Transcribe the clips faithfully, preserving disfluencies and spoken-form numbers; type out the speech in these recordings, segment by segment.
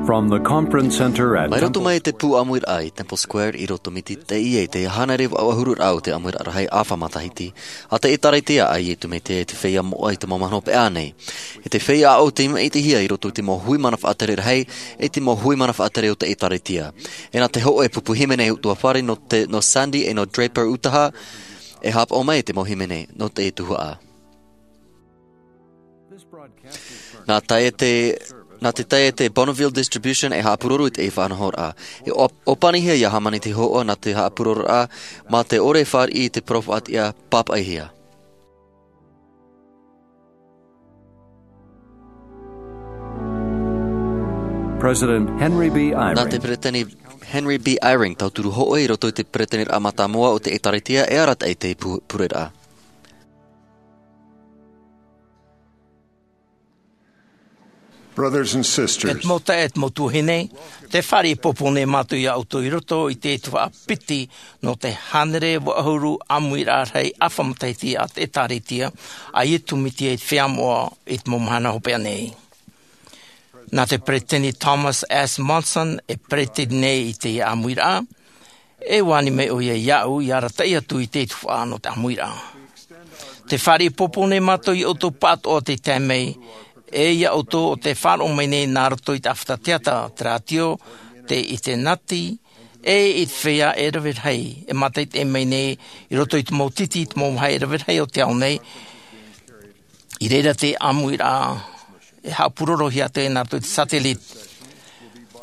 From the conference center at Mai roto Temple mai te pū ʻāmuiraʻa i Temple Square, i roto mai te, i te hānere vaʻu ʻahuru rā o te ʻāmuiraʻa rahi ʻāfa matahiti, a te ʻĒtārētia a Iesu Mesia i te feiā moʻa i te mau mahana hopeʻa nei. E te feiā ʻāʻau tei maʻitihia i roto i te mau hui mana faʻatere rahi, e te mau hui mana faʻatere o te ʻĒtārētia. E nā te hōʻē pupu hīmene ʻutuāfare nō te, nō Sandy e nō Draper Utah, e haʻapaʻo mai te mau hīmene nō te tuhaʻa. Nā tae te, nā te tae te Bonneville Distribution e haʻapuroro i te faʻanahoraʻa. E ʻō-, ʻōpanihia ia hāmani te hōʻē nā te haʻapurororaʻa, mā te ʻore fāriʻi i te parau faʻatiʻa pāpaʻihia. President Henry B. Eyring. Nā te Peretiteni Henry B. Eyring, tauturu hōʻē i roto i te Peretiteniraʻa mātāmua o te ʻĒtārētia e arataʻi te pu-, pureraʻa. Brothers and sisters. E te mau taeaʻe, e te mau tuahine, tē fāriʻi pōpō nei mātou ia ʻoutou i roto i te tuhaʻa piti nō te hānere vaʻu ʻahuru ʻāmuiraʻa rahi ʻāfa matahiti a te ʻĒtārētia a Iesu Mesia i te feiā moʻa i te mau mahana hopeʻa nei. Nā te Peretiteni Thomas S. Monson e peretiteni nei i te ʻāmuiraʻa, e ani mai ʻoia iāʻu ia arataʻi atu i te tuhaʻa nō te ʻāmuiraʻa. Tē fāriʻi pōpō nei mātou ia ʻoutou pāʻatoʻa tei tae mai, e ia ʻoutou ʻo tē faʻaroʻo mai nei nā roto i te ʻāfata teata, te rātio, te ʻinitēneti, e i te feiā e rave rahi, e mātaʻitaʻi mai nei i roto i te mau titi, te mau vāhi e rave rahi o te ao nei, i reira te ʻāmuiraʻa e haʻapurorohia atu nā roto i te satellite.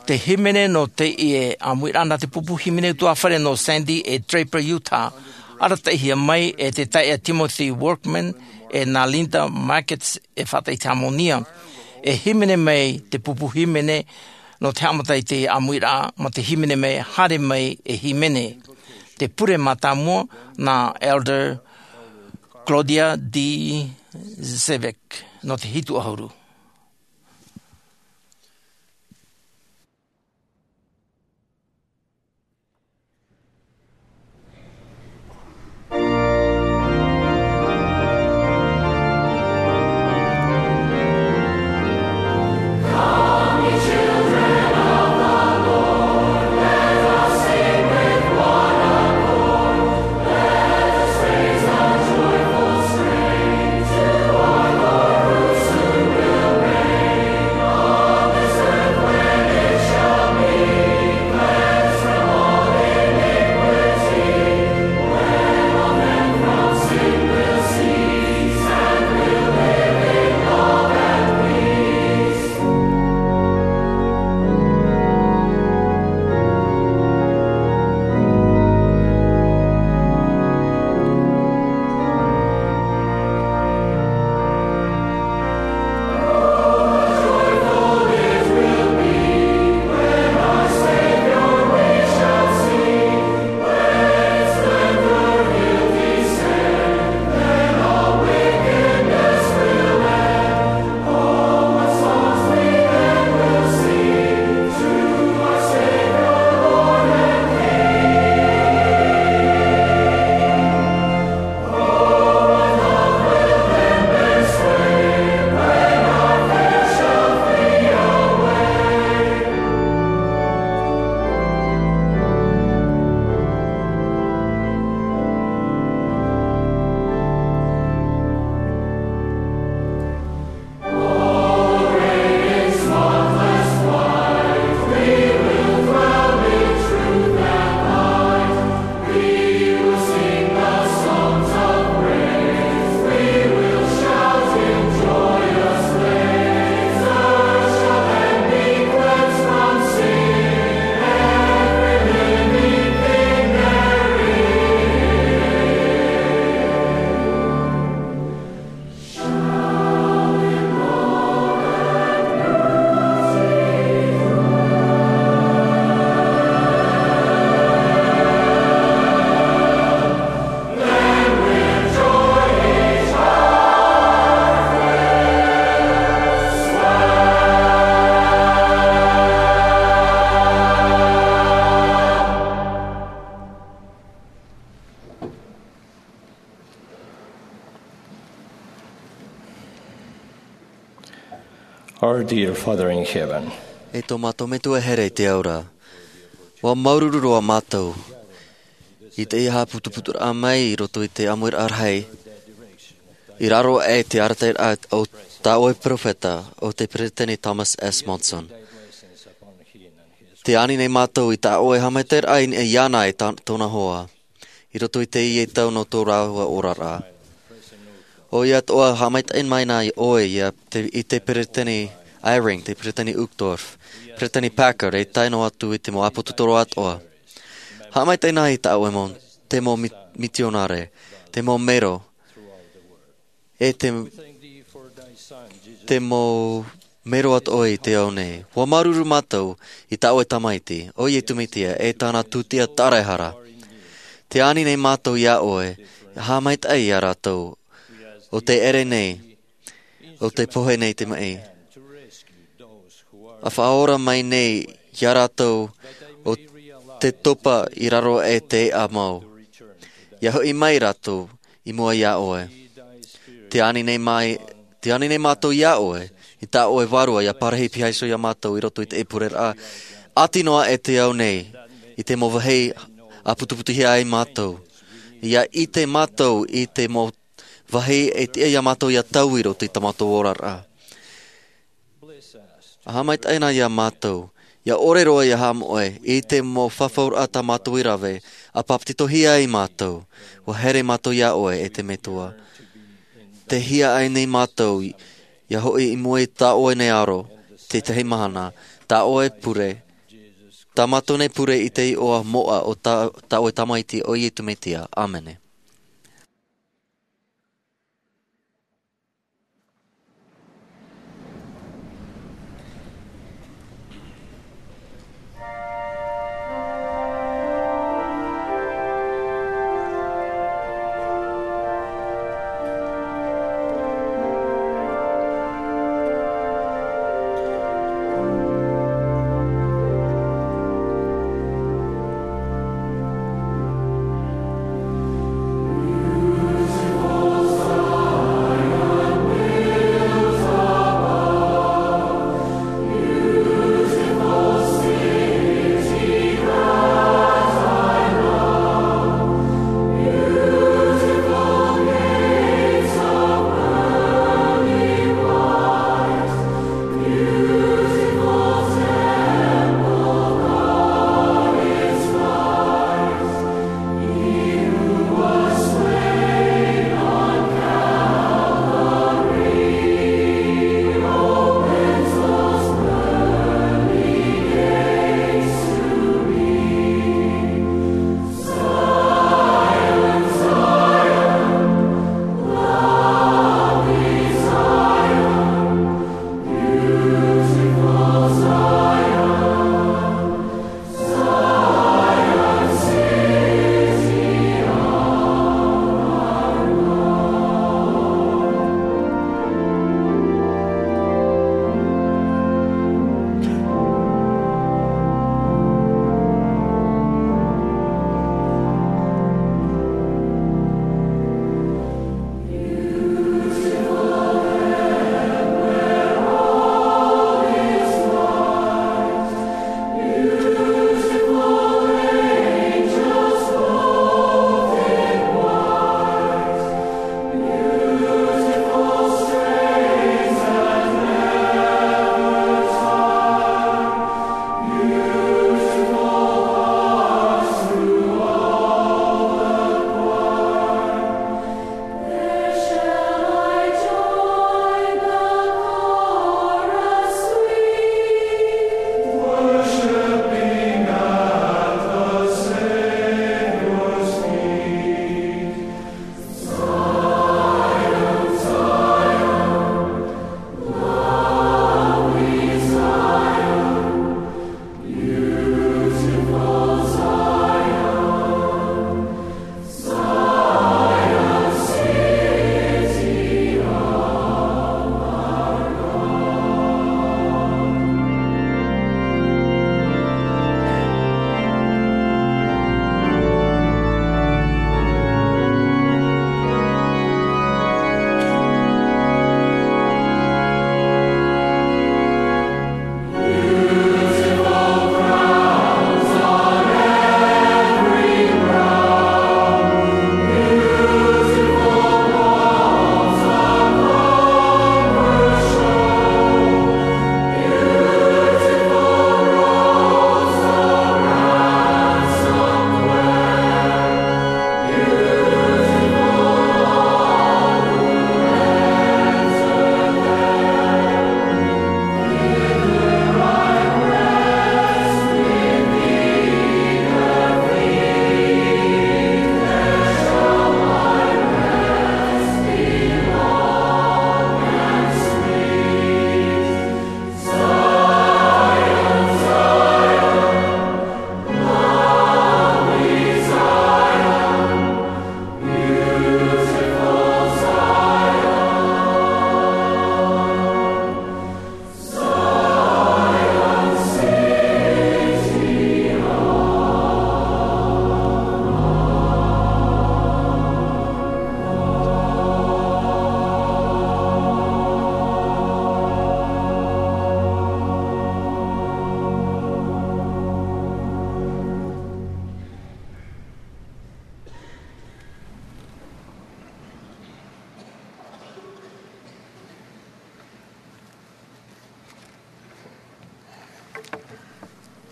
Te hīmene nō teie ʻāmuiraʻa nā te pupu hīmene ʻutuāfare nō Sandy e Draper, Utah, arataʻihia mai e te taeaʻe Timothy Workman e nā Linda Markets e faʻaʻite hāmani. E hīmene mai te pupu hīmene nō te haʻamata i te ʻāmuiraʻa, mā te hīmene mai, haere mai e hīmene. Te pure mātāmua nā Elder Claudia D. Zivak nō te hitu ʻahuru. Our dear Father in heaven, E tō mātou Metua here i te ao ra, ʻua māuruuru roa mātou i teie haʻaputuputuraʻa mai i roto i te ʻāmuiraʻa rahi, i raro aʻe i te arataʻiraʻa o tā ʻoe perofeta, o te Peresideni Thomas S. Monson. Tē ani nei mātou i tā ʻoe haʻamaitaʻiraʻa i niʻa iāna e tā, tōna hoa, i roto i teie tau nō tō rāua oraraʻa. ʻOia atoʻa, haʻamaitaʻi mai na ʻoe ia te, i te Peresideni Eyring, te Peresideni Uchtdorf, Peresideni Packer, e tae noa atu i te mau ʻāpōsetolo atoʻa. Haʻamaitaʻi na i tā ʻoe mau, te mau mi-, mitionare, te mau mero, e te, te mau mero atoʻa i te ao nei. ʻUa māuruuru mātou i tā ʻoe Tamaiti, ʻo Iesu Mesia, e tāna tūtia tāraehara. Tē ani nei mātou iā ʻoe, haʻamaitaʻi iā rātou, ʻo tē ʻere nei, ʻo tē pohe nei te maʻi, ʻa faʻaora mai nei iā rātou ʻo tē topa i raro aʻe i te eʻa mau. ʻIa hoʻi mai rātou i mua iā ʻoe. Tē ani nei mai, tē ani nei mātou iā ʻoe, i tā ʻoe Vārua ʻia parahi pihaʻi iho iā mātou i roto i te pureraʻa, ʻati noa aʻe i te ao nei, i te mau vāhi ʻāputuputuhia ai mātou. ʻIa ʻite mātou i te mau vāhi e tiʻa iā mātou ʻia taui i roto i tā mātou oraraʻa. Haʻamaitaʻi na iā mātou, ʻia ʻore roa ʻia haʻamoʻe i te mau fafauraʻa tā mātou i rave, ʻa bāpetizohia ai mātou, ʻua here mātou iā ʻoe e te Metua. Tē hia aʻe nei mātou, ʻia hoʻi i mua i tā ʻoe nei aro, te tahi mahana, tā ʻoe pure, tā mātou nei pure i te iʻoa moʻa o tā, tā ʻoe Tamaiti ʻo Iesu Mesia. ʻĀmene.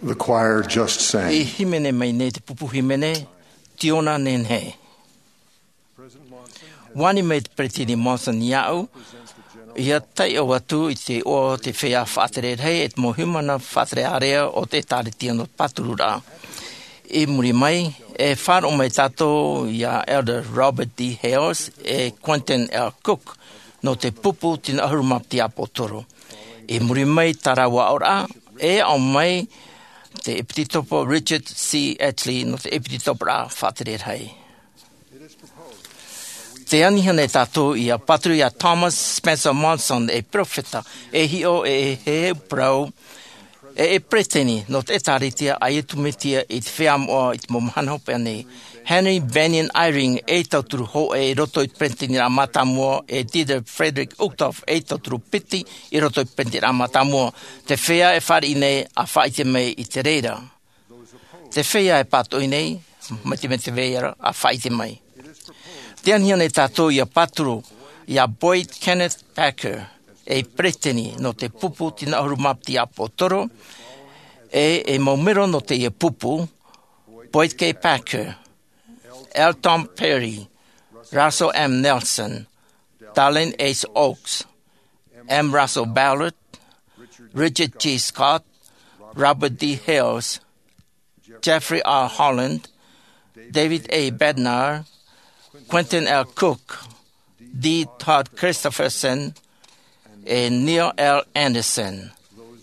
The choir just sang. I hīmene mai nei te pupu hīmene, Tiona Nenehe. Ua ani mai te Peresideni Monson iāʻu, ʻia taiʻo atu i te iʻoa o te feiā faʻatere rahi e te mau haʻamanaʻo faʻatere ārea o te ʻĒtārētia nō te pāturu ra. I muri mai, e faʻaroʻo mai tātou iā Elder Robert D. Hales e Quentin L. Cook nō te pupu tino ʻahuru mā piti ʻāpōsetolo. I muri mai tā rāua aʻoraʻa, e aʻo mai te ʻEpitekopo Richard C. Ashley nō te ʻepitekopo faʻatere rahi. Tē ani nei tātou ʻia pāturu iā Thomas Spencer Monson, e peropheta, e hiʻo, e heheu parau, e, e peresideni nō te ʻĒtārētia a Iesu Mesia i te feiā moʻa i te mau mahana hopeʻa nei. Henry Bennion Eyring, e tauturu hōʻē i roto i te peresideni mātāmua, e Dieter Friedrich Uchtdorf, e tauturu piti i roto i te peresideni mātāmua. Te feiā e fāriʻi nei ʻia faʻaʻite mai i te reira. Te feiā e pātoʻi nei, mai te mea te reira, ʻia faʻaʻite mai. Tē ani nei tātou ʻia pāturu iā Boyd Kenneth Packer, e peresideni nō te pupu tino ʻahuru mā piti ʻāpōsetolo, e, e mau mero nō teie pupu, Boyd K. Packer, L. Tom Perry, Russell M. Nelson, Dallin H. Oaks, M. Russell Ballard, Richard G. Scott, Robert D. Hales, Jeffrey R. Holland, David A. Bednar, Quentin L. Cook, D. Todd Christofferson, e Neil L. Andersen.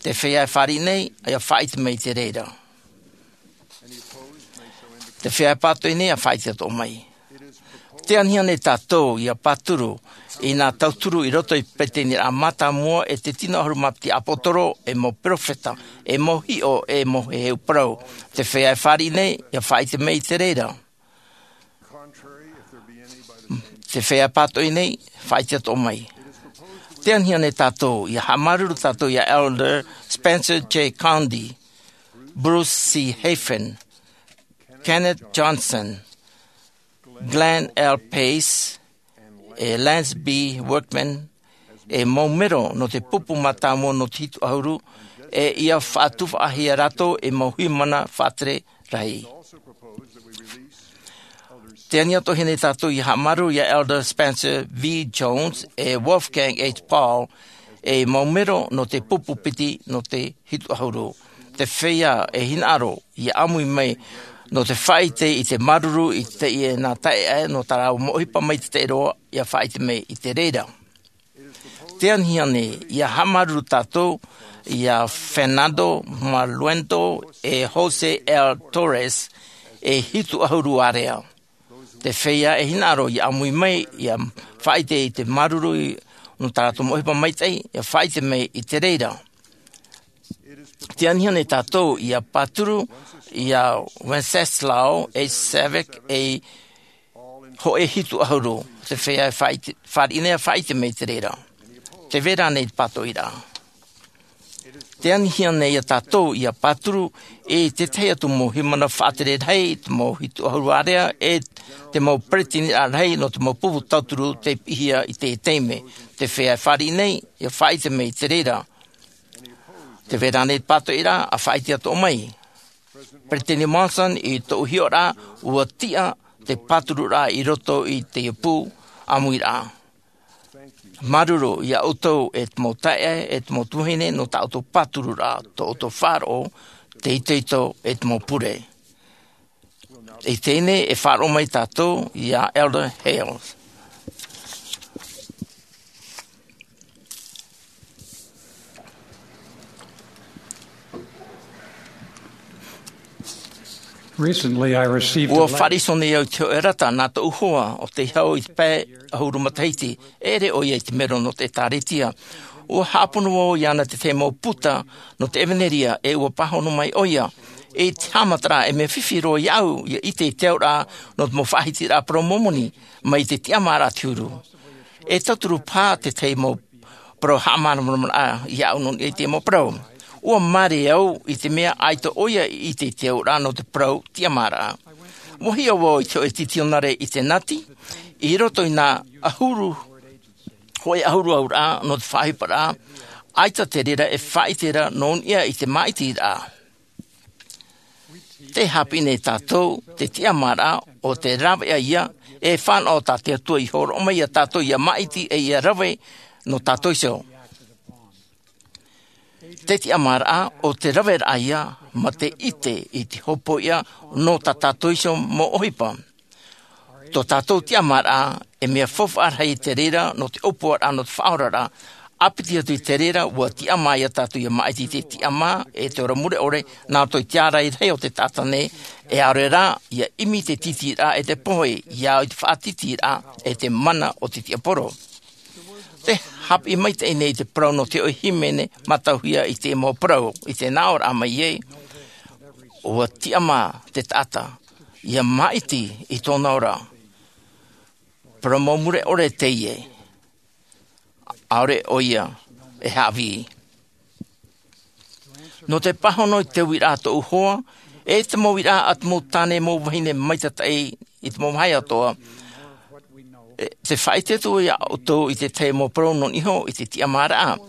Te feiā e fāriʻi nei, ʻia faʻaʻite mai i te reira. Te feiā e pātoʻi nei, ʻia faʻaʻite atoʻa mai. Tē ani nei tātou ʻia pāturu i nā tauturu i roto i te peresideni mātāmua, e te tino ʻahuru mā piti ʻāpōsetolo, e mau peropheta, e mau hiʻo, e mau heheu parau. Te feiā e fāriʻi nei, ʻia faʻaʻite mai i te reira. Te feiā e pātoʻi nei, faʻaʻite atoʻa mai. Tē ani nei tātou, ʻia haʻamāuruuru tātou iā Elder Spencer J. Condie, Bruce C. Hafen, Kenneth Johnson, Glenn L. Pace, e Lance B. Workman, e mau mero nō te pupu mātāmua nō te hitu ʻahuru, e ʻia faʻatufaʻahia rātou e mau haʻamanaʻo faʻatere rahi. Tē ani atoʻa nei tātou ʻia haʻamāuruuru iā Elder Spencer V. Jones, e Wolfgang H. Paul, e mau mero nō te pupu piti nō te hitu ʻahuru. Te feiā e hinaʻaro ʻia ʻāmui mai nō te faʻaʻite i te māuruuru i teie nā taeaʻe nō tā rāua mau ʻohipa mai te taʻiroa, ʻia faʻaʻite mai i te reira. Tē ani nei, ʻia haʻamāuruuru tātou iā Fernando Maluenda, e Jose L. Torres, e hitu ʻahuru ārea. Te feiā e hinaʻaro ʻia ʻāmui mai, ʻia faʻaʻite i te māuruuru nō tā rātou mau ʻohipa maitaʻi, ʻia faʻaʻite mai i te reira. Tē ani nei tātou ʻia pāturu iā Wenceslao H. Savić, e hōʻē hitu ʻahuru. Te feiā e faʻaʻite, fāriʻi nei ʻia faʻaʻite mai i te reira. Tē vai ra ānei te pātoʻiraʻa? Tē ani nei iā tātou ʻia pāturu i te tahi atu mau haʻamanaʻo faʻatere rahi, te mau hitu ʻahuru ārea, e te mau peretiteni rahi nō te mau pupu tauturu tei piʻihia i te taime. Te feiā e fāriʻi nei, ʻia faʻaʻite mai i te reira. Tē vai ra ānei te pātoʻiraʻa? ʻIa faʻaʻite atoʻa mai. Peresideni Monson, i tōʻu hiʻoraʻa, ʻua tiʻa te pātururaʻa i roto i teie pū ʻāmuiraʻa. Māuruuru iā ʻoutou e te mau taeaʻe, e te mau tuahine, nō tā ʻoutou pātururaʻa, tō ʻoutou faʻaroʻo, te itoito, e te mau pure. I teie nei e faʻaroʻo mai tātou iā Elder Hales. Recently, I received a letter. Ua faʻariso nei au i te hōʻē rata nā tōʻu hoa ʻo tei hau i te pae ʻahuru matahiti, e ʻere ʻoia i te mero nō te ʻĒtārētia. Ua haʻapono vau iāna te tahi mau puta nō te ʻevanelia, e ua pāhono mai ʻoia. I te haʻamataraʻa, e mea fifi roa iāʻu ʻia ʻite i te auraʻa nō te mau faʻahitiraʻa parau Mōmoni mai te tiʻamāraʻa te huru. E tauturu paha te tahi mau parau haʻamāramaramaraʻa iāʻu nō niʻa i te mau parau. Ua māere au i te mea ʻaita ʻoia i ʻite i te auraʻa nō te parau tiʻamāraʻa. Ua hiʻo vau i te hōʻē titionare i te nati, i roto i nā ʻahuru, hōʻē ʻahuru auraʻa nō te faʻaʻohiparaʻa, ʻaita te reira e faʻaʻite ra nō niʻa i te māʻitiraʻa. Te hāpiʻi nei tātou te tiʻamāraʻa o te rāveʻa ia e fānaʻo tā te Atua i hōroʻa mai iā tātou ia māʻiti e ia rave nō tātou iho. Te tiʻamāraʻa o te raveraʻa ia ma te ʻite i te hopoiʻa nō tā tātou iho mau ʻohipa. Tō tātou tiʻamāraʻa e mea faufaʻa rahi i te reira nō te ʻōpuaraʻa nō te faʻaoraraʻa. ʻĀpiti atu i te reira ua tiʻamā iā tātou ia māʻiti i te tiʻamā e te ora mure ʻore nā roto i te ārai rahi o te taʻata nei, e ʻaore rā ia ʻimi i te tītīraʻa e te pohe ia au i te faʻatītīraʻa e te mana o te tiaporo. Te hāpiʻi maitaʻi nei i te parau nō te hoʻi hīmene mātauhia i te mau parau i te nāʻōraʻa mai ē, ua tiʻamā te taʻata ia māʻiti i tōna ora. Parau mau mure ʻore teie, ʻaore ʻoia e haʻavī. Nō te pāhono i te uiraʻa tōʻu hoa e te mau uiraʻa a te mau tāne mau vahine maitataʻi i te mau vāhi atoʻa, e te faʻaʻite atu iā ʻoutou i te tahi mau parau nō niʻa iho i te tiʻamāraʻa.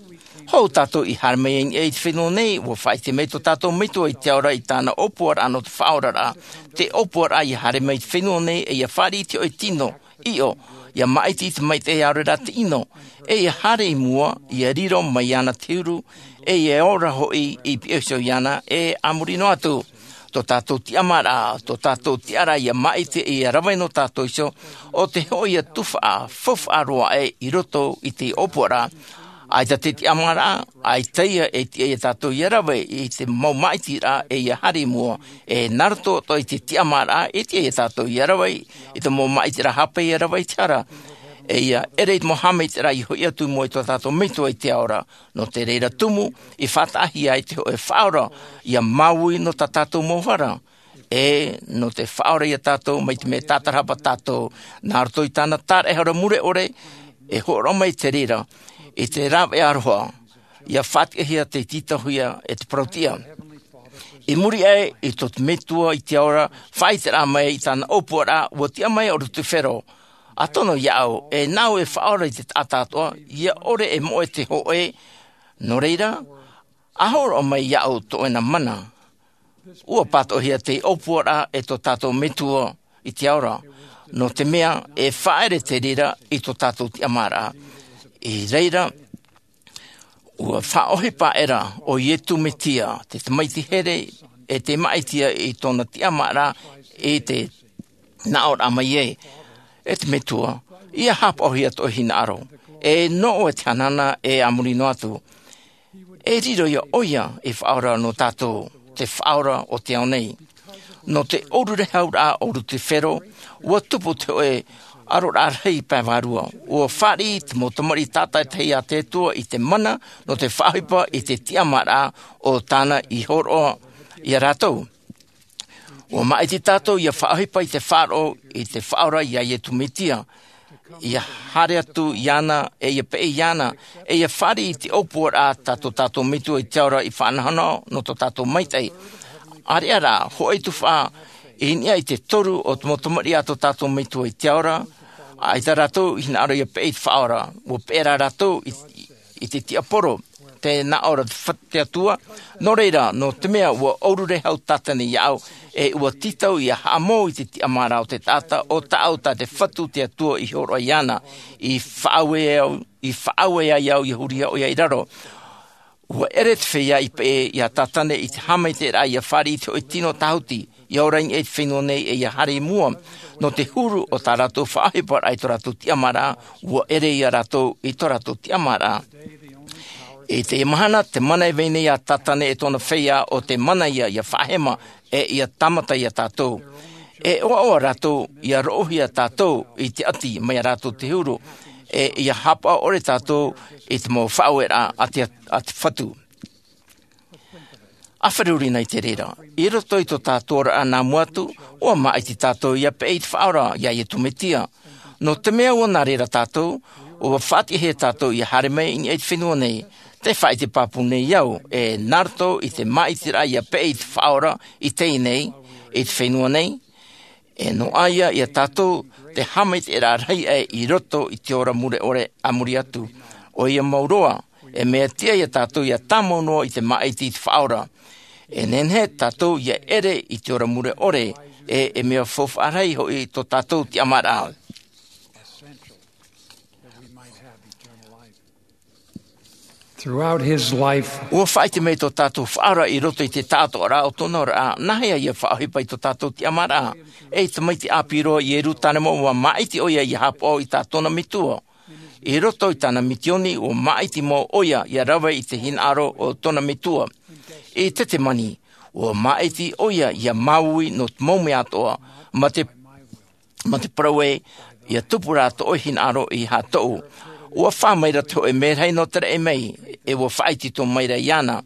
Hou tātou i haere mai i niʻa i te fenua nei ua faʻaʻite mai tō tātou metua i te ao ra i tāna ʻōpuaraʻa nō te faʻaoraraʻa. Te ʻōpuaraʻa ia haere mai i te fenua nei e ia fāriʻi i te hoʻi tino, ʻio, ia māʻiti i te maitaʻi ʻaore rā te ʻino, e ia haere i mua ia riro mai iāna te huru, e ia ora hoʻi i piʻo iho iāna e a muri noa atu. Tō tātou tiʻamāraʻa, tō tātou tiʻaraʻa ia māʻiti e ia rave nō tātou iho, o te hoʻi ia tufaʻa faufaʻa roa aʻe i roto i te ʻōpuaraʻa. ʻAita te tiʻamāraʻa, ʻaita ia e tiʻa iā tātou ia rave i te mau māʻitiraʻa e ia haere i mua, e nā roto atoʻa i te tiʻamāraʻa e tiʻa iā tātou ia rave i te mau māʻitiraʻa hāpai ia rave i te hara, e ia ʻere i te mau haʻamaitaʻiraʻa i hoʻi atu i mua i tō tātou metua i te ao ra. Nō te reira tumu i faʻataʻahia ai te hoʻi faʻaora ia māuiui nō tā tātou mau hara, e nō te faʻaora iā tātou mai te mea tātarahapa tātou nā roto i tāna taraʻehara mure ʻore. E hōroʻa mai te reira i te rāveʻa aroha ia faʻatiʻahia te tītauhia e te parauʻtiʻa. I muri aʻe i tō te metua i te ao ra faʻaʻiteraʻa mai i tāna ʻōpuaraʻa ua tiʻa mai o Lutifero. A tono iāʻu e nāʻu e faʻaora i te taʻata atoʻa ia ʻore e moʻe te hōʻē. Nō reira a hōroʻa mai iāʻu tō ʻoe mana. Ua pātoʻihia te ʻōpuaraʻa e tō tātou metua i te ao ra, nō te mea e faʻaʻere te reira i tō tātou tiʻamāraʻa. I reira ua faʻaʻohipa aʻera ʻo iesu mesia te tamaiti here e te māʻiti ia i tōna tiʻamāraʻa i te nāʻōraʻa mai ē, e te metua ia hapaʻohia tō ʻoe hinaʻaro, e nō ʻoe te hanahana e a muri noa atu. E riro ia ʻoia i faʻaora nō tātou te faʻaora o te ao nei. Nō te ʻōrurehauraʻa o Lutifero ua tupu te hoʻi aroraʻa rahi pae vārua. Ua fāriʻi te mau tamariʻi tātaitahi a te Atua i te mana nō te faʻaʻohipa i te tiʻamāraʻa o tāna i hōroʻa iā rātou. Ua māʻiti tātou ia faʻaʻohipa i te faʻaroʻo i te faʻaora iā iesu mesia, ia haere atu iāna e ia peʻe iāna, e ia fāriʻi i te ʻōpuaraʻa tā tō tātou metua i te ao ra i faʻanahonaho nō tō tātou maitaʻi. ʻĀreʻa rā hoʻi tufaʻa i niʻa i te toru o te mau tamariʻi a tō tātou metua i te ao ra, ʻaita rātou i hinaʻaro ia peʻe i te faʻaora. Ua peʻe rā rātou i i te tiaporo, te nāʻō ra te fatu te Atua. Nō reira nō te mea ua ʻōrurehau tātane iāʻu, e ua tītau ia haʻamou i te tiʻamāraʻa o te taʻata o tāʻu tā te fatu te Atua i hōroʻa iāna, i faʻaue au i faʻaue ai au ia huri ʻoia i raro. Ua ʻere te feiā i peʻe iā tātane i te haʻamaitaʻiraʻa ia fāriʻi i te hoʻi tino tāhuti ia ora i niʻa i te fenua nei e ia haere i mua. Nō te huru o tā rātou faʻaʻohiparaʻa i tō rātou tiʻamāraʻa, ua ʻere iā rātou i tō rātou tiʻamāraʻa. I teie mahana te mana e vai nei iā tātane e tōna feiā o te mana ia ia faʻahema e ia tāmata iā tātou. E ʻoaʻoa rātou ia roʻohia tātou i te ʻati mai iā rātou te huru, e ia hapaʻo ʻore tātou i te mau faʻaueraʻa a te a te fatu. A feruri nei te reira i roto i tō tātou oraraʻa nā mua atu, ua māʻiti tātou ia peʻe i te faʻaora iā iesu mesia. Nō te mea ua nā reira tātou, ua faʻatiʻahia tātou ia haere mai i niʻa i te fenua nei. Te faʻaʻite pāpū nei au, e nā roto i te māʻitiraʻa ia peʻe i te faʻaora i teie nei, i te fenua nei, e noaʻa ia iā tātou te haʻamaitaʻiraʻa rahi aʻe i roto i te ora mure ʻore a muri atu. ʻOia mau roa, e mea tiʻa iā tātou ia tāmau noa i te māʻiti i te faʻaora. E nehenehe tātou ia ʻere i te ora mure ʻore, e e mea faufaʻa rahi hoʻi tō tātou tiʻamāraʻa. Throughout his life, ua faʻaʻite mai tō tātou Faʻaora i roto i te taʻatoʻaraʻa o tōna oraraʻa nāhea ia faʻaʻohipa i tō tātou tiʻamāraʻa. Ei tamaiti ʻāpī roa i Ierutarema, ua māʻiti ʻoia ia hāpaʻo i tā tōna metua. I roto i tāna mitioni, ua māʻiti mau ʻoia ia rave i te hinaʻaro o tōna metua. I Tetemani, ua māʻiti ʻoia ia māuiui nō te mau mea atoʻa, ma te ma te parau ē, ia tupu rā tō ʻoe hinaʻaro i hātoʻu. Ua fā maira te hōʻē merahi nō te raʻi mai, e ua faʻaitoito maira iāna.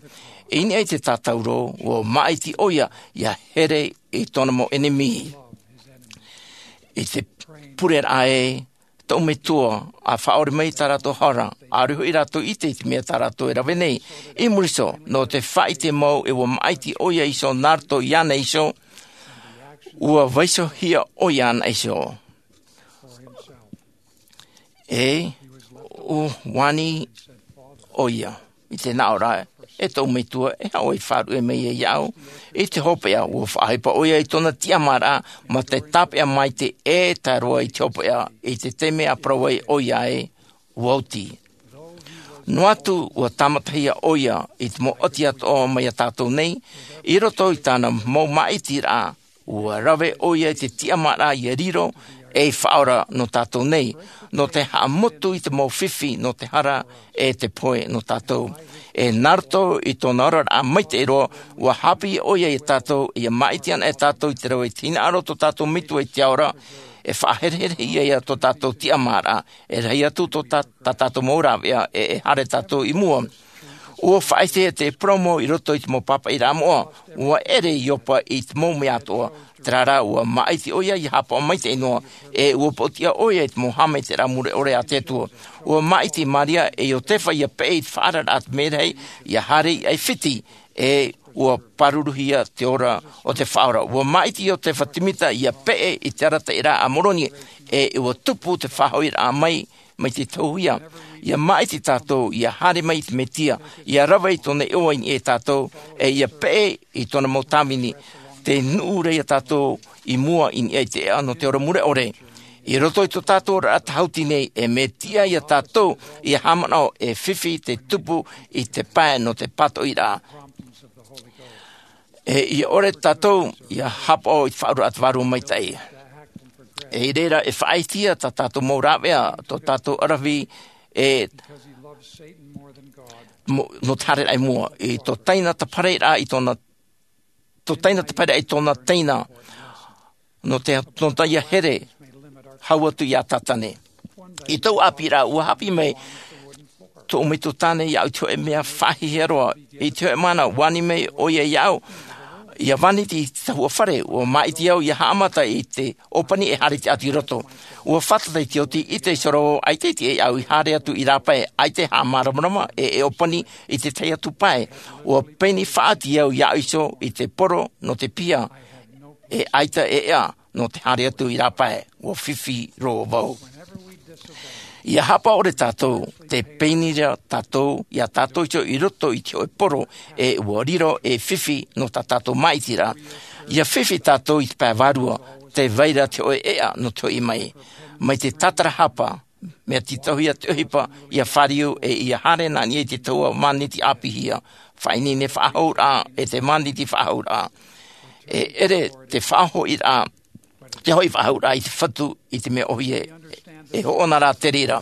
I niʻa i te tātauro, ua māʻiti ʻoia ia here i tōna mau ʻenemi. I te pureraʻa ē, tōʻu metua, a faʻaʻore mai tā rātou hara, ʻaore hoʻi rātou ʻite i te mea tā rātou e rave nei. I muri iho, nō te faʻaʻite mau e ua māʻiti ʻoia iho nā roto iāna iho, ua vaiihohia ʻoia anaʻe iho. E ua ani ʻoia i te nāʻōraʻa, e tōʻu metua, e haʻu ai faʻaruʻe mai ia iāʻu. I te hopeʻa, ua faʻaʻohipa ʻoia i tōna tiʻamāraʻa ma te tāpeʻa maitaʻi e tae roa i te hopeʻa, i te taime a parau ai ʻoia ē, ua oti. Noa atu ua tāmatahia ʻoia i te mau ʻati atoʻa mai iā tātou nei, i roto i tāna mau māʻitiraʻa, ua rave ʻoia i te tiʻamāraʻa ia riro ei Faʻaora nō tātou nei, nō te haʻamotu i te mau fifi nō te hara e te pohe nō tātou. E nā roto i tōna oraraʻa maitaʻi roa, ua haʻapiʻi ʻoia iā tātou, ia māʻiti anaʻe tātou i te rave i te hinaʻaro o tō tātou Metua i te ao ra, e faʻahereherehia ia tō tātou tiʻamāraʻa, e rahi atu tō tā, tā tātou mau rāveʻa, e, e haere tātou i mua. Ua faʻaʻitehia te parau mau i roto i te mau pāpaʻiraʻa moʻa, ua ʻere Iopa i te mau mea atoʻa, terā rā, ua māʻiti ʻoia ia hāpaʻo maitaʻi noa, e ua pōtiʻa ʻoia i te mau haʻamaitaʻiraʻa mure ʻore a te Atua. Ua māʻiti Maria e Iotefa ia peʻe i te faʻaararaʻa a te merahi, ia haere i ʻAifiti, e ua pāruruhia te ora o te Faʻaora. Ua māʻiti Iotefa Temita ia peʻe i te arataʻiraʻa a Moroni, e ua tupu te faʻahoʻiraʻa mai, mai te tauhia. Ia māʻiti tātou, ia haere mai i te Mesia, ia rave i tōna iʻoa i niʻa ia tātou, e ia peʻe i tōna mau tāvini, tē nuʻu ra ia tātou i mua i niʻa i te ʻēʻa nō te ora mure ʻore. I roto i tō tātou oraraʻa tāhuti nei, e mea tiʻa ia tātou, ia haʻamanaʻo e fifi te tupu i te pae nō te pātoʻiraʻa. E ia ʻore tātou, ia hāpaʻo i te Faʻaoraraʻa a te Vārua Maitaʻi. E i reira e faʻaʻitehia tā tātou mau rāveʻa, tō tātou ʻaravihi, e mo-, nō te haereraʻa i mua, i tō Taina te parau ra, i tōna, tō Taina te parau ra, i tōna teina, nō te, nō te ia here, hau atu iā Tātane. I tōʻu ʻāpīraʻa, ua haʻapiʻi mai tōʻu metua tāne iāʻu i te hōʻē mea faʻahiahia roa. I te hōʻē mahana, ua ani mai ʻoia iāʻu, ia vāniti i te tahua fare, ua māʻiti au ia haʻamata i te ʻōpani e haere atu i roto. Ua fātata i te oti, ʻite iho roa vau, ʻaita e tiʻa iāʻu i haere atu i rāpae, ʻaita e haʻamāramarama, e, e ʻōpani i te tahi atu pae. Ua peni faʻaoti au iāʻu iho i te poro nō te piha, e ʻaita e ʻēʻa nō te haere atu i rāpae, ua fifi roa vau. Ia hāpaʻo ʻore tātou, tē peni ra tātou, iā tātou iho i roto i te hōʻē poro, e ua riro ei fifi nō tā tātou māʻitiraʻa. Ia fifi tātou i te pae vārua, tē vai ra te hōʻē ʻēʻa nō te hoʻi mai. Mai te tātarahapa, mea tītauhia te ʻohipa, ia fāriu, e ia haere nā niʻa i te tahua māniti ʻāpīhia, faʻaineine faʻahou ra, e te māniti faʻahou ra. E ʻere te faʻahoʻiraʻa, te hoʻi faʻahou ra i te Fatu, i te mea ʻōhie, e hoʻona rā te reira.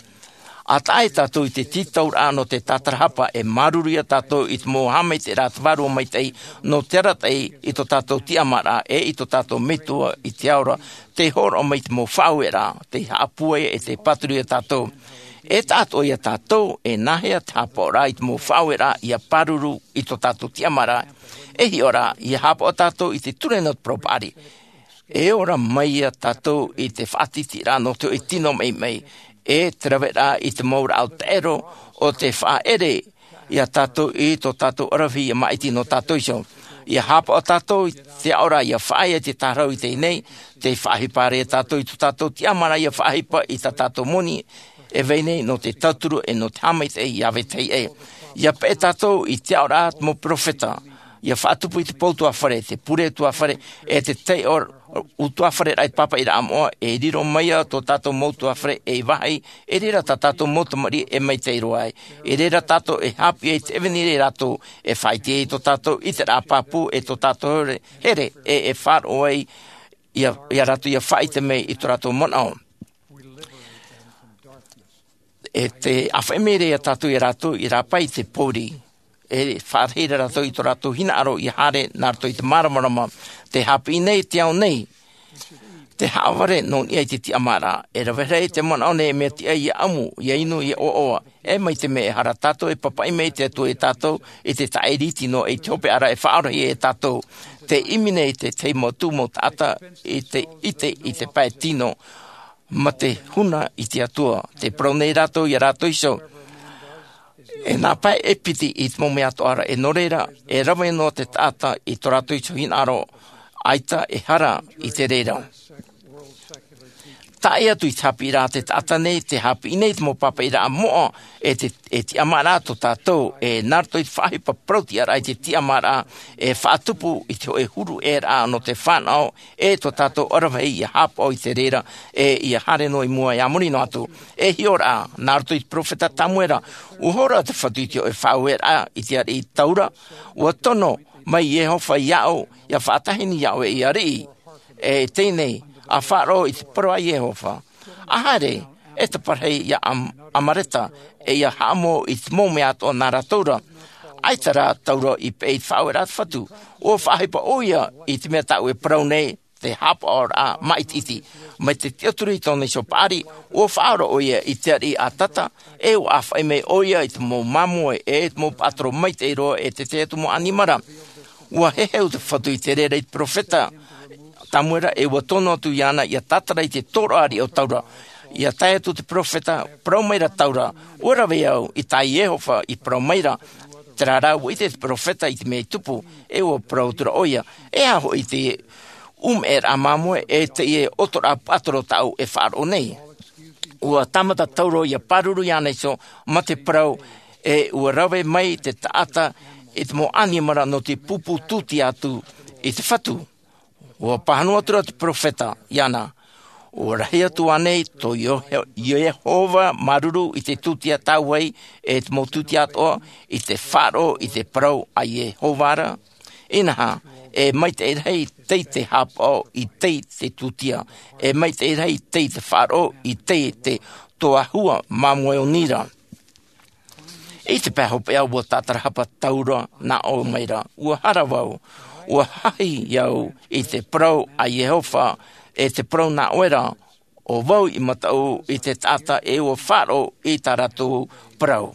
ʻA tae tātou i te tītauraʻa nō te tātarahapa, e māuruuru ia tātou i te mau haʻamaitaʻiraʻa a te Vārua Maitaʻi, nō te arataʻi i tō tātou tiʻamāraʻa, e i tō tātou Metua i te ao ra, tē hōroʻa mai i te mau faʻaueraʻa, tei haʻapūai e tei pāturu ia tātou. E taʻatoʻa ia tātou, e nāhea te hāpaʻoraʻa i te mau faʻaueraʻa, ia pāruru i tō tātou tiʻamāraʻa. E hiʻo ra, ia hāpaʻo tātou i te ture nō te parau paʻari. E ora mai ia tātou i te faʻatītīraʻa nō te hōʻē tino maʻimaʻi, e te raveraʻa i te mau rāʻau taʻero, ʻo te faʻaʻere ia tātou i tō tātou ʻaravihi ia māʻiti nō tātou iho. Ia hāpaʻo tātou i te aʻoraʻa ia faʻaea i te tārahu i teie nei, tei faʻaʻohipa ra ia tātou i tō tātou tiʻamāraʻa ia faʻaʻohipa i tā tātou moni, e vai nei nō te tauturu e nō te haʻamaitaʻi ia vetahi aʻe. Ia peʻe tātou i te aʻoraʻa a te mau peropheta. ia faʻatupu i te pou tuafare, te pure tuafare, e te taiʻo utuafare raʻa i te pāpaʻiraʻa moʻa, e riro mai ia tō tātou mau tuafare ei vāhi, e reira tā tātou mau tamariʻi e maitaʻi roa ai. E reira tātou e hāpiʻi ai te ʻevanelia ia rātou, e faʻaite ai tō tātou ʻiteraʻa pāpū, e tō tātou here, here, e, e faʻaroʻo ai ia, ia rātou ia faʻaite mai i tō rātou manaʻo. E te ʻāfaʻi mai ra ia tātou ia rātou i rāpae i te pōuri. E faʻarahi ra rātou i tō rātou hinaʻaro ia haere nā roto i te māramarama. Te hāpiʻi nei te ao nei, te haʻavare nō niʻa i te tiʻamāraʻa. E rave rahi te manaʻo nei e mea tiʻa ia ʻamu, ia inu, ia ʻoaʻoa. E mai te mea e hara tātou e pāpaʻi mai te Atua ia tātou i te taʻiriti noa i te hopeʻa ra e faʻaroʻo ia tātou. Te ʻimi nei te tahi mau tū mau taʻata i te ʻite i te pae tino ma te huna i te Atua. Te parau nei rātou ia rātou iho, e nā pae e piti i te mau mea atoʻa ra, e nō reira, e rave noa te taʻata i tō rātou iho hinaʻaro, ʻaita e hara i te reira. Tae atu i te hāpiʻiraʻa te taʻata nei, te hāpiʻi nei te mau pāpaʻiraʻa moʻa, e te, e tiʻamāraʻa tō tātou, e nā roto i te faʻaʻohipa parau-tiʻaraʻa i te tiʻamāraʻa, e faʻatupu i te hōʻē huru ʻē raʻa nō te fānaʻo, e tō tātou ʻaravihi ia hāpaʻo i te reira, e ia haere noa i mua e a muri noa atu. E hiʻoraʻa, nā roto i te peropheta Tamuera, ʻua hōroʻa te Fatu i te hōʻē faʻaueraʻa i te ariʻi Taura, ʻua tono mai Iehova iāʻu, ia faʻatahini iāʻu ei ariʻi. E teie nei, ʻa faʻaroʻo i te parau a Iehova. ʻA haere, e taparahi ia Am-, Amareta, e ia haʻamou i te mau mea atoʻa nā rātou ra. ʻAita rā Taura i peʻe i te faʻaueraʻa a te Fatu. ʻUa faʻaʻohipa ʻoia i te mea tāʻu e parau nei, te hāpaʻoraʻa māʻitiʻiti. Mai te tiʻaturi i tōna iho paʻari, ʻua faʻaora ʻoia i te ariʻi Atata, e ʻua ʻāfaʻi mai ʻoia i te mau māmoe, e te mau paʻatoro maitaʻi roa, e te tahi atu mau ʻanimara. ʻUa heheu te Fatu i te reira i te peropheta Tamuera, e ʻua tono atu iāna ia tātara i te tōroʻa ariʻi o Taura. Ia tae atu te peropheta, parau mai ra Taura, ʻua rave au i tā Iehova i parau mai ra. Terā rā ʻua ʻite te peropheta i te mea i tupu, e ʻua parau atu ra ʻoia. E aha hoʻi te ʻumeʻeraʻa māmoe, e teie ʻotoraʻa paʻatoro tāʻu e faʻaroʻo nei? ʻUa tāmata Taura ia pāruru iāna iho ma te parau, e ʻua rave mai te taʻata i te mau ʻanimara nō te pūpū tūtia atu i te Fatu. ʻUa pāhono atu ra te peropheta iāna, ʻua rahi atu ānei tō Io-, Iehova māuruuru i te tūtia tāuaʻi, e te mau tūtia atoʻa, i te faʻaroʻo i te parau a Iehova ra? Inaha, e maitaʻi rahi tei te hāpaʻo i tei te tūtia, e maitaʻi rahi tei te faʻaroʻo i tei te toahua māmoe o Nira. I te pae hopeʻa ʻua tātarahapa Taura nā ʻō mai ra, ʻua hara vau, ʻua hahi au i te parau a Iehova, e te parau nā ʻoe ra, ʻo vau i mataʻu i te taʻata e ʻua faʻaroʻo i tā rātou parau.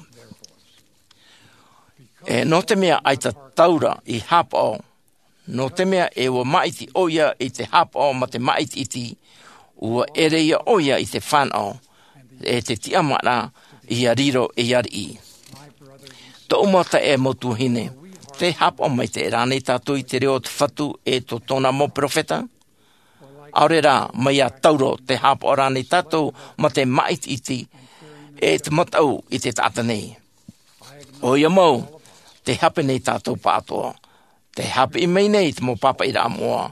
E nō te mea ʻaita Taura i hāpaʻo, nō te mea e ʻua māʻiti ʻoia i te hāpaʻo ma te māʻitiʻiti, ʻua ʻere ia ʻoia i te fānaʻo, e te tiʻamāraʻa ia riro ei ariʻi. Tōʻu mau taeaʻe, mau tuahine, tē hāpaʻo maitaʻi rānei tātou i te reo o te Fatu e tō tōna mau peropheta? ʻAore rā, mai iā Taura, tē hāpaʻo rānei tātou ma te māʻitiʻiti e te mataʻu i te taʻata nei? ʻOia mau, tē hape nei tātou pāʻatoʻa. Tē haʻapiʻi mai nei te mau pāpaʻiraʻa moʻa.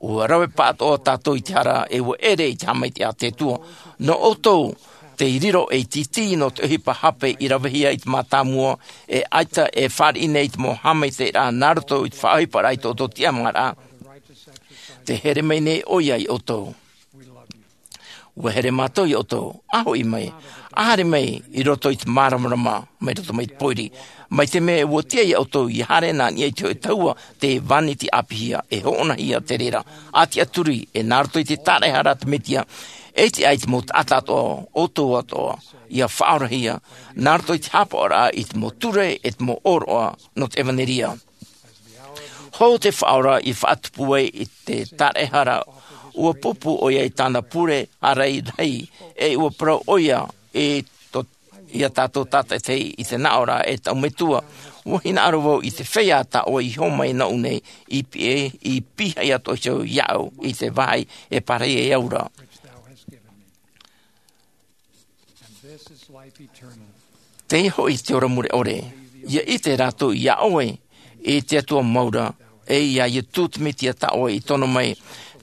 ʻUa rave pāʻatoʻa tātou i te hara, e ʻua ʻere i te haʻamaitaʻi a te Atua. Nō ʻoutou, tei riro ei tītī nō te ʻohipa hape i ravehia i te mātāmua, e ʻaita e fāriʻi nei i te mau haʻamaitaʻiraʻa nā roto i te faʻaʻohiparaʻa i tō ʻoutou tiʻamāraʻa. Tē here mai nei ʻoia iā ʻoutou. ʻUa here mātou iā ʻoutou, ʻa hoʻi mai, ʻa haere mai i roto i te māramarama, mai roto mai te pōiri. Mai te mea ʻua tiʻa iā ʻoutou ʻia haere nā niʻa i te hōʻē tahua, tē vāniti ʻāpīhia, e hōʻonahia te reira, ʻa tiʻaturi, e nā roto i te tāraʻehara a te Mesia, e tiʻa ai te mau taʻata atoʻa, ʻoutou atoʻa, ʻia faʻaorahia, nā roto i te hāpaʻoraʻa i te mau ture, e te mau ʻōroʻa, nō te ʻevaneria. Hou te Faʻaora i faʻatupu ai i te tāraʻehara, ʻua pūpū ʻoia i tāna pure ārai rahi, e ʻua parau ʻoia i tō, iā tātou tātaʻitahi i te nāʻōraʻa, e taʻu metua, ʻua hinaʻaro vau i te feiā tā ʻoe i hōmai nōʻu nei, i pī-, i pīhaʻi atoʻa iho iāʻu i te vāhi e pārahi ai au ra. Teie hoʻi te ora mure ʻore, ʻia ʻite rātou iā ʻoe, i te Atua mau ra, e ia Iesu Mesia tā ʻoe i tono mai.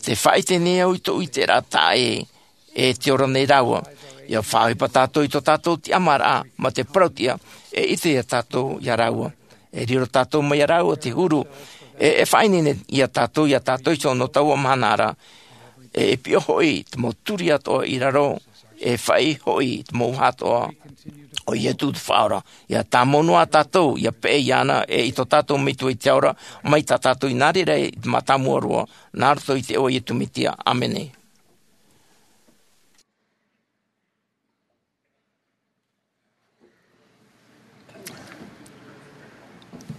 Te faʻaʻite nei au i tō ʻoe ʻiteraʻa taʻa ʻē, e te ora nei rāua. Ia faʻaʻohipa tātou i tō tātou tiʻamāraʻa, mā te parauʻtiʻa, e ʻite ia tātou ia rāua. E riro tātou mai ia rāua te huru, e, e faʻaineine ia tātou, ia tātou iho nō taua mahana ra. E, e piʻo hoʻi te mau turi atoʻa i raro, e faʻaʻī hoʻi te mau uʻaha atoʻa o Iesu te Faʻaora. Ia tāmau noa tātou, ia peʻe iāna, e i tō tātou Metua i te ao ra, mai tā tātou i nā reira i te mātāmua roa, nā roto i te iʻoa o Iesu Mesia. ʻĀmene.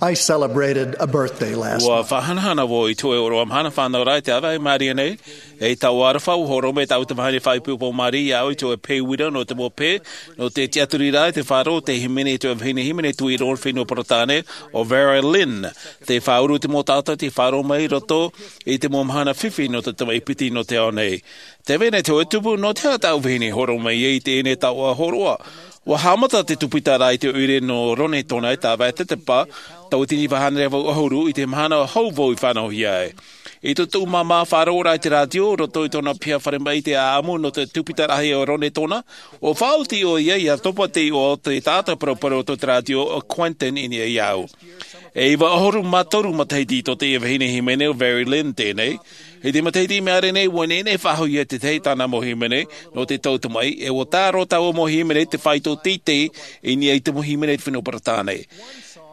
I celebrated a birthday last Ua night. Faʻahanahana vau i te hōʻē ʻōroʻa mahana fānau ra i te ʻāvaʻe i Maria nei, e i taua aroha ua hōroʻa mai tāʻu te vahine faʻaipoipo Maria iā ʻoe i te hōʻē pē uira nō te mau pē, nō te tiʻaturi ra i te faʻaroʻo te hīmene i te hōʻē vahine hīmene tuiroʻo nō te fenua Peretāne, ʻo Vera Lynn. Tē faʻauru te mau taʻata tei faʻaroʻo mai i roto i te mau mahana fifi nō te tamaʻi piti nō te ao nei. Tē vai nei te hōʻē tumu, nō te aha tāʻu vahine i hōroʻa mai ai i teie nei taoʻa hōroʻa? Ua haʻamata te tūpita ra i te ʻoire nō Ronetona i te ʻāvaʻe Tetepa, tauatini iva hānere vaʻu ʻahuru, i te mahana hou vau i fānauhia ai. I tō tāʻu māmā faʻaroʻo ra i te rātio, roto i tōna piha fare maʻi te ʻāʻamu nō te tūpita rahi o Ronetona, ʻua faʻaoti ʻoia ia topa te iʻoa o te taʻata paraparau o te rātio, ʻo Quentin, i niʻa iāʻu. E iva ʻahuru mā toru matahiti tō teie vahine hīmene ʻo Vera Lynn teie nei. I te matahiti i maʻiri nei, ua nehenehe e faʻahou ia te tahi tāna mau hīmene, nō te tau tamaʻi, e ua tā roa taua mau hīmene te faito teitei i niʻa i te mau hīmene i te fenua Peretāne.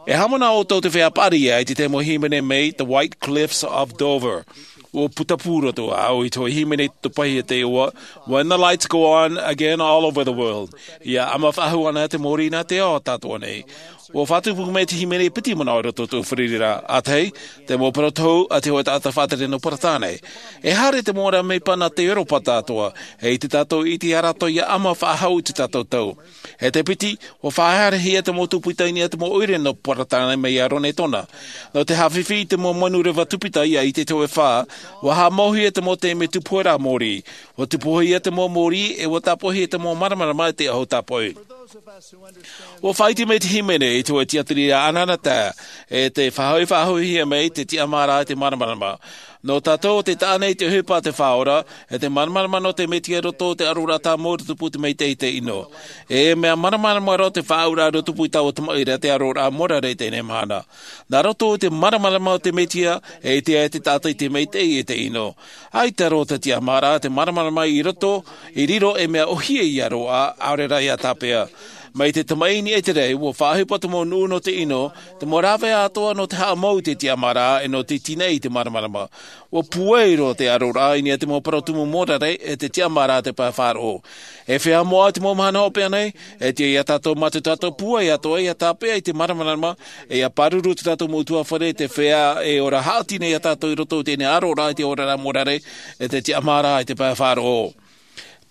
E haʻamanaʻo ʻoutou te feiā paʻari ïa i te tahi mau hīmene mai The White Cliffs of Dover. Ua putapū roa ʻāʻau i te hōʻē hīmene i tō paʻi i te iʻoa, When the Lights Go On Again All Over the World. Ia ʻama faʻahou ana te mōrī nā te ao atoʻa nei. Ua faʻatupu mai te hīmene e piti manaʻo i roto i tō tāʻu fārereiraʻa. ʻA tahi, te mau parau tohu a te hōʻē taʻata faʻatere nō Peretāne. E haere te mau ora mea pāpū nā te Europa atoʻa, e ʻite tātou i te ʻite rātou ia ʻama faʻahou i tō tātou tau. E te piti, ua faʻahaerehia te mau tūpita i niʻa i te mau ʻoire nō Peretāne mai iā Ronetona. Nō te haʻafifi i te mau manu reva tūpita ia ʻite te hōʻē fā, ua haʻamauhia te mau taime tupu ra mōrī. Ua tupuhia te mau mōrī, e ua tāpoʻihia te mau māramarama i te ʻahu tāpoʻi. Ua faʻaʻite mai te hīmene i te hōʻē tiʻaturi anaanatae, e tē faʻahoʻi faʻahouhia mai te tiʻamāraʻa i te māramarama. Nō tātou, tē taʻa nei te ʻohipa a te Faʻaora, e te māramarama nō te Mesia i roto i te ʻaroraʻa tāmau i te tupu i te maitaʻi i te ʻino. E mea māramarama roa te faʻaauraʻa i roto i te tupu i taua tamaʻi ra te ʻaroraʻa morare i teie mahana. Nā roto i te māramarama o te Mesia, e ʻite ai te taʻata i te maitaʻi e te ʻino. ʻAita roa te tiʻamāraʻa, te māramarama i roto, i riro ei mea ʻōhie ia roaʻa, ʻaore rā ia tāpeʻa. Mai te tamaʻi i niʻa i te raʻi, ua faʻaʻohipa te mau nuʻu nō te ʻino, te mau rāveʻa atoʻa nō te haʻamau i te tiʻamāraʻa, e nō te tīnaʻi i te māramarama. Ua pūai roa te ʻaroraʻa i niʻa i te mau parau tumu morare, e te tiʻamāraʻa i te pae faʻaroʻo. E feiā moʻa i te mau mahana hopeʻa nei, e tiʻa ia tātou mā tō tātou pūai atoʻa ia tāpeʻa i te māramarama, e ia pāruru tō tātou mau ʻutuāfare, te feiā e ora haʻati nei ia tātou i roto i teie nei ʻaroraʻa i te oraraʻa morare, e te tiʻamāraʻa i te pae faʻaroʻo.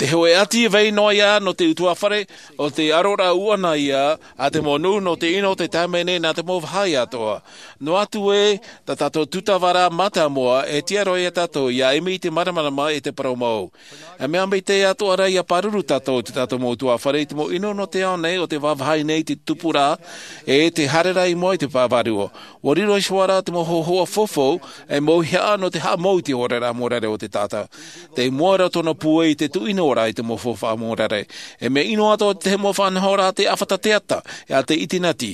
Te hōʻē ʻati vai noa ïa nō te ʻutuāfare, ʻo te ʻaroraʻa ʻuʻana ïa a te mau nuʻu nō te ʻino i te taime nei nā te mau vāhi atoʻa. Noa atu ē, tā tātou tūtava ra mātāmua, e tiʻa roa ia tātou ia ʻimi i te māramarama e te parau mau. E mea maitaʻi atoʻa rā ia pāruru tātou i tō tātou mau ʻutuāfare i te mau ʻino nō te ao nei ʻo tē vāvāhi nei i te tupuraʻa, e tē haere ra i mua i te pae vārua. Ua riro iho ā rā te mau hōhoʻa faufaʻa, e mauihaʻa nō te haʻamau i te oraraʻa morare o te taʻata. Tei mua ra tōna pūai i te tuʻinoraʻa i te mau faufaʻa morare. E mea ʻino atoʻa te tahi mau faʻanahoraʻa a te ʻāfata teata, e a te ʻitinati.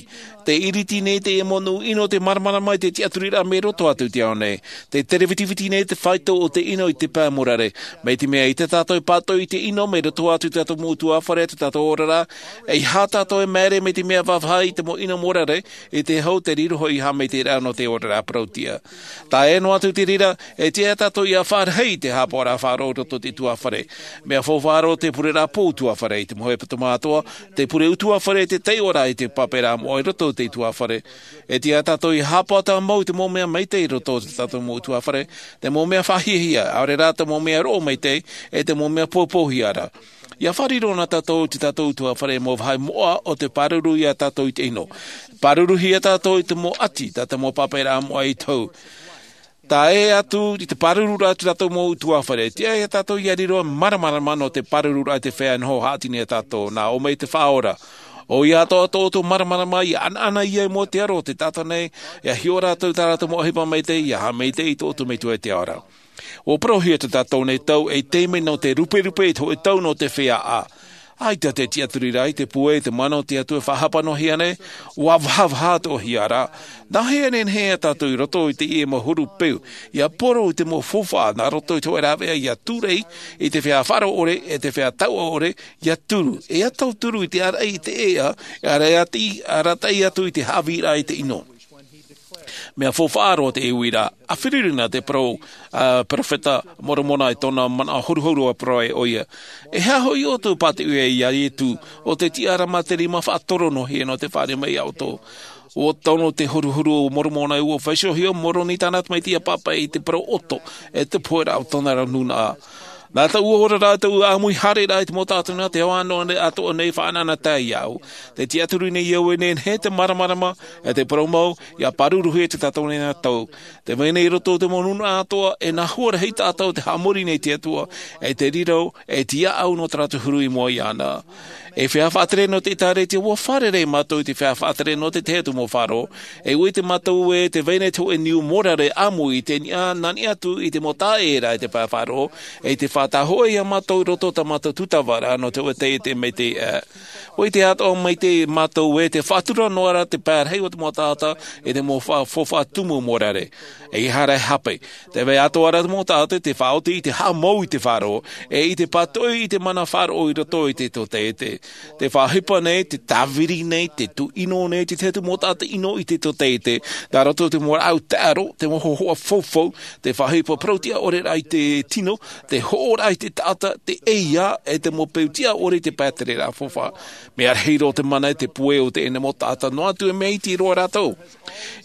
Tē iriti nei teie mau nuʻu ʻino i te māramarama i te tiʻaturiraʻa mai roto atu i te ao nei. Tē tere vitiviti nei te faito o te ʻino i te pae morare. Mai te mea ʻaita tātou e pātoʻi i te ʻino mai roto atu i tō tātou mau ʻutuāfare, tō tātou oraraʻa, ʻeiaha tātou e māere mai te mea vāvāhi i te mau ʻino morare, i te hau te riro hoʻi haʻamaitaʻiraʻa nō te oraraʻa parautiʻa. Tae noa atu i te reira, e tiʻa ia tātou ia fāriʻi i te haʻapaʻoraʻa faʻaroʻo i roto i te ʻutuāfare. Mea faufaʻa roa te pureraʻa pō ʻutuāfare i te mau hepetoma atoʻa, te pure ʻutuāfare i te taiʻoraʻa i te pāpūraʻa moʻa i roto i te ʻutuāfare. E tiʻa ia tātou ia haʻapaʻo tāmau i te mau mea maitaʻi i roto i tō tātou mau ʻutuāfare, te mau mea faʻahiahia, ʻaore rā te mau mea roʻo maitaʻi, e te mau mea poupouhia ra. Ia fārerei noa tātou i tō tātou ʻutuāfare mau vāhi moʻa ʻo tē pāruru ia tātou i te ʻino. Pāruruhia tātou i te mau ʻati, tā te mau pāpūraʻa moʻa i tohu. Tae atu i te pāruru ra i tō tātou mau ʻutuāfare, tiʻa ia tātou ia riro māramarama nō te pārururaʻa i te feiā e noho haʻati nei ia tātou, nā ʻō mai te Faʻaora. ʻO ia atoʻa tō ʻoutou māramarama ia ʻanaʻana ia i mua i te aro o te taʻata nei, ia hiʻo rātou tā rātou mau ʻohipa maitaʻi, ia haʻamaitaʻi i tō ʻoutou metua i te ao ra. Ua parauhia tā tātou nei tau ei taime nō te ruperupe i te hōʻē tau nō te feiā ʻā. ʻAita te tiʻaturi rā i te puai i te mana o te Atua e faʻahapa noa hia nei, ua vahavaha atoʻa hia rā. Nāhea e nehenehe tātou i roto i teie mau huru peu, ia poro i te mau faufaʻa nā roto i te hōʻē rāveʻa ia tūrei i te feiā faʻaroʻo ʻore, e te feiā taua ʻore, ia turu, e ia tauturu i te ʻāraʻi i te ʻēʻa, e arataʻi, arataʻi atu i te haʻavīraʻa i te ʻino. Mea faufaʻa roa teie uiraʻa, a fāriu na te parau, a, perofeta Moromona i tōna manaʻo horuhoru a parau ai ʻoia. E aha hoʻi ʻoutou pātoʻi ai ia Ietu, ʻo te tiʻaraʻa mā te rima faʻatoro noa hia nō te fāriu mai ia ʻoutou? ʻUa tono te horuhoru o Moromona, ʻua faʻaʻite hoʻi ʻo Moroni tāna tamaiti ia pāpaʻi i te parau ʻoto, e te poheraʻa o tōna ra nūnaʻa. Nā taua ora rā, taua ʻāmui haere rā i te mau taʻata nā te ao atoʻa nei, atoʻa nei faʻanahonahohia iāʻu. Te tiʻaturi nei au e nehenehe te māramarama, e te parau mau, ia pāruruhia tā tātou nei nā tau. Te vai nei i roto i te mau nūnaʻa atoʻa, e nā hua rahi tātou te haʻamori nei i te Atua, e te riro, e te tiʻaʻau nō tā rātou huru i mua iāna. E feiā faʻatere nō te ʻĒtārētia, ʻua fārerei mātou i te feiā faʻatere nō te tahi atu mau faʻaroʻo. E ʻua ʻite mātou ē, te vai nei te hōʻē niu mōrare ʻāmui i te niʻa, nā niʻa atu i te mau taʻata i te pae faʻaroʻo, e te faʻatahoʻa ia mātou i roto tā mātou tūtava ra nō te hōʻē taiete maitaʻi aʻe. ʻUa ʻite atoʻa maitaʻi mātou ē, tē faʻatura noa ra te pae rahi o te mau taʻata i te mau fa-, faufaʻa tumu mōrare. ʻEiaha rā e hape. Tē vai atoʻa ra te mau taʻata i te faʻaoti i te haʻamau i te faʻaroʻo, e i te pātoʻi i te mana faʻaroʻo i roto i te tōtaiete. Te faʻaʻohipa nei, te tāviri nei, te tūʻino nei, te tahi atu mau taʻata ʻino i te tōtaiete, nā roto i te mau rāʻau taʻaro, te mau hōhoʻa faufau, te faʻaʻohipa parau-tiʻa-ʻore rā i te tino, te hoʻo rā i te taʻata, te ʻeiā, e te mau peu-tiʻa-ʻore i te pae tereraʻa faufaʻa. Mea rahi roa te mana e te puai o teie nei mau taʻata, noa atu e mea iti roa rātou.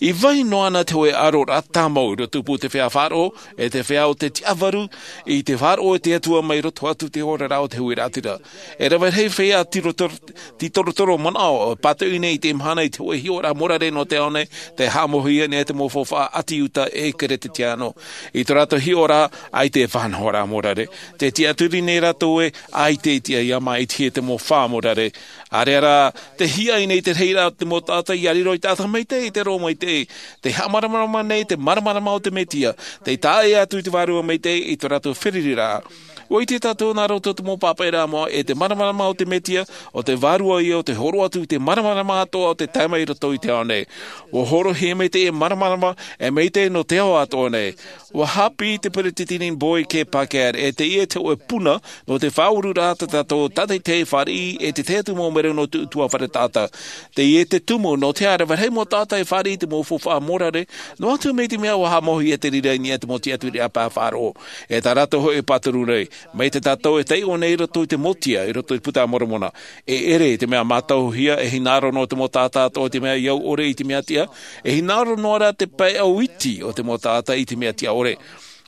I vai noa na te hōʻē ʻaroraʻa tāmau i roto i te feiā faʻaroʻo, e te feiā o te tiʻavaru, i te faʻaroʻo e te Atua mai roto atu i te oraraʻa o te huiraʻatira. E rave rahi feiā tītorotoro, tītorotoro manaʻo, pātoʻi nei i te mahana i te hōʻē hiʻoraʻa mōrare nō te ao nei, tē haʻamauhia nei te mau faufaʻa ʻāti Iuta e Kereteano. I tō rātou hiʻoraʻa, ʻaita e faʻanahoraʻa mōrare. Tē tiʻaturi nei rātou ē, ʻaita e tiʻa ia māʻitihia te mau faufaʻa mōrare. ʻĀreʻa rā, tē hiaʻai nei te rahiraʻa o te mau taʻata ia riro ei taʻata maitaʻi i te roʻo maitaʻi. Tē haʻamāramarama nei te māramarama o te Mesia, tē tae atu i te Vārua Maitaʻi i tō rātou fārereiraʻa. ʻUa ʻite tātou nā roto i te mau pāpaʻiraʻa moʻa, e te māramarama o te Mesia, ʻo te Vārua ïa ʻo tē hōroʻa atu i te māramarama atoʻa o tē tae mai i roto i te ao nei. ʻUa hōroʻahia mai teie māramarama, e maitaʻi nō te ao atoʻa nei. ʻUa haʻapiʻi te Peresideni Boyd K. Packer, e teie te hōʻē puna, nō te faʻaururaʻa tā tātou tātaʻitahi fāriʻi, e te tahi atu mau mero nō te ʻutuāfare taʻata. Teie te tumu, nō te aha rave rahi mau taʻata e fāriʻi i te mau faufaʻa mōrare, noa atu mai te mea ʻua haʻamauhia te reira i niʻa i te mau tiʻaturiraʻa pae faʻaroʻo. E tā rātou hōʻē pāturu nei, mai tā tātou e taiʻo nei i roto i te Mesia, i roto i te Puta a Moromona. E ʻere i te mea mātauhia, e hinaʻaro noa te mau taʻata atoʻa i te mea ʻia au ʻore i te mea tiʻa, e hinaʻaro noa rā te pae ʻau iti o te mau taʻata i te mea tiʻa ʻore.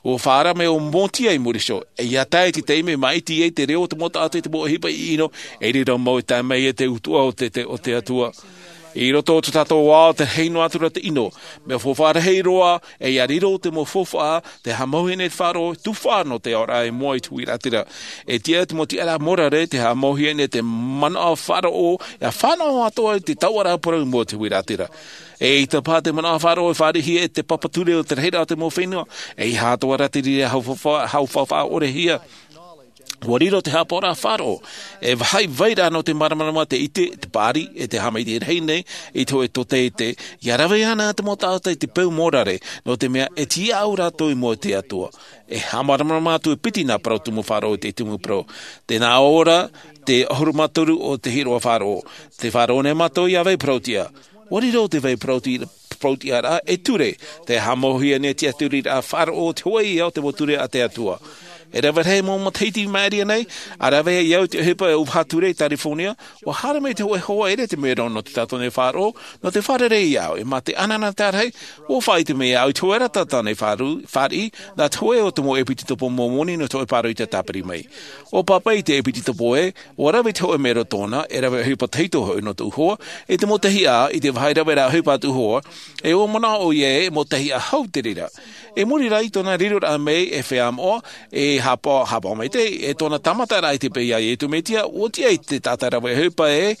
ʻUa faʻaara mai ʻo Mōtia i muri iho, e ʻia tae i te taime māʻiti ai te reo o te mau taʻata i te mau ʻohipa ʻino, e riro mau e tae mai e te utuʻa o te, te, o te Atua. I roto o tō tātou ao, tē rahi noa atu ra te ʻino, mea faufaʻa rahi roa, e ʻia riro te mau faufaʻa, tē haʻamauhia nei te faʻaroʻo, tufaʻa nō te aoraʻa i mua i te huiraʻatira. E tiʻa te mau tiʻaraʻa mōrare, tē haʻamauhia nei te manaʻo faʻaroʻo, ʻia fānaʻo atoʻa i te taoʻaraʻa parau i mua i te huiraʻatira. Eʻita paha te manaʻo faʻaroʻo e fāriʻihia e te papa ture o te rahiraʻa o te mau fenua, ʻeiaha atoʻa rā te reira hau faufaʻa, hau faufaʻa ʻore hia. ʻUa riro te haʻapaʻoraʻa faʻaroʻo, e vāhi vai ra nō te māramarama, te ʻite, te pāʻari, e te haʻamaitaʻi rahi nei i te hōʻē tōtaiete, ʻia rave ana te mau taʻata i te peu mōrare, nō te mea e tiʻaʻau rātou i mua i te Atua. E haʻamāramarama atu e piti nā parau tumu faʻaroʻo i te tumu parau. Tē nā ʻō ra, te ʻahuru mā toru o te hiʻoraʻa faʻaroʻo. Tē faʻaroʻo nei mātou ʻia vai parauʻtiʻa. ʻUa riro te vai parauʻti-, parauʻtiʻaraʻa e ture, tē haʻamauhia nei te tiʻaturiraʻa faʻaroʻo o te hōʻē ïa o te mau ture a te Atua. E rave rahi mau matahiti i maʻiri aʻe nei, ʻa rave ai au i te ʻohipa e ʻauvaha ture i Tarifōnia, ʻua haere mai te hōʻē hoa ʻere te mero nō te tātou nei faʻaroʻo, nō te fārerei iāʻu, e mā te ʻanaʻanatae rahi, ʻua faʻaʻite mai au i te hōʻē ra tātou nei faʻaru-, fāriʻi, nā te hōʻē o te mau ʻepitopo Momoni nō te hōʻē pāroita tāpiri mai. ʻUa pāpaʻi i te ʻepitopo ē, ʻua rave te hōʻē mero tōna, e rave ʻohipa tahito hoʻi nō tōʻu hoa, i te mau tahi ʻā, i te vāhi rave ra ʻohipa a tōʻu hoa, e ʻua manaʻo ʻoia ē, mau tahi ʻā hau te reira. I muri rā i tōna riroraʻa mai e feiā moʻa, e hāpaʻo, hāpaʻo maitaʻi, e tōna tāmataraʻa i te peʻe iā Iesu Mesia, ʻua tiʻa i te taʻata rave ʻohipa ē,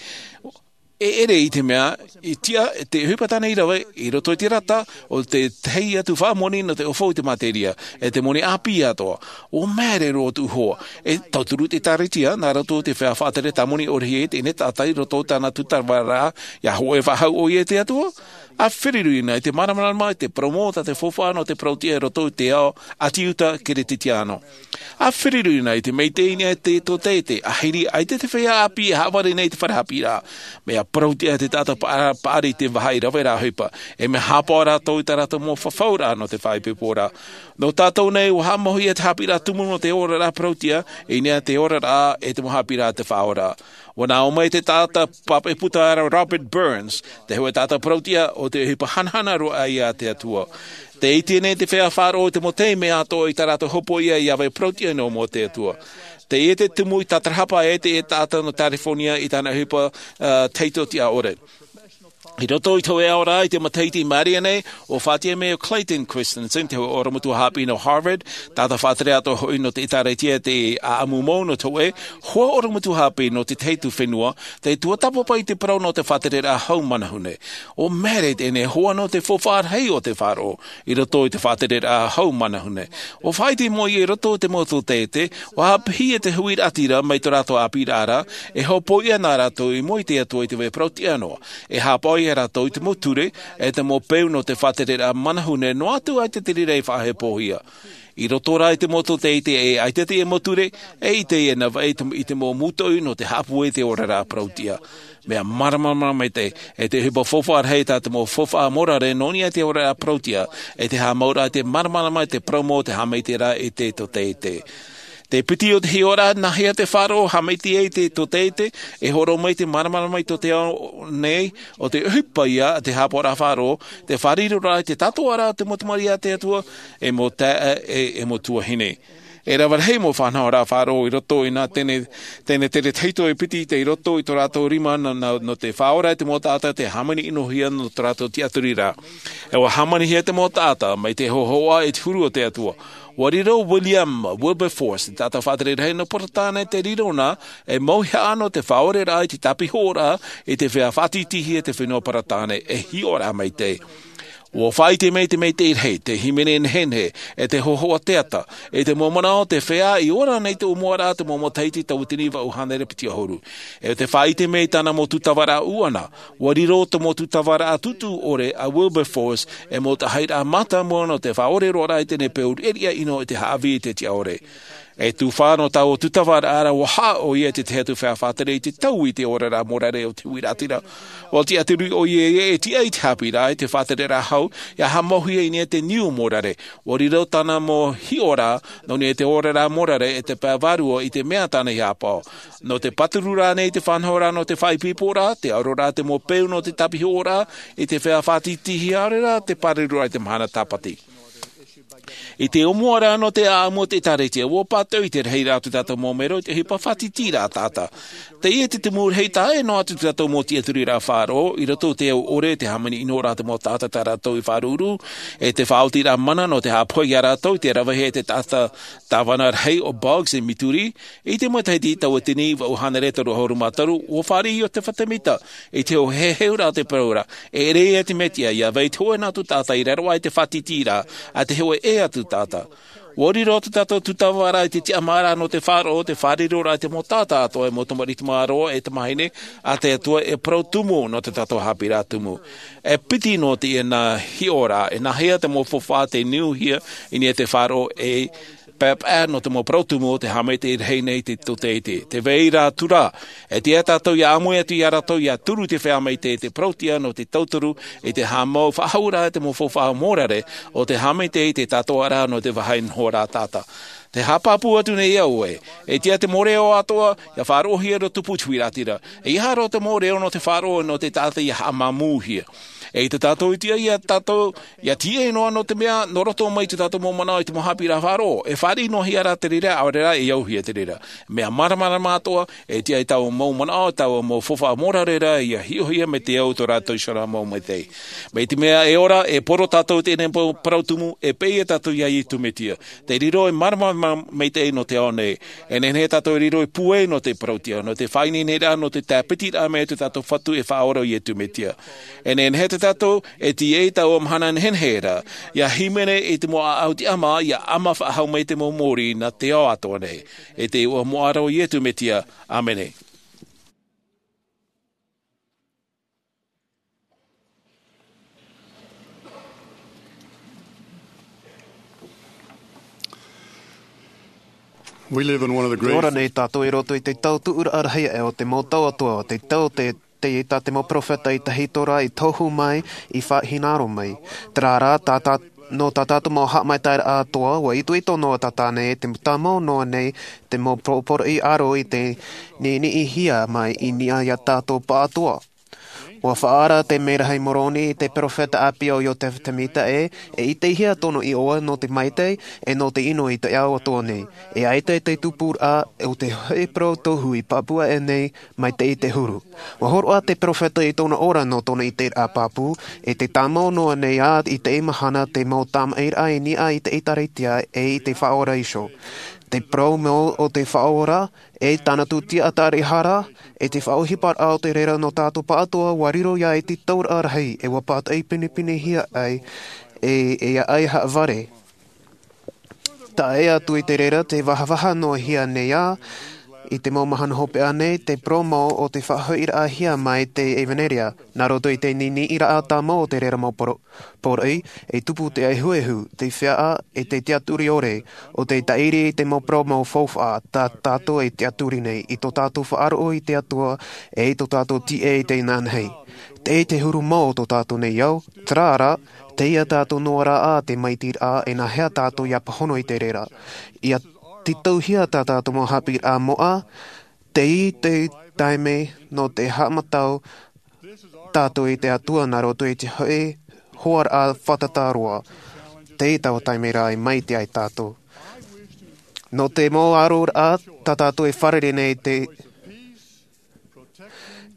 E ʻere i te mea i tiʻa te ʻohipa tāna i rave i roto i te rata o te tahi atu faʻamoni nō te ʻofo i te materia e te moni ʻāpī atoʻa. Ua māere roa tōʻu hoa e tauturu te ʻēkālesia nā roto i te feiā faʻatere tāmoni ʻore hia i teie nei taʻata i roto i tāna tūtava rā ia hoʻe faʻahou ʻoia i te atua. A feruri na i te māramarama i te promo tā te faufaʻa nō te parauʻtiʻa i roto i te ao ʻati uta keretetiano. A feruri na i te maitaʻi i te tōtete a hiri ai te feiā ʻāpī e haʻavare nei i te fare haʻapiʻiraʻa. Mea parauʻtiʻa te taʻata paʻari i te vaha i rave rā ʻohipa e mea hāpaʻo rātou i tā rātou mau fafauraʻa nō te faʻaipoiporaʻa. Nō tātou nei ua haʻamauhia te haʻapiʻiraʻa tumu nō te oraraʻa parauʻtiʻa i niʻa i te oraraʻa e te mau haʻapiʻiraʻa te faʻaora. Ua nā ʻō mai te taʻata pāpaʻi puta ra Robert Burns te hoʻe taʻata parauʻtiʻa o te ʻohipa hanahana roa ʻai a te atua. Te ʻite nei te feiā faʻaroʻo i te mau taime atoʻa i tā rātou hopoiʻa ia vai parauʻtiʻa nō mua o te atua. Teie te tumu i tātarahapa ai teie taʻata nō california i tāna ʻohipa taito tiʻa ʻore. I roto i te hoʻe ao rā i te matahiti i maʻiri nei ua faʻatiʻa mai o Clayton Christensen te hoʻe ʻorometua haʻapiʻi nō Harvard, taʻata faʻatere atoʻa hoʻi nō te ʻēkālesia te ʻaʻamu mau nō te hoʻe hoa ʻorometua haʻapiʻi nō te tahi atu fenua, te tuatāpapa i te parau nō te faʻatereraʻa hau manahune. Ua māere teie nei hoa nō te faufaʻa rahi o te faʻaroʻo i roto i te faʻatereraʻa hau manahune. Ua faʻaʻite mai i roto i te mau tōtete ua haʻapiʻi te huiraʻatira mai tō rātou ʻāpīraʻa ra e hopoiʻa nā rātou i mua i te atua i te vai parauʻtiʻa noa e hāpaʻo ia rātou i te mau ture e te mau peu nō te faʻatereraʻa manahune noa atu ai te tereraʻa i faʻahepohia. I roto rā i te mau tōtete e ʻaita te mau ture e ʻite ia nā vai i te mau mūtoʻi nō te haʻapūai i te oraraʻa parauʻtiʻa. Mea māramarama maitaʻi e te ʻohipa faufaʻa rahi tā te mau faufaʻa morare nō niʻa i te oraraʻa parauʻtiʻa e te haʻamauraʻa i te māramarama i te parau mau o te haʻamaitaʻiraʻa i te tōtete. Te piti o te hiʻoraʻa nāhea te faʻaroʻo haʻamaitaʻi ai i te tōtete e horo mai te māramarama i tō te ao nei o te ʻohipa ia a te hāpaʻoraʻa faʻaroʻo te fāriroraʻa i te tātoʻaraʻa o te mau tamariʻi a te atua e mau taeaʻe e mau tuahine. E rave rahi mau faʻanahoraʻa faʻaroʻo i roto i nā teie nei tere taʻata e piti i roto i tō rātou rima nō te faʻaora i te mau taʻata te hāmani ʻinohia nō tō rātou tiʻaturiraʻa. E ua hāmanihia te mau taʻata mai te hōhoʻa i te huru o te atua. Ua riro william wilberforce te taʻata faʻatere rahi nō peretāne te riro na e mauihaʻa nō te faʻaoreraʻa i te tāpihoʻoraʻa i te feiā faʻatītīhia te fenua peretāne e hiʻoraʻa maitaʻi. Ua faʻaʻite mai te maitaʻi rahi te hīmene nehenehe e te hōhoʻa teata i te mau manaʻo o te feiā i ora nei te ʻōmuaraʻa te mau matahiti tauatini vaʻu hānere piti ʻahuru. E te faʻaʻite mai i tāna mau tūtavaraʻa ʻuʻana ua riro te mau tūtavaraʻa tūtū ʻore a wilberforce e mau taʻahiraʻa mātāmua nō te faʻaʻore roa rā i teie peu riʻariʻa ʻino i te haʻavī i te tiʻa ʻore. E tufa nō taua tūtavaraʻa ra ua haʻa ʻoia i te tahi atu feiā faʻatere i te taui i te oraraʻa morare o te huiraʻatira. Ua tiʻaturi ʻoia e tiʻa i te haʻapiʻiraʻa i te faʻatereraʻa hau ia haʻamauhia i niʻa i te niu morare. Ua riro tāna mau hiʻoraʻa nō niʻa i te oraraʻa morare e te pae vārua i te mea tāna i hāpaʻo nō te pātururaʻa nei i te faʻanahoraʻa nō te faʻaipoiporaʻa te ʻaroraʻa te mau peu nō te tāpihoʻoraʻa i te feiā faʻatītīhia ʻaore rā te pāruruaʻa i te mahana tāpati. I te ʻōmuaraʻa nō te ʻaʻamu o te ʻēkālesia ua pātoʻi te rahiraʻa o tō tātou mau mero i te ʻohipa faʻatītīraʻa taʻata. Teie te tumu rahi taʻa ʻē noa atu tō tātou mau tiʻaturiraʻa faʻaroʻo i roto i te au ʻore te hāmani ʻinoraʻa te mau taʻata tā rātou i faʻaruru e te faʻaotiraʻa mana nō te haʻapohe ia rātou i te ravehia e te taʻata tāvana rahi o boggs i mituri. I te matahiti tauatini vaʻu hānere toru ʻahuru mā toru ua fāriʻi o te fatemita i te hoʻe heheuraʻa o te parau ra e ʻere ia te mesia ia vai te hoʻe nā atu taʻata i raro aʻe i te faʻatītīraʻa a te hoʻe ʻē atu taʻata. Ua riro tō tātou tūtavaraʻa i te tiʻamāraʻa nō te faʻaroʻo te fāriroraʻa i te mau taʻata atoʻa e mau tamariʻi tamāroa e tamāhine a te atua e parau tumu nō tō tātou haʻapiʻiraʻa tumu. E piti nō teie nā hiʻoraʻa e nāhea te mau faufaʻa te niuhia i niʻa i te faʻaroʻo e paepae nō te mau parau tumu o te haʻamaitaʻi rahi nei i te tōtete te vai ra atu rā e tiʻa tātou ia ʻāmui atu ia rātou ia turu i te feiā maitaʻi i te parauʻtiʻa nō te tauturu i te haʻamau faʻahouraʻa i te mau faufaʻa morare o te haʻamaitaʻi i te tātoʻaraʻa nō te vaha i nohoraʻa taʻata. Te haʻapāpū atu nei au ē e tiʻa te mau reo atoʻa ia faʻaroʻohia roto pū i te huiraʻatira. E ia roa te mau reo nō te faʻaroʻo nō te taʻata ia haʻamāmūhia. E i te tātou i tiʻa ia tātou ia tiʻa noa nō te mea nō roto mai i te tātou mau manaʻo i te mau haʻapiʻiraʻa faʻaroʻo e fāriʻi noa hia rā te reira ʻaore rā e au hia te reira. Mea māramarama atoʻa e tiʻa i tāua mau manaʻo tāua mau faufaʻa mōrare rā ia hiʻohia mai te au tō rātou i sora mau maitaʻi. Mai te mea e ora e poro tātou i teie nei parau tumu e pēʻe tātou iā iesu mesia. Te riro e māramarama maitaʻi nō te ao nei. E nehenehe tātou e riro e pūai nō te parauʻtiʻa nō te faʻaineineraʻa nō te tāpitiraʻa mai o te tātou fatu e faʻaora o iesu mesia. E nehenehe tātou e tiʻa i taua mahana nehenehe ra ia hīmene i te mau ʻaʻau tiʻamā ia ʻama faʻahou mai te mau mōrī nā te ao atoʻa nei. E te iʻoa moʻa ra o iesu mesia. ʻĀmene. Te ora nei tātou i roto i te tau tuʻuraʻa rahi aʻe o te mau tau atoʻa te tau te te tā te mau peropheta i tahito rā i tohu mai i faʻahinaro mai. Terā rā tā tā nō tā tātou mau haʻamaitaʻiraʻa atoʻa ua itoito noa tātou nei te tāmau noa nei te mau poroʻi aro i te niʻiniʻihia mai i niʻa iā tātou pāʻatoʻa. Ua faʻaara te merahi moroni i te peropheta ʻāpī o iosefa semita ē e ʻitehia tōna iʻoa nō te maitaʻi e nō te ʻino i te ao atoʻa nei. E ʻaita te tupuraʻa o te hoʻi parau tohu i pāpū aʻe nei mai te ʻite huru. Ua horoʻa te peropheta i tōna ora nō tōna ʻiteraʻa pāpū e te tāmau noa nei ā i teie mahana te mau tamaʻiraʻa i niʻa i te ʻēkālesia e i te faʻaora iho. Te parau mau o te faʻaora e tāna tūtia ʻataraʻa e te faʻaʻohiparaʻa o te reira nō tātou pāʻatoʻa ua riro ia i te tauraʻa rahi e ua pātaʻi pinepinehia ai e e aʻai haʻavare. Taʻa ʻē atu i te reira te vahavaha noa hia nei ā i te mau mahana hopeʻa nei te parau mau o te faʻahoʻiraʻahia mai te evanelia nā roto i te niʻiniʻiraʻa tāmau o te reira mau poroʻi e tupu te ehuehu te feʻaʻa e te tiaturi ʻore o te tāʻiri i te mau parau mau faufaʻa tā tātou e tiaturi nei i tō tātou faʻaroʻo i te atua e i tō tātou tiʻa i te inanahi. Tei te huru mau o tō tātou nei ao terā rā teie tātou noa rā ā te maitiraʻa e nāhea tātou ia pāhono i te reira ia tītauhia tā tātou mau haʻapiʻiraʻa moʻa. Tei te taime nō te haʻamatau tātou i te atua nā roto i te hoʻi hoaraʻa fātata roa. Tei taua taime rā e maite ai tātou nō te mau aroraʻa tā tātou e fārerei nei te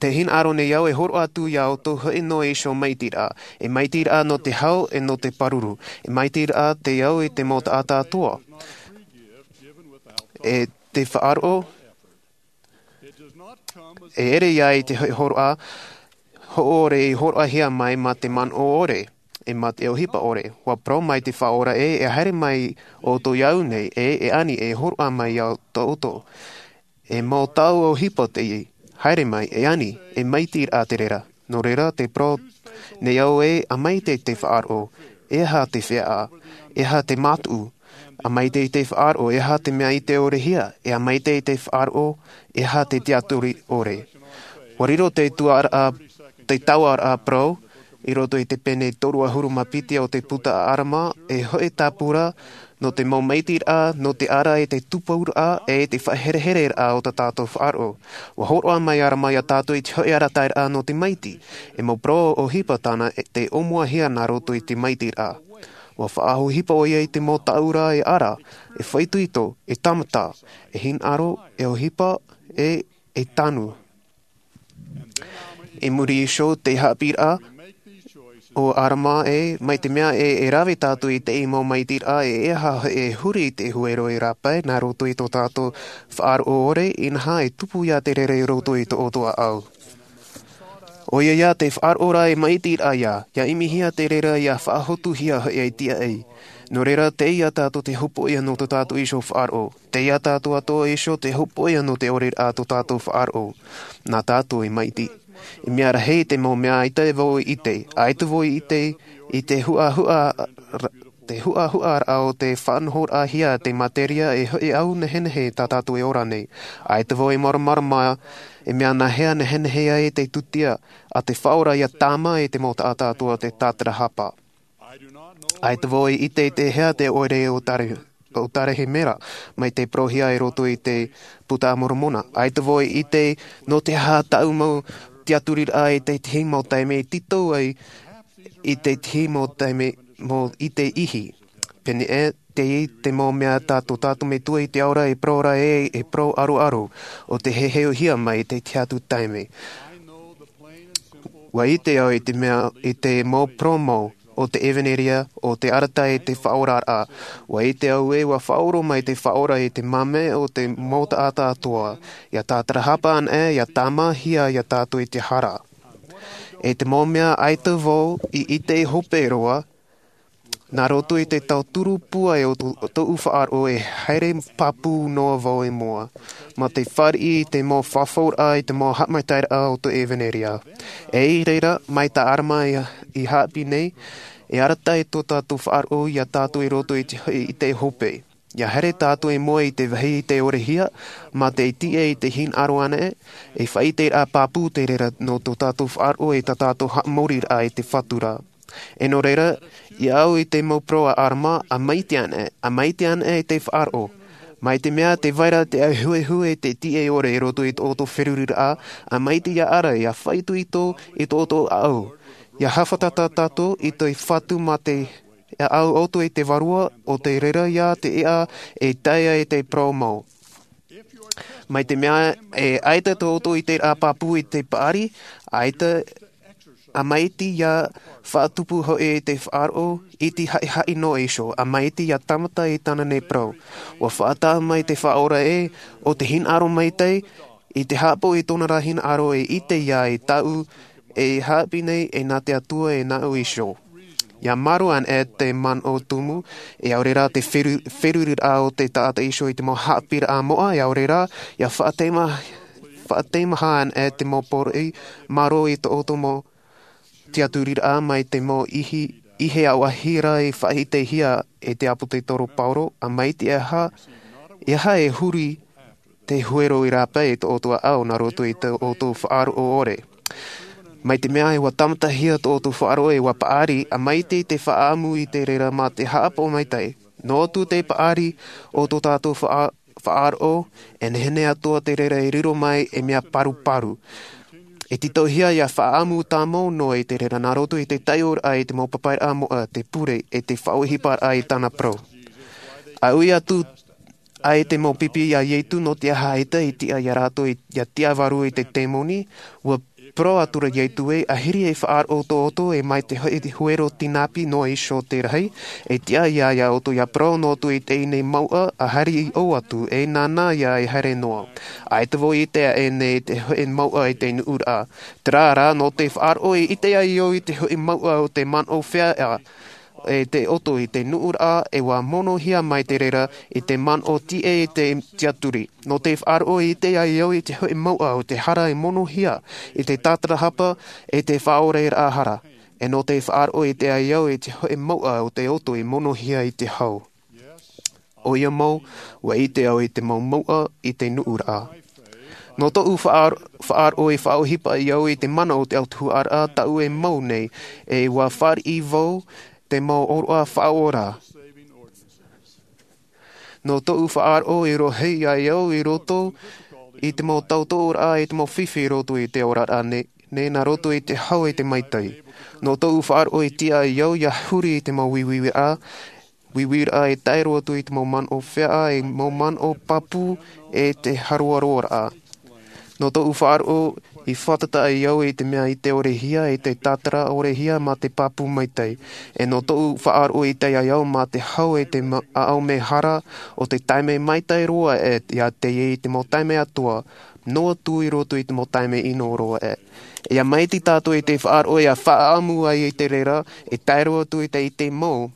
te hinaʻaro nei au e horoʻa atu iā ʻoutou hoʻi nō iho maitiraʻa e maitiraʻa nō te hau e nō te pāruru e maitiraʻa te au i te mau taʻata atoʻa e te faʻaroʻo e ere ia i te hoʻi horoʻa hoʻore i horoʻahia mai mā te manaʻo ʻore e mā te ʻohipa ʻore. Ua parau mai te faʻaora ē e haere mai ʻoutou iāʻu nei e e ani e horoʻa mai iā ʻoutou. E mau tau ʻohipa teie haere mai e ani e maitiraʻa te reira. Nō reira te parau nei au ē a maite te faʻaroʻo e aha te feʻaʻa e aha te mātuʻu a maite i te faʻaroʻo e aha te mea i te ʻorehia e a maite i te faʻaroʻo e aha te tiaturi ʻore. Ua riro te tuaraʻa te tauaraʻa parau i roto i te pene toru ʻahuru mā piti o te puta a arama e hoʻi tāpura nō te mau maitiraʻa nō te ara e te tupuraʻa e te faʻaherehereraʻa o tā tātou faʻaroʻo. Ua horoʻa mai arama iā tātou i te hoʻi arataʻiraʻa nō te maiti e mau parau ʻohipa tāna te ʻōmuahia nā roto i te maitiraʻa. Ua faʻaʻohipa ʻo ia i te mau taʻura e ara e faʻaitoito e tāmata e hinaʻaro e ʻohipa e e tanu. I muri iho te haʻapiʻiraʻa o arama ē mai te mea ē e rave tātou i te mau maitiraʻa e e aha e huri i te huero e rāpae nā roto i tō tātou faʻaroʻo ʻore inaha e tupu ia te reira i roto i tō ʻoutou ʻāʻau. ʻOia ia te faʻaroʻo rā e maitiraʻa ia ia ʻimihia te reira ia faʻahotuhia hoʻi ai tiaʻi. Nō reira teie tātou te hopoʻia nō tō tātou iho faʻaroʻo. Teie tātou atoʻa iho te hopoʻia nō te ʻoreraʻa tō tātou faʻaroʻo. Nā tātou e maiti i mea rahi te mau mea ʻaita vau i ʻite ʻaita vau i ʻite i te huʻahuʻa te huʻahuʻaraʻa o te faʻanahoraʻahia te materia e hoʻi au nehenehe tā tātou e ora nei. ʻAita vau e māramarama e mea nāhea nehenehe ai te tūtia a te faʻaora ia tāmā i te mau taʻata atoʻa te tātarahapa. ʻAita vau i ʻite i te hea te ʻoire o tare o tarehemera mai te porohia i roto i te puta a moromona. ʻAita vau i ʻite nō te aha taʻu mau tiaturiraʻa i tētahi mau taime i tītau ai I te tihi mau taime mau i te ihi. Pēnei e te i te mau mea tā tō tātou metua i te ao ra e parau ra e e parau aroaro o te heheohia mai i te tihi atu taime. Ua ite au i te mea i te mau parau mau o te evanelia o te arataʻi i te faʻaoraraʻa. Ua ite au e ua faʻaora mai te faʻaora i te mame o te mau taʻata atoa ia tātarahapa ana e ia tāmāhia ia tātou i te hara. E te mau mea aita vau i ite hope roa nā roto i te tauturu pūai o tōʻu faʻaroʻo e haere pāpū noa vau e mua mā te fāriʻi i te mau fafauraʻa i te mau haʻamaitairaʻa o te evanelia. E i reira mai tā arama i haʻapiʻi nei e arataʻi tō tātou faʻaroʻo ia tātou i roto i te hoʻi i te hope ia haere tātou i mua i te vāhi i te orehia mā te tiʻa i te hinaʻaro ana e e faʻaiteraʻa pāpū te reira nō tō tātou faʻaroʻo i tā tātou haʻamoriraʻa i te fatu ra. E nō reira ia au i te mau parau a arama a maiti ana e a maiti ana e i te faʻaroʻo mai te mea te vaira te ahuehu e te tiʻa i ore i roto i tō ʻoutou feruriraʻa a maiti ia ara ia faʻaitoito i tō ʻoutou ʻaʻau ia hāfatata tātou i te fatu mā te ʻaʻau ʻoutou i te vārua o te reira ia te iʻa e taea i te parau mau mai te mea e aita tō ʻoutou i te rā pāpū i te paʻari aita a maiti ia faʻatupu hoʻi i te faʻaroʻo i te haʻihaʻi nō iso a maiti ia tāmata i tāna nei parau. Ua faʻataʻa mai te faʻaora e o te hinaʻaro maitai i te haʻapaʻo i tōna rā hinaʻaro e ite ia i tāʻu e haʻapiʻi nei e nā te atua e nāʻu iso. Ia mārō ana e te manaʻo tumu e aore rā te feruriraʻa o te taʻata iso i te mau haʻapiʻiraʻa moʻa e aore rā ia faʻateimaha ana e te mau poroʻi mārō i tō ʻoutou mau tiaturiraʻa mai te mau ihe auahi rā i faʻaitehia e te ʻāpōsetolo paulo a maiti e aha e huri te huero i rāpae i tō ʻoutou ʻaʻau nā roto i tō ʻoutou faʻaroʻo ʻore. Mai te mea e ua tāmatahia tō ʻoutou faʻaroʻo e ua paʻari a maiti te faʻaʻamu i te reira mā te haʻapaʻo maitai nō atu te paʻari o tō tātou faʻaroʻo e nehenehe atoa te reira e riro mai e mea paruparu e tītauhia ia faʻaʻamu tāmau noa i te reira nā roto i te taioraʻa i te mau papairaʻa moʻa te pure e te faʻaohiparaʻa i tāna parau. A ui atu ai te mau pipi iā iesu nō te aha aita i tiʻa iā rātou ia tiʻa vārua i te temoni. Ua parau atura iesu e ahiri e faʻaroʻo tō ʻoutou e mai te hoʻi huero tinapi noa iho te rahi e tiʻa iā ʻoutou ia parau nō ʻoutou i teie nei mauʻa a haere i ʻō atu e nāna ia e haere noa. Aita vau i te aʻe nei te hoʻi mauʻa i te nuʻuraʻa. Terā rā nō te faʻaroʻo i ite ai au i te hoʻi mauʻa o te manaʻo fea e te ʻoto i te nuʻuraʻa e ua monohia mai te reira i te manaʻo tiʻa i te tiaturi. Nō te faʻaroʻo i ite ai au i te hoʻi mauʻa o te hara i monohia i te tātarahapa e te faʻaoreraʻa hara. E nō te faʻaroʻo i ite ai au i te hoʻi mauʻa o te ʻoto i monohia i te hau. ʻOia mau ua ite au i te mau mauʻa i te nuʻuraʻa. Nō tōʻu faʻaroʻo i faʻaohipa ai au i te mana o te autahuʻaraʻa taʻu e mau nei e ua fāriʻi vau te mau ʻōroʻa faʻaora. Nō tōʻu faʻaroʻo i rohi ai au i roto i te mau tautoʻoraʻa i te mau fifi i roto i te oraraʻa nei nā roto i te hau e te maitai. Nō tōʻu faʻaroʻo i tiʻa ai au ia huri i te mau uiuiraʻa uiuiraʻa e tae roa atu i te mau manaʻo fea e mau manaʻo pāpū e te haroaroaraʻa. Nō tōʻu faʻaroʻo i fātata ai au i te mea i te orehia i te tātara orehia mā te pāpū maitai. E nō tōʻu faʻaroʻo i tae ai au mā te hau e te ʻaʻau mehara o te taime maitai roa e iā teie i te mau taime atoa noa atu i roto i te mau taime ʻino roa e ia maiti tātou i te faʻaroʻo ia faʻaʻamu ai i te reira e tae roa atu i te ite mau.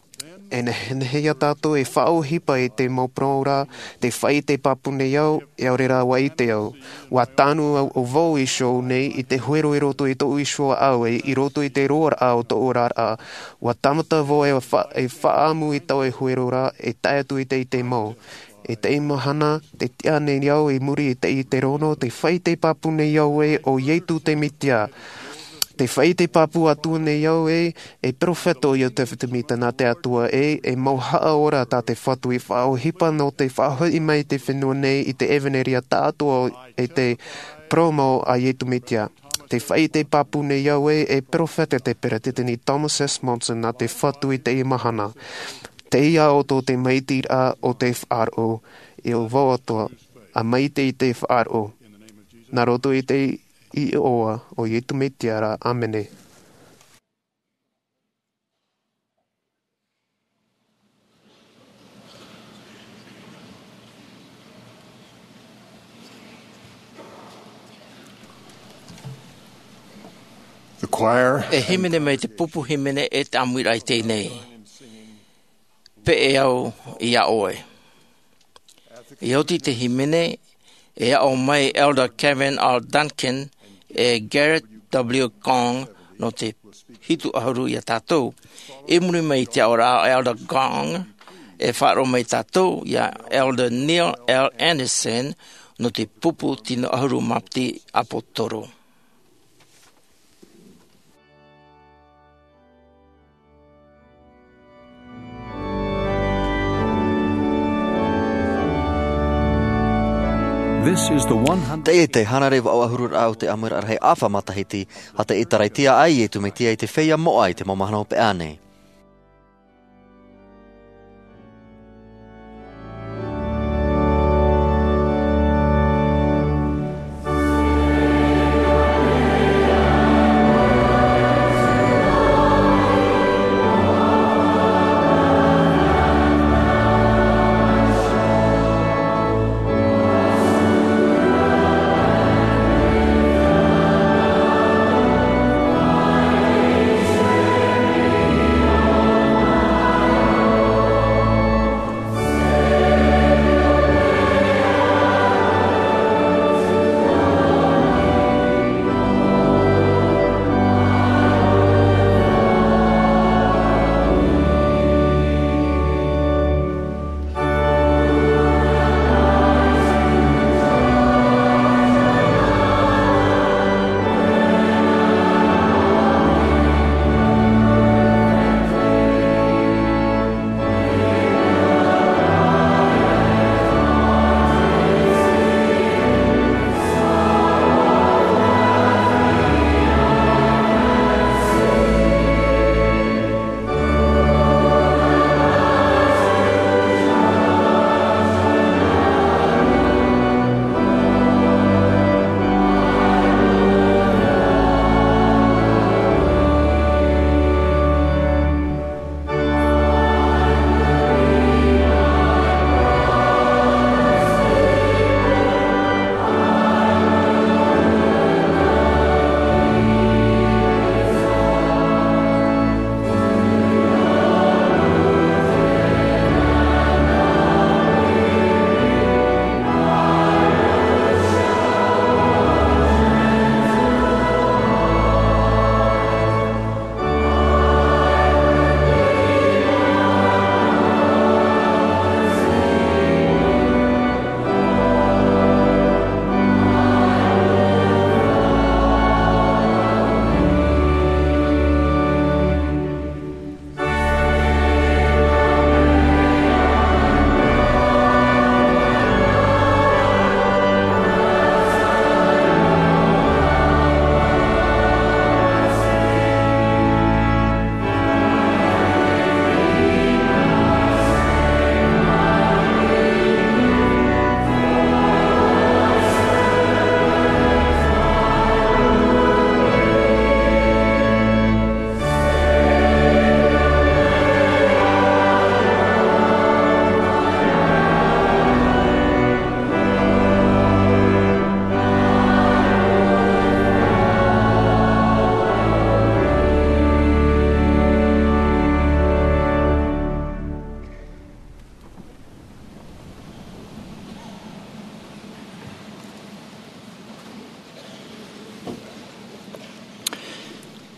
E nehenehe iā tātou e faʻaohipa i te mau parau ra te fai te pāpū nei au e aore rā ua ite au. Ua tānu au vau iho nei i te huero i roto i tōʻu iho ʻaʻau e i roto i te roaraʻa o tōʻu oraraʻa. Ua tāmata vau e faʻaʻamu i taua huero ra e tae atu i te ite mau. E teie mahana te tiʻa nei au i muri i te ite rono te fai te pāpū nei au e o iesu te mesia. Te fai te pāpū atu nei au e e peropheta o iosefa semita nā te atua e e mau haʻaora tā te fatu i faʻaohipa nō te faʻahoʻi mai i te fenua nei i te evanelia taʻatoʻa e te parau mau a iesu mesia. Te faʻaʻite pāpū nei au ē, e peropheta te peresideni Thomas S. Monson nā te Fatu i teie mahana. Tei iā ʻoutou te maitiraʻa o te faʻaroʻo, e ʻo vau atoʻa, ʻa maite i te faʻaroʻo. Nā roto i te iʻoa o Iesu Mesia ra, ʻāmene. The choir. E hīmene mai te pupu hīmene e te ʻāmuiraʻa i teie nei. Peʻe au iā ʻoe. I oti te hīmene, e aʻo mai Elder Kevin R. Duncan e Garrett W. Gong nō te hitu ʻahuru iā tātou. I muri mai i te aʻoraʻa a Elder Gong, e faʻaroʻo mai tātou iā Elder Neil L. Andersen nō te pupu tino ʻahuru mā piti ʻāpōsetolo. This is the one hundred. Teie te hānere vaʻu ʻahuru raʻa o te ʻāmuiraʻa rahi ʻāfa matahiti, ʻa te ʻĒtārētia a Iesu Mesia i te feiā moʻa i te mau mahana hopeʻa nei.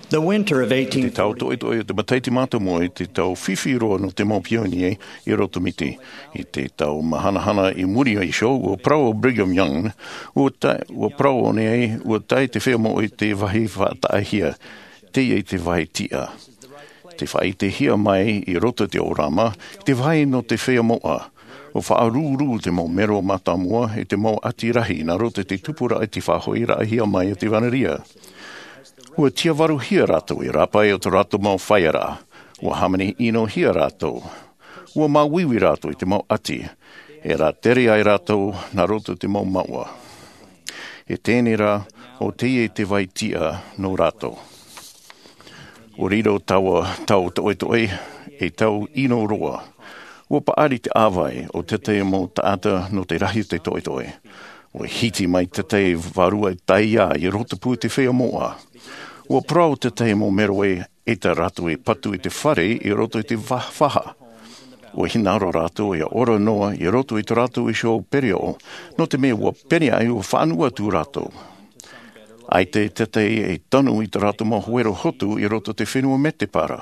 The winter of eighteen forty. Te tau toʻetoʻe o te matahiti mātāmua i te tau fifi roa nō te mau pionie i roto miti. I te tau mahanahana i muri iho, ua parau ʻo Brigham Young, ua tae, ua parau ʻōna, ua tae te feiā moʻa i te vāhi faʻataʻahia, teie te vāhi tiʻa. Te faʻaʻitehia mai i roto i te ʻōrama, te vāhi nō te feiā moʻa. Ua faʻarūrū te mau mero mātāmua i te mau ʻati rahi nā roto i te tupuraʻa i te faʻahoʻiraʻahia mai o te vanaria. Ua tiavaruhia rātou i rāpae o tō rātou mau faiaraʻa. Ua hāmani ʻinohia rātou. Ua māuiui rātou i te mau ʻati e rātere ai rātou nā roto i te mau maua. E tēnei rā, o teie te vai tiʻa nō rātou. Ua riro taua tau toʻetoʻe ei tau ʻino roa. Ua paʻari te ʻāvae o tētahi mau taʻata nō te rahi o te toʻetoʻe. Ua hiti mai tētahi vārua taiā i roto pū i te feiā moʻa. Ua parau tētahi mau mero ē, ʻaita rātou e patu i te fare i roto i te va-, faha. Ua hinaʻaro rātou ia ora noa i roto i tō rātou iho pereoʻo, nō te mea ua pene ai ua faʻanuu atu rātou. ʻAita tētahi e tanu i tō rātou mau huero hotu i roto i te fenua mētēpara.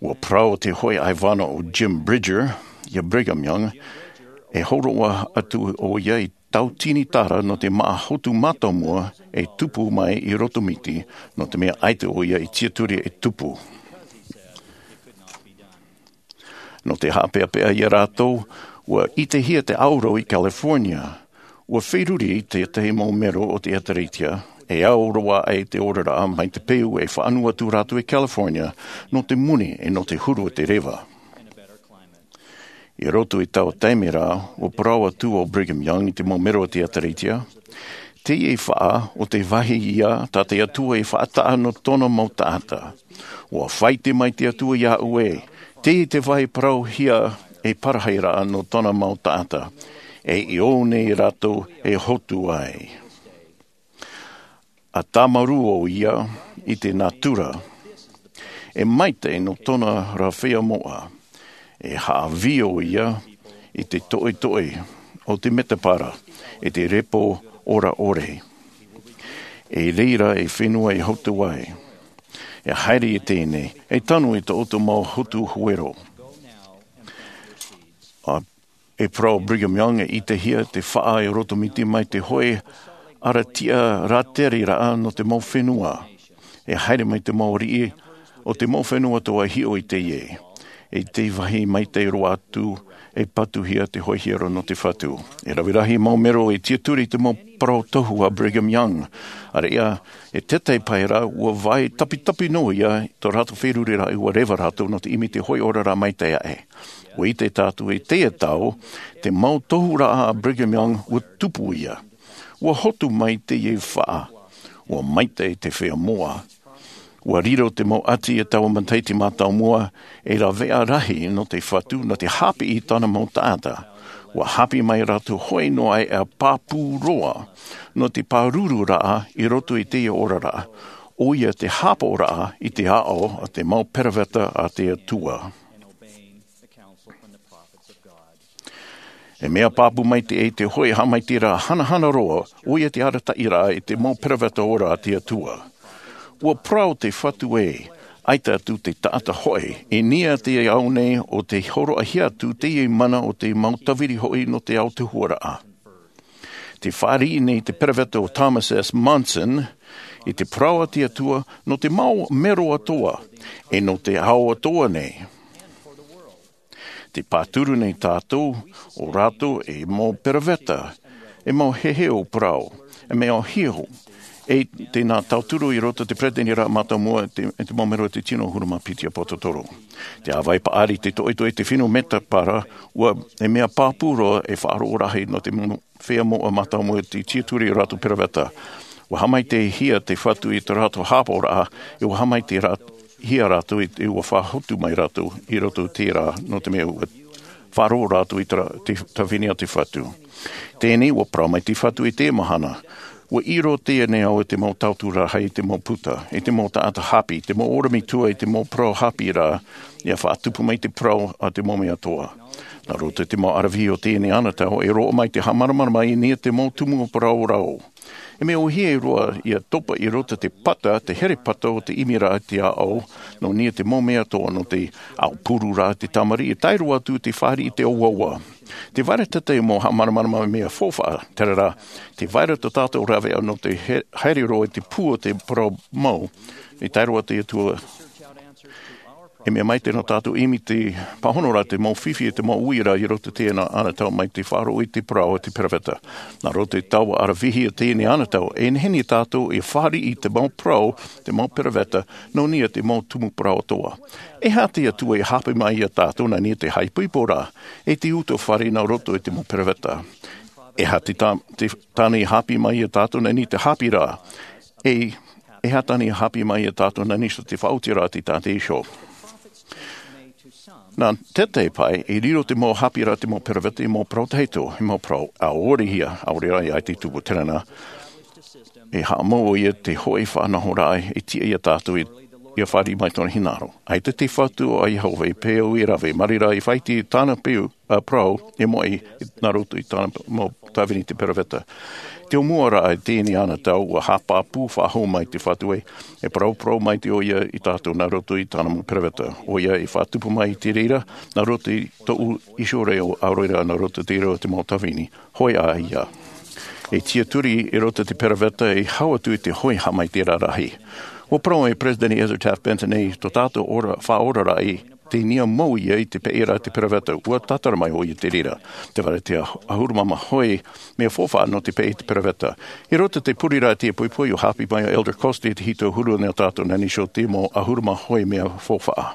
Ua parau te hōʻē ʻaivana o Jim Bridger ia Brigham Young, e hōroʻa atu ʻoia i tautini tara nō te māʻa hotu mātāmua e tupu mai i roto miti, nō te mea ʻaita ʻoia i tiaturi e tupu. Nō te haʻapeʻapeʻa ia rātou, ua ʻitehia te ʻāuro i California. Ua feruri tētahi mau mero o te ʻĒtārētia, e au roa ai te oraraʻa mai te peu e faʻanuu atu rātou i California, nō te moni e nō te huru o te reva. I roto i taua taime rā, ua parau atu ʻo Brigham Young i te mau mero o te ʻĒtārētia, teie faʻa o te vāhi ia tā te Atua i faʻataʻa nō tōna mau taʻata. Ua faʻaʻite mai te Atua iāʻu ē, teie te vāhi parauhia e parahiraʻa nō tōna mau taʻata, e i ʻō nei rātou e hotu ai. A tāmarū ʻoia i te nātura, e maitaʻi nō tōna rā feiā moʻa, e haʻavī ʻoia i te toʻetoʻe o te mētēpara, i te repo ora ʻore. I reira e fenua e hotu ai. E haere i teie nei, e tanu i tō ʻoutou mau hotu huero. A e parau Brigham Young e ʻitehia te faʻa i roto miti mai te hōʻē arataʻi rātereraʻa nō te mau fenua. E haere mai te mau riʻi o te mau fenua atoʻa e hiʻo i teie. I te vāhi maitaʻi roa atu e patuhia te hōʻē hiero nō te Fatu. E rave rahi mau mero e tiaturi i te mau parau tohu a Brigham Young. ʻAreʻa, e tētahi pae rā, ua vai tapitapi noa ia tō rātou feruriraʻa ua reva rātou nō te ʻimi i te hōʻē oraraʻa maitaʻi aʻe. Ua ʻite tātou i teie tau, te mau tohuraʻa a Brigham Young ua tupu ia. Ua hotu mai teie faʻa. Ua maitaʻi te feiā moʻa. Ua riro te mau ʻati e taua matahiti mātāmua, e rāveʻa rahi nō te Fatu, nō te haʻapiʻi i tāna mau taʻata. Ua haʻapiʻi mai rātou hoʻi noa aʻe ʻa pāpū roa, nō te pārururaʻa i roto i teie oraraʻa, ʻoia te haʻapaʻoraʻa i te aʻo a te mau peroveta a te Atua. E mea pāpū maitaʻi te hōʻē haʻamaitaʻiraʻa hanahana roa, ʻoia te arataʻiraʻa i te mau peroveta ora a te Atua. Ua parau te Fatu ē, ʻaita atu te taʻata hoʻi, i niʻa i te ao nei ʻo tē hōroʻahia atu teie mana o te mau tāviri hoʻi nō te ao tuhaʻa. Tē fāriʻi nei te peroveta ʻo Thomas S. Monson, i te parau a te Atua, nō te mau mero atoʻa, e nō te ao atoʻa nei. Tē pāturu nei tātou, ʻo rātou e mau peroveta, e mau heheu parau, e mea ʻōhie, e tē nā tauturu i roto i te peretiteniraʻa mātāmua, te, te mau mero o te tino ʻahuru mā piti ʻāpōsetolo. Te ʻāvae paʻari, te toʻetoʻe, te fenua mētēpara, ua, e mea pāpū roa e faʻaroʻo rahi nō te mau feiā moʻa mātāmua i te tiaturi i rātou peroveta. Ua haʻamaitaʻihia te Fatu i tō rātou haʻapaʻoraʻa, e ua haʻamaitaʻi rā-, hia rātou i te, ua faʻahotu mai rātou i roto i terā, nō te mea ua faʻaroʻo rātou i te ra-, te tāvini a te Fatu. Teie nei ua parau mai te Fatu i te mahana. Ua ʻiro teie nei au i te mau tauturu rahi, i te mau puta, i te mau taʻata haʻapiʻi, i te mau ʻorometua, i te mau parau haʻapiʻiraʻa, ʻia faʻatupu mai te parau a te mau mea atoʻa. Nā roto i te mau ʻaravihi o teie nei anotau, e roaʻa mai te haʻamāramarama i niʻa i te mau tumu parau rau. E mea ʻōhie roa ʻia topa i roto i te pata, te herepata o te ʻimiraʻa i te aʻo, nō niʻa i te mau mea atoʻa nō te aupururaʻa te tamariʻi, e tae roa atu i te fāriʻi i te ʻoaʻoa. Tē vai ra tētahi mau haʻamāramarama mea faufaʻa, terā rā, tē vai ra tō tātou rāveʻa nō te he-, haere roa i te pū o te parau mau, e tae roa atu i te Atua. E mea maitaʻi nō tātou ʻimi te pāhono ra te mau fifi e te mau uiraʻa i roto i teie nei anotau mai te faʻaroʻo i te parau o te peroveta. Nā roto i taua ʻaravihi o teie nei anotau, e nehenehe tātou e fāriʻi i te mau parau, te mau peroveta, nō niʻa i te mau tumu parau atoʻa. E aha te Atua i haʻapaʻo mai ia tātou nā niʻa i te haʻaipoipo ra, e te utuafare nā roto i te mau peroveta? E aha te tā-, te tāne i haʻapaʻo mai ia tātou nā niʻa i te haʻapiʻiraʻa? E, e aha tāne i haʻapaʻo mai ia tātou nā niʻa i te faʻaotiraʻa a te Taʻata Iesu? Nā te tahi pae, e riro te mau haʻapiʻiraʻa, te mau peroveta, i mau parau tahito, i mau parau ʻaore hia, ʻaore rā ia te tupu terā na. E haʻamau ʻoia i te hoʻi faʻanahoraʻa e tiʻa ia tātou i, ia fāriʻi mai tōna hinaʻaro. ʻAita te Fatu a Iehova i peu e rave, mai reira i faʻaʻite i tāna peu, ā, parau, e moʻe nā roto i tāna mau tāvini te peroveta. Te ʻōmuaraʻa i teie nei anotau, ʻua haʻapāpū faʻahou mai te Fatu e, e parauparau maitaʻi ʻoia ia tātou nā roto i tāna mau peroveta. ʻOia i faʻatupu mai i te reira, nā roto i tōʻu Iso reo, ʻaore rā nā roto i te reira o te mau tāvini. Hōʻē ā ia. E tiʻaturi i roto i te peroveta, e hau atu i te hoʻi haʻamaitaʻiraʻa rahi. ʻUa parau e Peresideni Ezra Taft Benson nei, tō tātou ora, faʻaoraraʻa i te niʻa mau ia i te peʻeraʻa te peroveta, ʻua tātara mai ʻoia i te reira. Tē vai ra te ʻahuru mā maha hoʻi mea faufaʻa nō te peʻe i te peroveta. I roto i te pureraʻa i teie poʻipoʻi, ʻua haʻapaʻo mai ʻo Elder Costa i te hitu ʻahuru nō tātou nā niʻa i te mau ʻahuru mā maha hoʻi mea faufaʻa.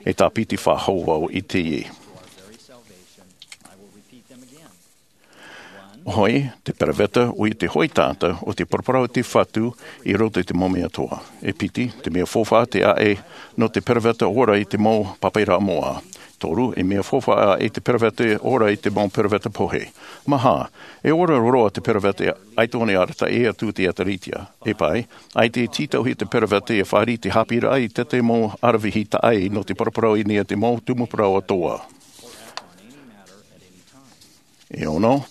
E tāpiti faʻahou vau i teie. ʻOia, te peroveta, ʻoia te hoʻi taʻata, ʻo te paraparau a te Fatu i roto i te mau mea atoʻa. E piti, te mea faufaʻa te ʻaʻe nō te peroveta ora i te mau pāpaʻiraʻa moʻa. Toru, e mea faufaʻa ʻaʻe te peroveta ora i te mau peroveta pohe. Maha, e ora roa te peroveta ʻaita ʻōna i arataʻi atu i te ʻĒtārētia. E pae, ʻaita e tītauhia te peroveta e fāriʻi i te haʻapiʻiraʻa i te tahi mau ʻaravihi taʻa ʻē nō te paraparau i niʻa i te mau tumu parau atoʻa. E ono,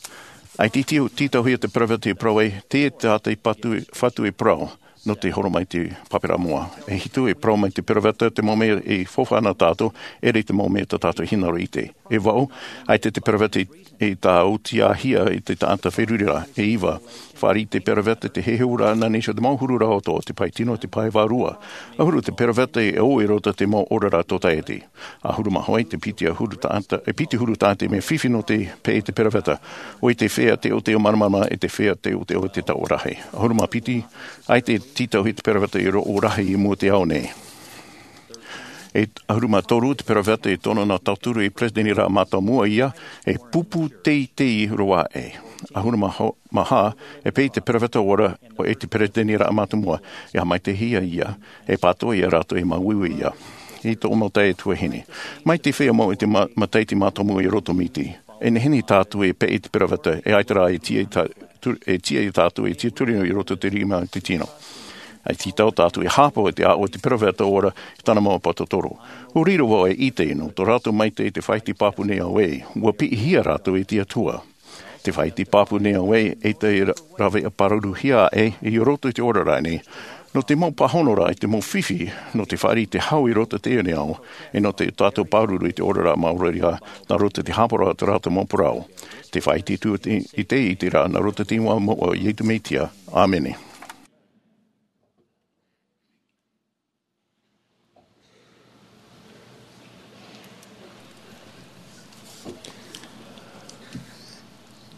ʻaita e tī-, tītauhia te peroveta e parau ai, teie te Taʻata i Fatu, Fatu e parau, nō te horo mai te pāpaʻiraʻa moʻa. E hitu, e parau mai te peroveta, te mau mea e faufaʻa nā tātou, ʻere te mau mea tā tātou hinaʻaro e ʻite. E vaʻu, ʻaita te peroveta i, i tāʻutiahia i te taʻata feruriraʻa. E iva, fāriʻi te peroveta i te heheuraʻa nā niʻa i te mau huru ra atoʻa, te pae tino, te pae vārua. ʻAhuru, te peroveta e ʻō i roto i te mau oraraʻa tōtaiete. ʻAhuru mā hoʻi, te piti ʻahuru taʻata, e piti huru taʻata mea fifi nō te peʻe i te peroveta. ʻOia te feiā teʻoteʻo māramarama e te feiā teʻoteʻo i te taoʻa rahi. ʻAhuru mā piti, ʻaita e tītauhia te peroveta i roʻo rahi i mua i te ao nei. E ʻahuru mā toru, te peroveta e tono nā tauturu i Peresideni Raʻa Mātāmua ia, e pupu teitei roa aʻe. ʻAhuru mā ho-, maha, e peʻe i te peroveta ora, ʻo e te Peresideni Raʻa Mātāmua, e haʻamaitaʻihia ia, e pātoʻi ia rātou e māuiui ia. I tōʻu mau taeaʻe tuahine. Mai te feiā mau i te ma-, matahiti mātāmua i roto o Miti. E nehenehe tātou e peʻe i te peroveta, e ʻaita rā e tiʻa i tā-, tu-, e tiʻa ia tātou e tiʻaturi i roto i te rima o te tino. E tītau tātou e haʻapaʻo i te aʻo o te peroveta ora i tāna mau pātotoro. ʻUa riro vau e ʻite nō tō rātou maitaʻi i te faʻaʻite pāpū nei au ē, ʻua piʻihia rātou e te Atua. Te faʻaʻite pāpū nei au ē, ʻaita e ra-, rāveʻa pāruruhia aʻe i roto i te oraraʻa nei, nō te mau pāhonoraʻa i te mau fifi, nō te fāriʻi i te hau i roto i teie nei ao, e nō te tātou pāruru i te oraraʻa maori ra, nā roto i te haʻapaʻoraʻa o tō rātou mau parau. Te faʻaʻite atu i te, i te, i te rā, nā roto i te iʻoa moʻa o Iesu Mesia. ʻĀmene.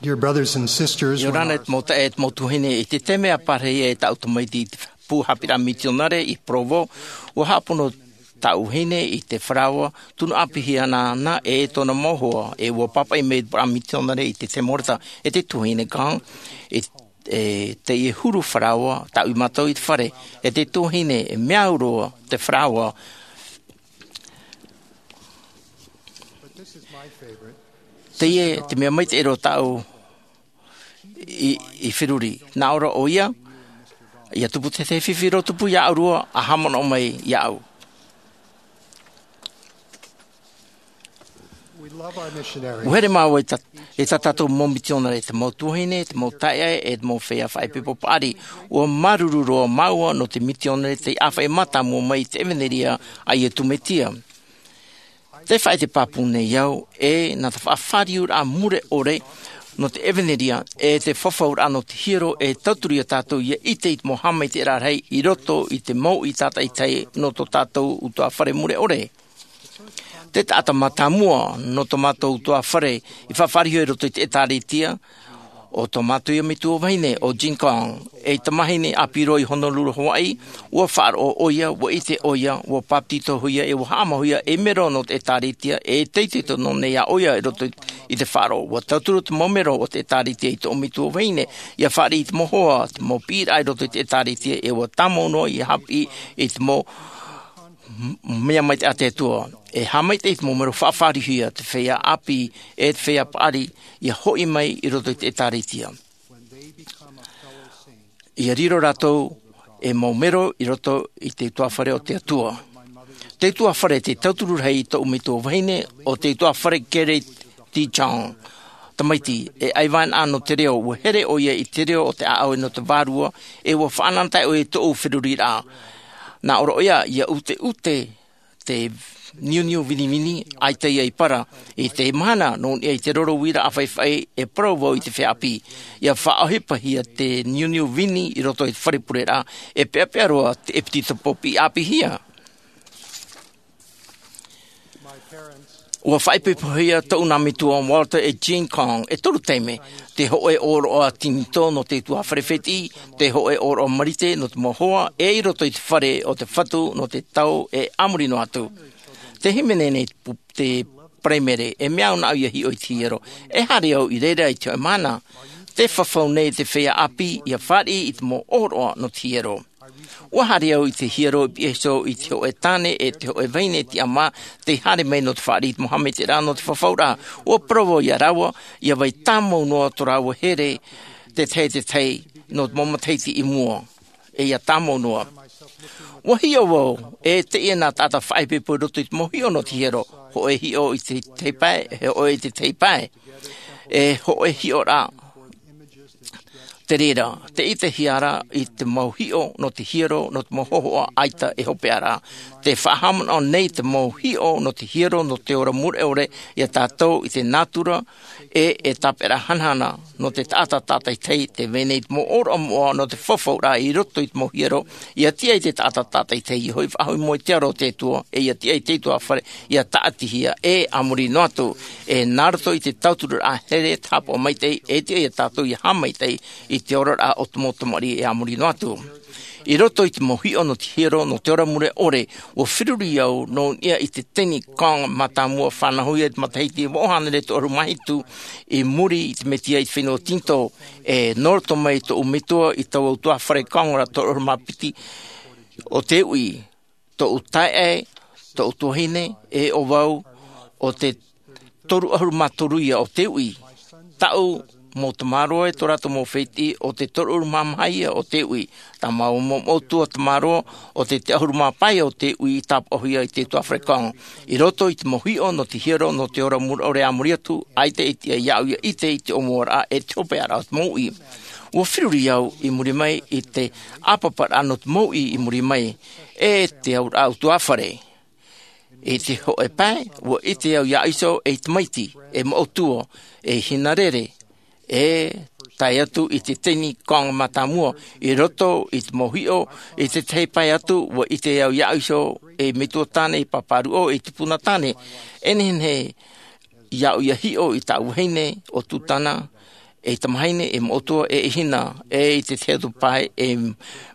Dear brothers and sisters, ʻIa ora na e te mau taeaʻe, e te mau tuahine, i te taime a pārahi ai tāʻu tamaiti i te pū haʻapiʻiraʻa mitionare i Provo, ʻua haʻapono tāʻu vahine i te faraoa, tunu ʻāpī hia nāna e tōna mau hoa, e ʻua pāpaʻi mai te pū mitionare i te Samaritan, e te tuahine Gang, e, e teie huru faraoa, tāʻu i mātau i te fare, e te tuahine, e mea au roa te faraoa. Teie, te mea maitaʻi roa tāʻu i, i feruri. Nā ʻō ra ʻoia, ʻia tupu te, te fifi roa tupu iāʻu roa, ʻa haʻamanaʻo mai iāʻu. We love our missionaries. ʻUa here māua i tā, i tā tātou mau mitionare, te mau tuahine, te mau taeaʻe, e te mau feiā faʻaipoipo paʻari. ʻUa māuruuru roa māua nō te mitionare tei ʻāfaʻi mātāmua mai i te ʻevanelia a Iesu Mesia. Tē faʻaʻite pāpū nei au, e nā te faʻafāriuraʻa mure ʻore nō te ʻevanelia, e te fafauraʻa nō te hiero, e tauturu ia tātou ʻia ʻite i te mau haʻamaitaʻiraʻa rahi i roto i te mau ʻī tātaʻitahi nō tō tātou ʻutuāfare mure ʻore. Te taʻata mātāmua nō tō mātou ʻutuāfare i faʻafaʻariʻi i roto i te ʻētāretia, ʻo tō mātou ia metua vahine ʻo Jean Kong, ei tamahine ʻāpī roa i Honolulu, Hawaii. Ua faʻaroʻo ʻoia, ua ʻite ʻoia, ua bāpetizo hoʻi ʻoia, e ua haʻamau hoʻi ʻoia ei mero nō te ʻētāretia, e teitei tonu nei ʻoia i roto i te faʻaroʻo. Ua tauturu te mau mero o te ʻētāretia i tō metua vahine, ia fāriʻi i te mau hoa, te mau piʻiraʻa i roto i te ʻētāretia, e ua tāmau noa ia haʻapiʻi i te mau mea maitaʻi a te Atua. E haʻamaitaʻi i te mau mero faʻafaʻariʻihia, te feiā ʻāpī, e te feiā paʻari, ia hoʻi mai i roto i te ʻētāretia. Ia riro rātou ei mau mero i roto i te ʻutuāfare o te Atua. Te ʻutuāfare, te tauturu rahi i tōʻu metua vahine, ʻo te ʻutuāfare Kerry T. Chong. Tamaiti, e ʻaivānaʻa nō te reo, ua here ʻoia i te reo o te ʻāʻau nō te vārua, e ua faʻanahonahonaʻa ʻoia i tōʻu feruriraʻa. Nā ʻō ra ʻoia, ia ʻuteʻute te niuniu vinivini, ʻaita ia i para. I te mahana, nō niʻa i te roro uiraʻa faʻifaʻi, e parau vau i te feiā ʻāpī, ia faʻaʻohipahia te niuniu vini i roto i te fare pureraʻa, e peʻapeʻa roa te ʻepetitopo piʻi ʻāpīhia. Ua faʻaipoipohia tōʻu nā metua, Walter e Jean Kong, e toru taime, te hōʻē ʻōroʻa tinitō nō te ʻutuāfare fētiʻi, te hōʻē ʻōroʻa marite nō te mau hoa, e i roto i te fare o te Fatu nō te tau e a muri noa atu. Te hīmene nei te pu-, te paraimere, e mea au nāʻu ia hiʻo i te hiero. E haere au i reira i te hōʻē mahana. Te fafau nei te feiā ʻāpī, ia fāriʻi i te mau ʻōroʻa nō te hiero. Ua haere au i te hiero i pihaʻi iho i te hōʻē tāne e te hōʻē vahine tiʻamā, tei haere mai nō te fāriʻi i te mau haʻamaitaʻiraʻa nō te fafauraʻa. Ua parau vau ia rāua, ia vai tāmau noa tō rāua here, te tahi, te tahi, nō te mau matahiti i mua. E ia tāmau noa. Ua hiʻo vau, e teie nā taʻata faʻaipoipo i roto i te mau hiʻo nō te hiero, hōʻē hiʻo i te tahi pae, hōʻē i te tahi pae. E hōʻē hiʻoraʻa te reira, te ʻitehia ra i te mau hiʻo nō te hiero, nō te mau hōhoʻa ʻaita e hopeʻa ra. Te faʻahaʻamanaʻo nei te mau hiʻo nō te hiero, nō te ora mure ʻore ia tātou i te nātura, e, e tāpeʻaraʻa hanahana, nō te taʻata tātaʻitahi, tē vai nei te mau ʻōroʻa moʻa nō te fafauraʻa i roto i te mau hiero, ia tiʻa i te taʻata tātaʻitahi, ia hoʻi faʻahou i mua i te aro o te Atua, e ia tiʻa i te ʻutuāfare, ia tāʻatihia, e a muri noa atu, e nā roto i te tautururaʻa here, te haʻapaʻo maitaʻi, e tiʻa ia tātou ia haʻamaitaʻi i te oraraʻa o te mau tamariʻi e a muri noa atu. I roto i te mau hiʻo nō te hiero, nō te ora mure ʻore, ua feruri au nō niʻa i te teni Kong mātāmua, fānauhia i te matahiti e vaʻu hānere toʻahuru mā hitu, i muri i te Mesia i te fenua Tinitō, e nō roto mai tōʻu metua i taua ʻutuāfare Kong ra toʻahuru mā piti, ʻo te uʻi, tōʻu taeaʻe, tōʻu tuahine, e ʻo vau, ʻo te toru ʻahuru mā toru ia ʻo te uʻi. Tāʻu mau tamaroa e tō rātou mau fētiʻi, ʻo te toru ʻahuru mā maha ia ʻo te uʻi. Tā māua mau ʻutuāfare tamaroa, ʻo te, te ʻahuru mā pae o te uʻi i tāpaʻohia i te ʻutuāfare Kong. I roto i te mau hiʻo nō te hiero, nō te ora mure ʻore a muri atu, ʻaita e tiʻa iāʻu ia ʻite i te ʻōmuaraʻa e te hopeʻaraʻa o te mau uʻi. Ua feruri au i muri mai i te ʻāpaparaʻa nō te mau uʻi i muri mai, e te auraʻa ʻutuāfare. I te hōʻē pae, ua ʻite au iāʻu iho ei tamaiti, e mau ʻutua, ei hinarere, e tae atu i te teni Kong mātāmua, i roto i te mau hiʻo, i te tahi pae atu, ua ʻite au iāʻu iho ei metua tāne, ei pāpā ruʻau, ei tupuna tāne, e nehenehe iāʻu ia hiʻo i tāʻu vahine, ʻo Tutana, ei tamahine, ei mau ʻutua, e ei hina, e i te tahi atu pae, ei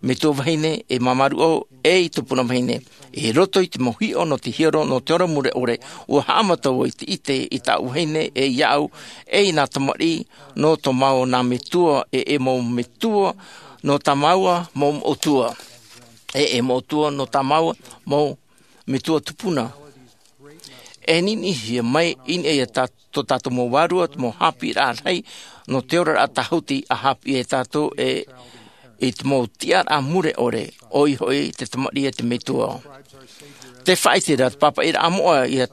metua vahine, ei māmā ruʻau, ei tupuna vahine. I roto i te mau hiʻo nō te hiero, nō te ora mure ʻore, ua haʻamata vau i te ʻite i tāʻu vahine, e iāʻu, e i nā tamariʻi, nō tō māua nā metua, e, e mau metua, nō tā māua mau ʻutua. E, e mau ʻutua, nō tā māua mau metua tupuna. E niʻinihia mai i niʻa ia tā, tō tātou mau vārua, te mau haʻapiʻiraʻa rahi, nō te oraraʻa tāhuti a haʻapiʻi ia tātou e, i te mau tiʻaraʻa mure ʻore, ʻoia hoʻi te tamariʻi a te metua. Te faʻaʻite ra te pāpaʻiraʻa moʻa ia,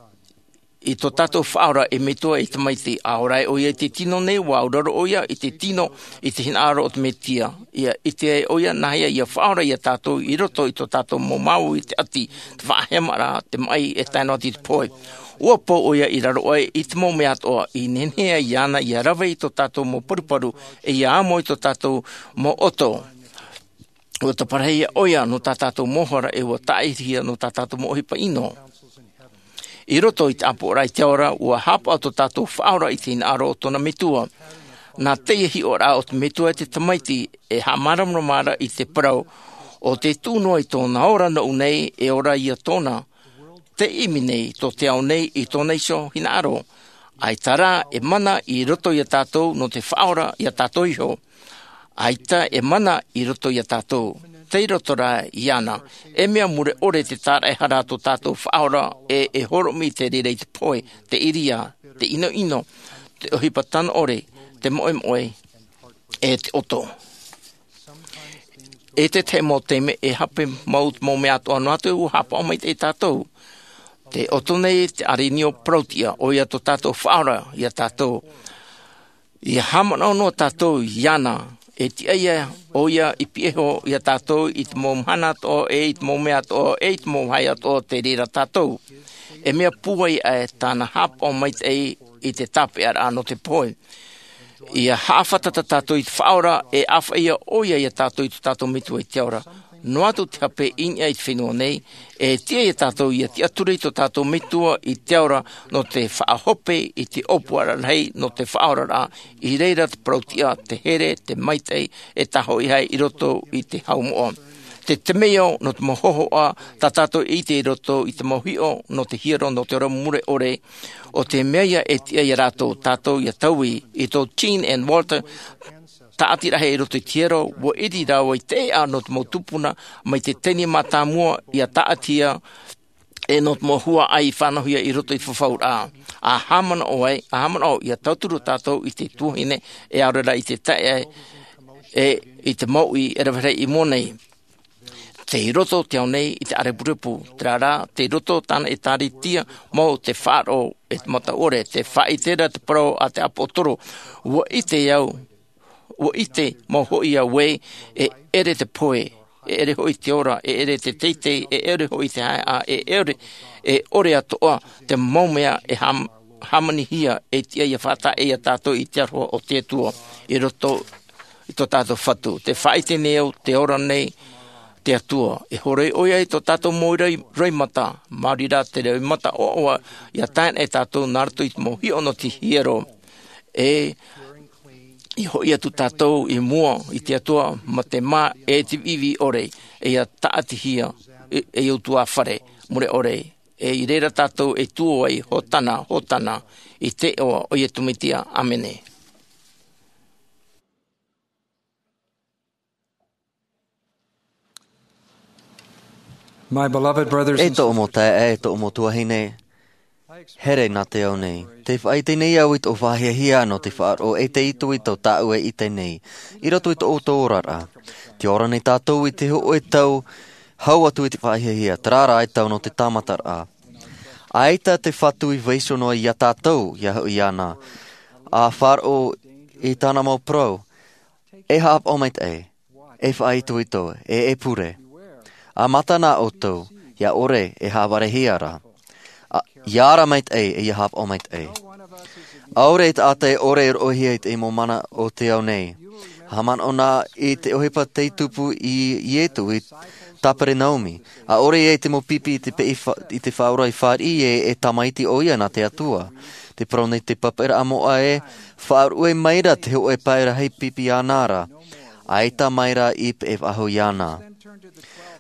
i tō tātou Faʻaora ei metua ei tamaiti, ʻa ora ai ʻoia i te tino nei, ua auraro ʻoia i te tino, i te hinaʻaro o te Mesia. Ia ʻite ai ʻoia nāhea ia faʻaora ia tātou i roto i tō tātou mau māuiui i te ʻati, te faʻahemaraʻa, te maʻi e tae noa atu i te pohe. Ua pou ʻoia i raro aʻe i te mau mea atoʻa, i nehenehe ai iāna ia rave i tō tātou mau paruparu, e ia amo i tō tātou mau ʻoto. Ua taparahihia ʻoia nō tā tātou mau hara, e ua tāʻirihia nō tā tātou mau ʻohipa ʻino. I roto i te ʻāpoʻoraʻa i te ao ra, ua haʻapaʻo tō tātou Faʻaora i te hinaʻaro o tōna Metua. Nā te hiʻoraʻa o te Metua i te Tamaiti, e haʻamāramarama ra i te parau ʻo tē tuʻu noa i tōna ora noʻu nei, e ora ia tōna. Te ʻimi nei tō te ao nei i tōna iho hinaʻaro. ʻAita rā, e mana i roto ia tātou nō te Faʻaora ia tātou iho. ʻAita e mana i roto ia tātou. Tei roto rā iāna. E mea mure ʻore te tāraʻehara tō tātou Faʻaora, e, e horomi te reira i te pohe, te ʻīria, te ʻinoʻino, te ʻohipa tano ʻore, te moʻemoʻe, e te ʻoto. E te tahi mau taime e hape mau, mau mea atoʻa noa atu ua haʻapaʻo maitaʻi tātou. Te ʻoto nei te ʻārenio parautiʻa, ʻoia tō tātou Faʻaora ia tātou. Ia haʻamanaʻo noa tātou iāna, e tiʻa ia ʻoia i pihaʻi iho ia tātou i te mau mahana atoʻa, e i te mau mea atoʻa, e i te mau vāhi atoʻa, te reira tātou. E mea pūai aʻe tāna haʻapaʻo maitaʻi i te tāpeʻaraʻa nō te pohe. Ia haʻafātata tātou i te Faʻaora, e ʻāfaʻi ʻoia ia tātou i tō tātou Metua i te ao ra. Noa atu te hape i niʻa i te fenua nei, e tiʻa ia tātou ia tiʻaturi i tō tātou Metua i te ao ra nō te faʻahope i te ʻōpuaraʻa rahi nō te faʻaoraraʻa, i reira te parautiʻa, te here, te maitaʻi, e tāhōʻihia i roto i te hau moʻa. Te temeio nō te mau hōhoʻa, tā tātou e ʻite i roto i te mau hiʻo nō te hiero nō te ora mure ʻore, ʻo te mea ia e tiʻa ia rātou, tātou ia taui, i tō Jean and Walter, tāʻati rahi i roto i te hiero, ua ʻiri rāua i te ʻēʻa nō te mau tupuna, mai te teine mātāmua ia tāʻatihia, e nō te mau huaʻai i faʻanahohia i roto i te fafauraʻa. A haʻamanaʻo ai, a haʻamanaʻo ia tauturu tātou i te tuahine, e aore rā i te taeaʻe, e i te mauʻi e rave rahi i mua nei. Tei roto te ao nei i te ʻārepurepu, terā rā, tei roto tāna ʻĒkālesia mau te faʻaroʻo e te mata ʻore, tē faʻaʻite ra te parau a te ʻāpōsetolo, ua ʻite au, ua ʻite mau hoʻi au ē, e ʻere te pohe, e ʻere hoʻi te ora, e ʻere te teitei, e ʻere hoʻi te haeʻa, e ʻere, e ʻore atoʻa te mau mea e hām-, hāmanihia, e tiʻa ia faʻataʻa ia tātou i te aroha o te Atua, i roto i tō tātou Fatu. Tē faʻaʻite nei au, tē ora nei te Atua. E hōroʻa ʻoia i tō tātou mau roi-, roimata, maori rā te roimata ʻoaʻoa, ia tae nei tātou nā roto i te mau hiʻo nō te hiero. E, ia hoʻi atu tātou i mua i te Atua, mā te mā e te viʻiviʻi ʻore, e ia tāʻatihia, e, e ʻoutou ā fare, mure ʻore. E i reira tātou e tuō ai, Hōtana, Hōtana, i te iʻoa o Iesu Mesia. ʻĀmene. My beloved brothers E and tōʻu mau taeaʻe, e tōʻu mau tuahine, here nā te ao nei. Tē faʻaʻite nei au i tōʻu faʻahiahia nō te faʻaroʻo e te itoito tāʻu e ʻite nei, i roto i tō ʻoutou oraraʻa. Tē ora nei tātou i te hōʻē tau, hau atu i te faʻahiahia, terā rā e tau nō te tāmataraʻa. ʻAita te Fatu i vaiiho noa ia tātou, ia hoʻi iāna. A faʻaroʻo i tāna mau parau, e haʻapaʻo maitaʻi, e faʻaitoito, e, e pure. A mata nā ʻoutou, ia ʻore e haʻavarehia ra. A, ia ara maitaʻi, e ia haʻapaʻo maitaʻi. ʻAore e taʻata e ʻore e roʻohia i te mau mana o te ao nei. Haʻamanaʻo na i te ʻohipa tei tupu i Iesu i Kaperenaumi. ʻAore ia i te mau pipi i te peʻe fa-, i te faʻaora i fāriʻi ē, e tamaiti ʻoia nā te Atua. Tē parau nei te papaʻiraʻa moʻa ē, faʻaruʻe mai ra te hōʻē pae rahi pipi iāna ra. ʻAita mai ra i peʻe faʻahou iāna.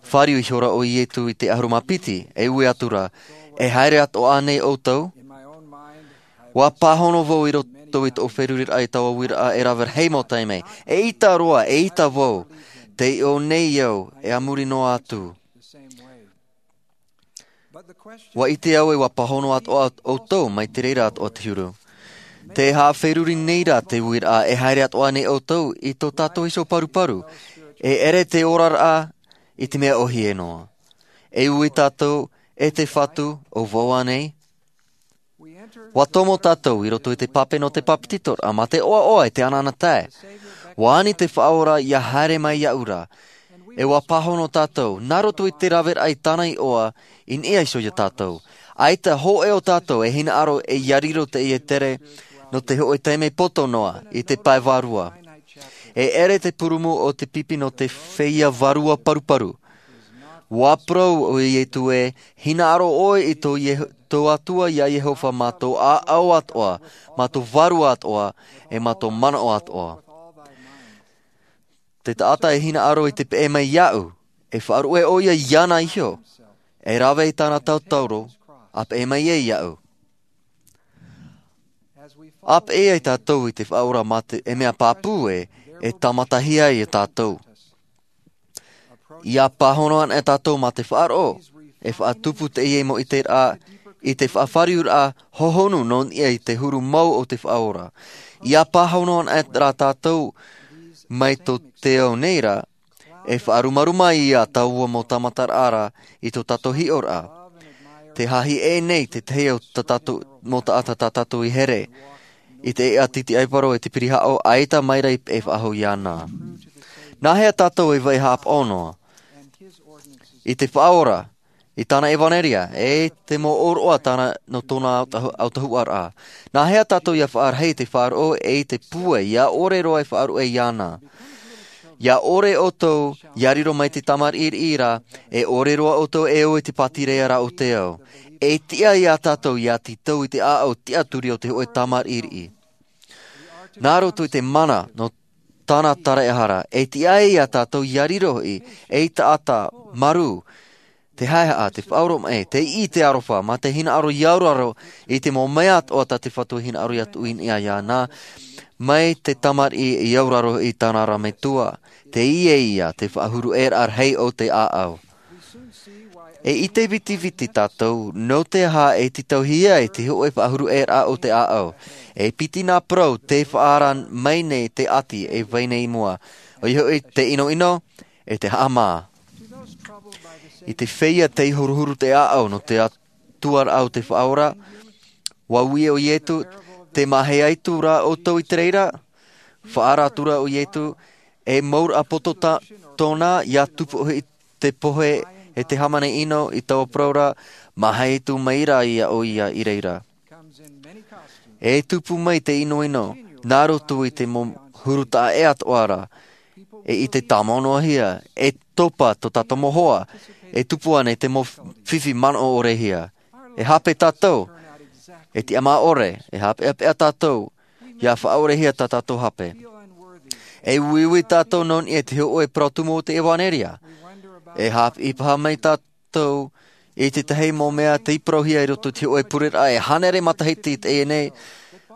Fāriu ihora ʻo Iesu i te ʻahuru mā piti, e ui atu ra, e haere atoʻa ānei ʻoutou? ʻUa pāhono vau i roto i tōʻu feruriraʻa i taua uiraʻa e rave rahi mau taime. Eʻita roa, eʻita vau, tei ʻō nei au, e a muri noa atu. ʻUa ʻite au ē ʻua pāhono atoʻa ʻoutou mai te reira atoʻa te huru. Tē haʻaferuri nei ra te uiraʻa e haere atoʻa ānei ʻoutou i tō tātou iho paruparu. E ʻere te oraraʻa i te mea ʻōhie noa. E ui tātou, e te Fatu, ʻo vau ānei? ʻUa tomo tātou i roto i te pape nō te papetitoraʻa mā te ʻoaʻoa e te anaanatae. ʻUa ani te Faʻaora ia haere mai iāʻu ra. E ʻua pāhono tātou, nā roto i te raveraʻa i tāna iʻoa, i niʻa iho ia tātou. ʻAita hōʻē o tātou e hinaʻaro e ia riro teie tere, nō te hōʻē taime poto noa, i te pae vārua. E ʻere te purūmu o te pipi nō te feiā vārua paruparu. ʻUa parau ʻo Iesu ē, hinaʻaro ʻoe i tō Iehu-, tō Atua, iā Iehova, mā tō ʻāʻau atoʻa, mā tō vārua atoʻa, e mā tō manaʻo atoʻa. Te taʻata e hinaʻaro i te peʻe mai iāʻu, e faʻaruʻe ʻoia iāna iho, e rave i tāna tauturu, ʻa peʻe mai ē iāʻu. ʻA peʻe ai tātou i te Faʻaora mā te, e mea pāpū ē, e tāmatahia ai iā tātou. ʻIa pāhono ana e tātou mā te faʻaroʻo, e faʻatupu teie mau ʻiteraʻa, i te faʻafāriuraʻa hohonu nō niʻa i te huru mau o te Faʻaora. ʻIa pāhono ana e rā tātou mai tō te ao nei ra, e faʻarumaruma iā tāua mau tāmataraʻa ra i tō tātou hiʻoraʻa. Te hāhi ʻē nei te tahi o tā tātou, mau taʻata tā tātou i here, i te ʻēʻa titi ʻaiparo e te pirihaʻo, ʻaita mai ra i peʻe faʻahou iāna. Nāhea tātou e vai hāpaʻo noa i te Faʻaora, i tāna ʻevanelia, e te mau ʻōroʻa tāna nō tōna autahu-, autahuʻaraʻa? Nāhea tātou ʻia faʻarahi i te faʻaroʻo e i te pūai, ʻia ʻore roa e faʻaruʻe iāna? ʻIa ʻore ʻoutou, ʻia riro mai te tamariʻi ra, e ʻore roa ʻoutou e ō i te pātireia ra o te ao. E tiʻa iā tātou ʻia tītau i te ʻāʻau tiʻaturi o te hōʻē tamariʻi. Nā roto i te mana nō tāna taraehara, e tiʻa ai iā tātou ʻia riro hoʻi, ei taʻata marū, te haehaʻa, te faʻaoromaʻi, te iʻi, te aroha, mā te hinaʻaro ʻia auraro i te mau mea atoʻa tā te Fatu e hinaʻaro ʻia tuʻu i niʻa iāna, mai te tamariʻi ʻia auraro i tāna ra metua, teie ïa te faʻahuruʻaraʻa rahi o te ʻāʻau. E ʻite vitiviti tātou, nō te aha e tītauhia ai te hōʻē faʻahuruʻaraʻa o te ʻāʻau. E piti nā parau tē faʻaara mai nei te ʻati e vai nei i mua. ʻOia hoʻi te ʻinoʻino, e te haʻamā. I te feiā tei huruhuru te ʻāʻau nō te Atua ra o te Faʻaora, ʻua ui ʻo Ietu, tē mahe atu ra ʻoutou i te reira, faʻaara atu ra ʻo Ietu, e mau ra poto tā-, tōna, ʻia tupu hoʻi te pohe e te hāmani ʻino i taua parau ra, mahe atu mai ra ïa ʻoia i reira. E tupu mai te ʻinoʻino, nā roto i te mau huru taʻa ʻē atoʻa ra, e ʻite tāmau noa hia, e topa tō tātou mau hoa, e tupu ānei te mau fifi manaʻo ʻore hia. E hape tātou, e tiʻamā ʻore, e hapeʻapeʻa tātou, ʻia faʻaʻorehia tā tātou hape. E uiui tātou nō niʻa i te hōʻē parau tumu o te ʻevanelia. E haʻapiʻi paha mai tātou i te tahi mau mea tei parauhia i roto i te hōʻē pureraʻa e hānere matahiti i teie nei,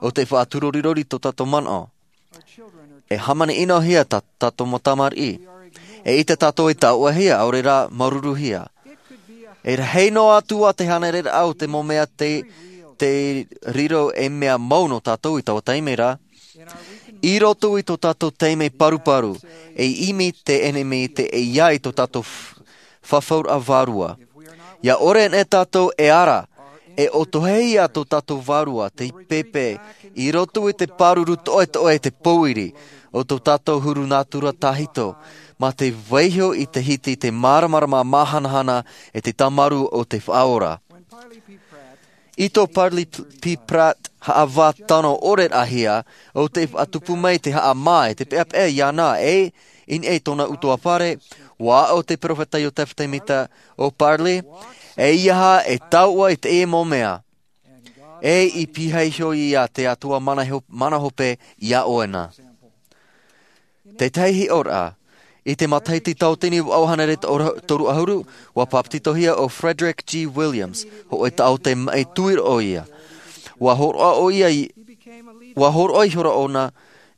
ʻo tē faʻaturorirori tō tātou manaʻo. E hāmani ʻino hia tā, tātou mau tamariʻi. E ʻite tātou e tauʻahia, ʻaore rā, māuruuruhia. E rahi noa atu ā te hānereraʻa o te mau mea tei, tei riro ei mea mau nō tātou i taua taime ra. I roto i tō tātou taime paruparu, e ʻimi te ʻenemi i te ʻeiā i tō tātou f-, fafauraʻa vārua. ʻIa ʻore anaʻe tātou e ara, e ʻotohia tō tātou vārua, tei pēpē, i roto i te pāruru toʻetoʻe, te pōiri, o tō tātou huru nātura tahito, mā te vaiiho i te hiti, te māramarama māhanahana, e te tāmarū o te Faʻaora. I tō Parley P-, P. Pratt haʻavā tano ʻoreraʻahia, ʻo tē faʻatupu mai te haʻamā e te peʻapeʻa iāna e, i niʻa i tōna ʻutuāfare, ʻua aʻo te peropheta Iosepha Semita, ʻo Parley, e ʻeiaha e tauʻa i teie mau mea. E i pihaʻi iho ïa te Atua mana ho-, mana hope iā ʻoe na. Te tahi hiʻoraʻa, i te matahiti tauatini vaʻu hānere toru-, toru ʻahuru, ʻua pāpetitohia ʻo Frederick G. Williams, hōʻē taʻata maʻi tuiroʻo ïa. ʻUa hōroʻa ʻoia i, ʻua hōroʻa ihora ʻōna,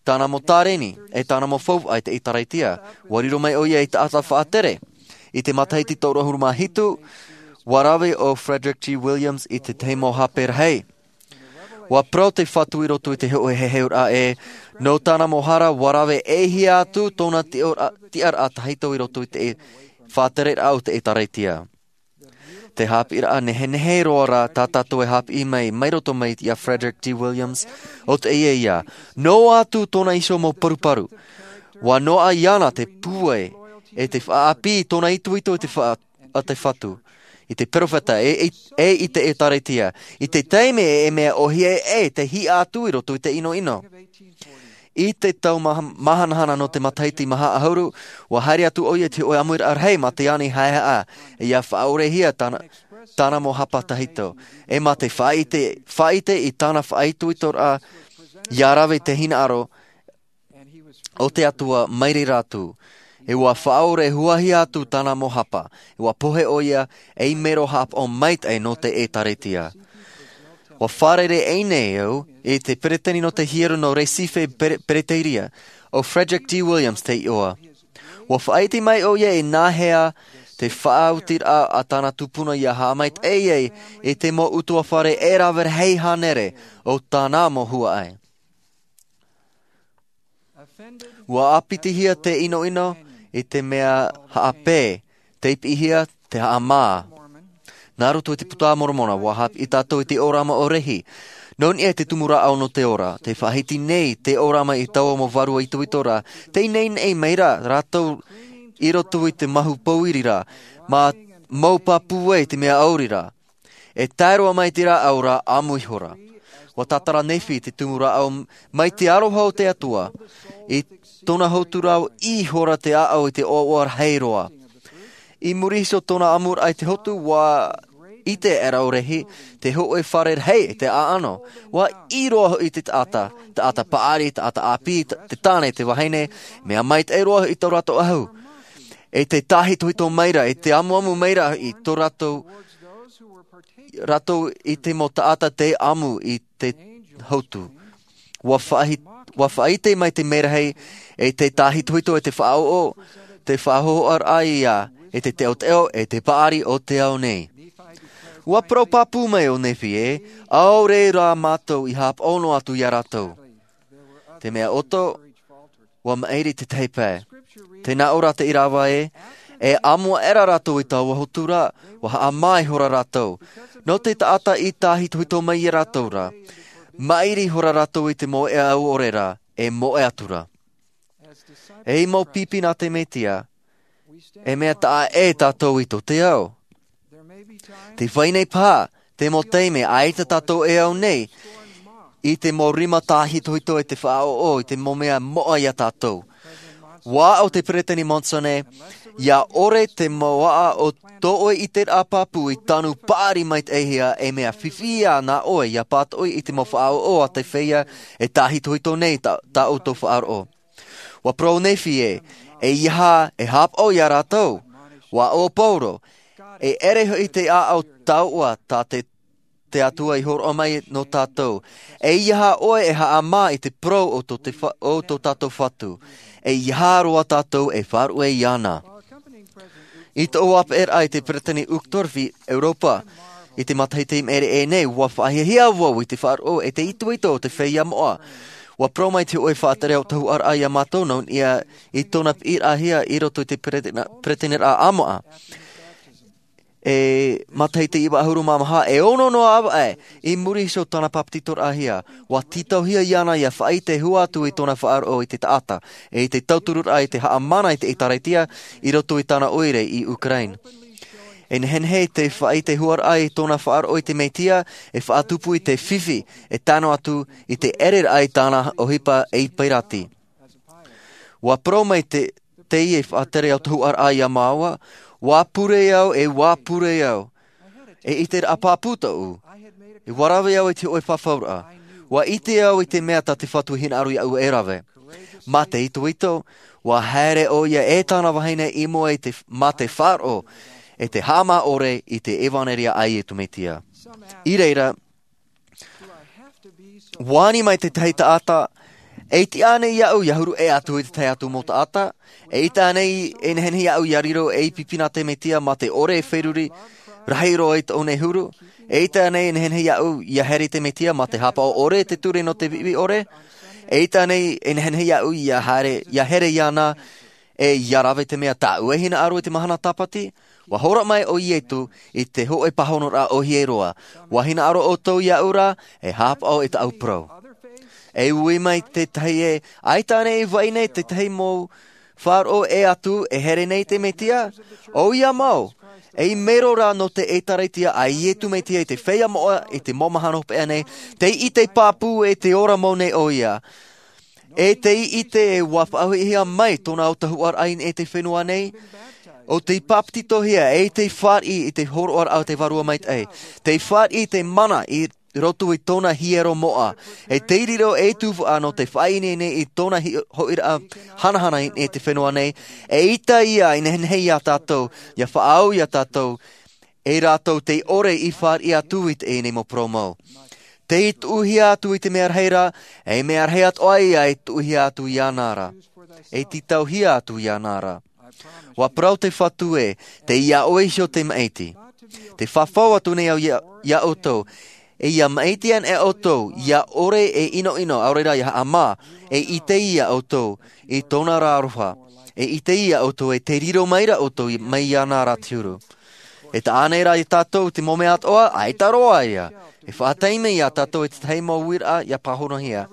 tāna mau tāreni, e tāna mau faufaʻa i te ʻĒtārētia. ʻUa riro mai ʻoia ei taʻata faʻatere. I te matahiti toru ʻahuru mā hitu, ʻua rave ʻo Frederick G. Williams i te tahi mau hape rahi. ʻUa parau te Fatu i roto i te hōʻē heheuraʻa ē, nō tāna mau hara ʻua rave e hia atu tōna tiʻaraʻa, tiʻaraʻa tahito i roto i te faʻatereraʻa o te ʻĒtārētia. Te haʻapiʻiraʻa nehenehe roa rā tā tātou e haʻapiʻi mai, mai roto mai iā Frederick G. Williams, ʻo teie ïa. Noa atu tōna iho mau paruparu. ʻUa noaʻa iāna te pūai, e te faʻaʻāpī i tōna itoito i te fa-, a te Fatu, i te peropheta, e, e, e i te ʻĒtārētia, i te taime e, e mea ʻōhie e, e te hiʻa atu i roto i te ʻinoʻino. I te tau maha-, māhanahana nō te matahiti maha ʻahuru, ʻua haere atu ʻoia i te hōʻē ʻāmuiraʻa rahi mā te ani haehaʻa, e ʻia faʻaʻorehia tāna, tāna mau hapa tahito. E mā te faʻaʻite faʻaʻite i tāna faʻaitoitoraʻa, ia rave te hinaʻaro o te Atua mai reira atu. E ua faʻaore huahia atu tāna mau hapa. E ua pohe ʻo ia ei mero hapa o maitaʻi nō te ʻētāretia. Ua fārerei nei au i te peretiteni nō te hiero nō recife, peretiteni o frederick g williams te iʻoa. Ua faʻaʻite mai ʻo ia i nāhea te faʻaotiraʻa a tāna tupuna ia haʻamaitaʻi ai i te mau utuafare e rave rahi hānere o tāna mau huaʻai. Ua ʻāpitihia te ʻinoʻino i te mea haʻapē, te piʻihia, te haʻamā. Nā roto i te puta a moromona ua haʻapiʻi tātou i te ʻōrama o lehi. Nō niʻa i te tumu rāʻau nō te ora te faʻahiti nei te ʻōrama i taua mau vārua itoito rā. Te ineine mai rā rātou i roto i te mahu pōiri rā, mā mau pāpū ai te mea ʻauri rā. E tae roa mai te rāʻau rā ʻamu ihora. Ua tātara nephi te tumu rāʻau mai te aroha o te Atua. I tōna hotu rā ihora te ʻaʻau i te ʻoaʻoa rahi roa. I muri iho tōna ʻamuraʻa i te hotu ua ʻite ʻera o lehi te hoʻe fare rahi i te ʻaʻano. Ua ʻī roa hoʻi te taʻata, taʻata paʻari, taʻata ʻāpī, te tāne, te vahine, mea maitaʻi roa hoʻi tō rātou ʻahu. E te tāhitohito mai rā e te amuamu mai rā i tō rātou rātou i te mau taʻata te ʻamu i te hotu. Ua faʻaʻite mai te merahi e te tāhitohito e te faʻaʻoʻo, te faʻahohoʻaraʻa ia e te teoteo e te paʻari o te ao nei. Ua parau pāpū mai ʻo nephi e ʻaore rā mātou i hāpaʻo noa atu iā rātou. Te mea ʻoto ua maʻiri tētahi pae. Tēnā ʻo rātou i rāva e e ʻamu aʻera rātou i taua hotu rā. Ua haʻamā ihora rātou nō te taʻata i tāhitohito mai iā rātou rā. Maʻiri ihora rātou i te moʻe au ʻore rā e moʻe atu rā. Ei mau pipi nā te mesia e mea taʻa ʻē tātou i tō te ao. Te vai nei paha te mau taime ʻaita tātou e au nei i te mau rima tāhitohito e te faʻaʻoʻo i te mau mea moʻa iā tātou. Ua aʻo te peretiteni monson e ia ʻore te mau aʻa o tō ʻoe ʻiteraʻa pāpū i tanu paʻari maitaʻihia e mea fifi iā nā ʻoe ia pātoʻi i te mau faʻaʻoʻo a te feiā e tāhitohito nei tā ʻoutou faʻaroʻo. Ua parau nephi e e ia hā e hāpaʻo iā rātou. Ua ʻo paulo e ʻere hoʻi te ʻaʻau tauʻa tā te te atua i horoʻa mai nō tātou. E ia hā ʻoe e haʻamā i te parau o tō tātou fatu. E ia hā roa tātou e faʻaruʻe iāna. I tōʻu ʻāpeʻeraʻa i te peretiteni uchtdorf i europa i te matahiti i maʻiri aʻe nei ua faʻahiahia vau i te faʻaroʻo e te itoito o te feiā moʻa. Ua parau mai te hoʻe faʻatere autahuʻaraʻa iā mātou nō niʻa i tōna piʻiraʻahia i roto i te peretiteniraʻa ʻāmoʻa. E matahiti iva ʻahuru mā maha e ono noa avaʻe i muri iho tōna papetitoraʻahia. Ua tītauhia iāna ia faʻaʻite hua atu i tōna faʻaroʻo i te taʻata e i te tautururaʻa i te haʻamana i te ʻēkālesia i roto i tāna ʻoire i ukraine. E nehenehe te faʻaʻite huaraʻa i tōna faʻaroʻo i te mesia e faʻatupu i te fifi e tano atu i te ʻereraʻa i tāna ʻohipa ei pairati. Ua parau mai te teie faʻatere autahuʻaraʻa iā māua. Ua pure au e ua pure au. E ʻiteraʻa pāpū tōʻu. Ua rave au i te hoʻe fafauraʻa. Ua ʻite au i te mea tā te fatu i hinaʻaro iāʻu e rave. Mā te itoito ua haere ʻo ia e tāna vahine i mua i te mā te faʻaroʻo e te haʻamā ʻore i te ʻevanelia a iesu mesia. I reira ua ani mai tētahi taʻata. E ʻite ānei iāʻu ia huru ʻē atu i tētahi atu mau taʻata? E ʻite ānei e nehenehe iāʻu ia riro ei pipi nā te mesia mā te ʻore e feruri rahi roa i tōʻu nei huru? E ʻite ānei e nehenehe iāʻu ia here i te mesia mā te hāpaʻo ʻore te ture nō te viʻiviʻi ʻore? E ʻite ānei e nehenehe iāʻu ia here iāna e ia rave te mea tāʻu e hinaʻaro i te mahana tāpati? Ua horo mai ʻo iesu i te hoʻe pāhonoraʻa ʻohie roa. Ua hinaʻaro ʻoutou iāʻu rā e hāpaʻo i tāʻu parau. E ui mai tētahi e ʻaita ānei i vai nei tētahi mau faʻaroʻo ʻē atu e here nei te mesia? ʻO ia mau ei mero rā nō te ʻēkālesia a iesu mesia i te feiā moʻa i te mau mahana hopeʻa nei. Te ʻite pāpū e te ora mau nei ʻo ia. E te ʻite e ua faʻahoʻihia mai tōna autahuʻaraʻa i te fenua nei. ʻO tei pāpetitohia, e tei fāriʻi i te hōroʻaraʻa o te Vārua Maitaʻi. Tei fāriʻi i te mana i roto i tōna hiero moʻa. E tei riro ei tuhaʻa nō te faʻaineine i tōna hi-, hoʻiraʻa hanahana i te fenua nei. E ʻaita ia i nehenehe iā tātou, ʻia faʻaau iā tātou, e rātou tei ʻore i fāriʻi atu i teie nei mau parau mau. Tei tuʻuhia atu i te mea rahi ra, e mea rahi atoʻa ia e tuʻuhia atu iāna ra. E tītauhia atu iāna ra. ʻUa parau te Fatu ē, tei iā ʻoe iho te maʻiti. Tei fafau atu nei au iā, iā ʻoutou. E ʻia maʻiti ana ʻoutou, ʻia ʻore e ʻinoʻino, ʻaore rā ʻia haʻamā, e ʻite iā ʻoutou, i tōna ra aroha. E ʻite iā ʻoutou, e tei riro mai ra ʻoutou i, mai iāna ra te huru. E taʻa nei rā iā tātou te mau mea atoʻa, ʻaita roa ia. E faʻataime iā tātou i te tahi mau uiraʻa ʻia pāhonohia.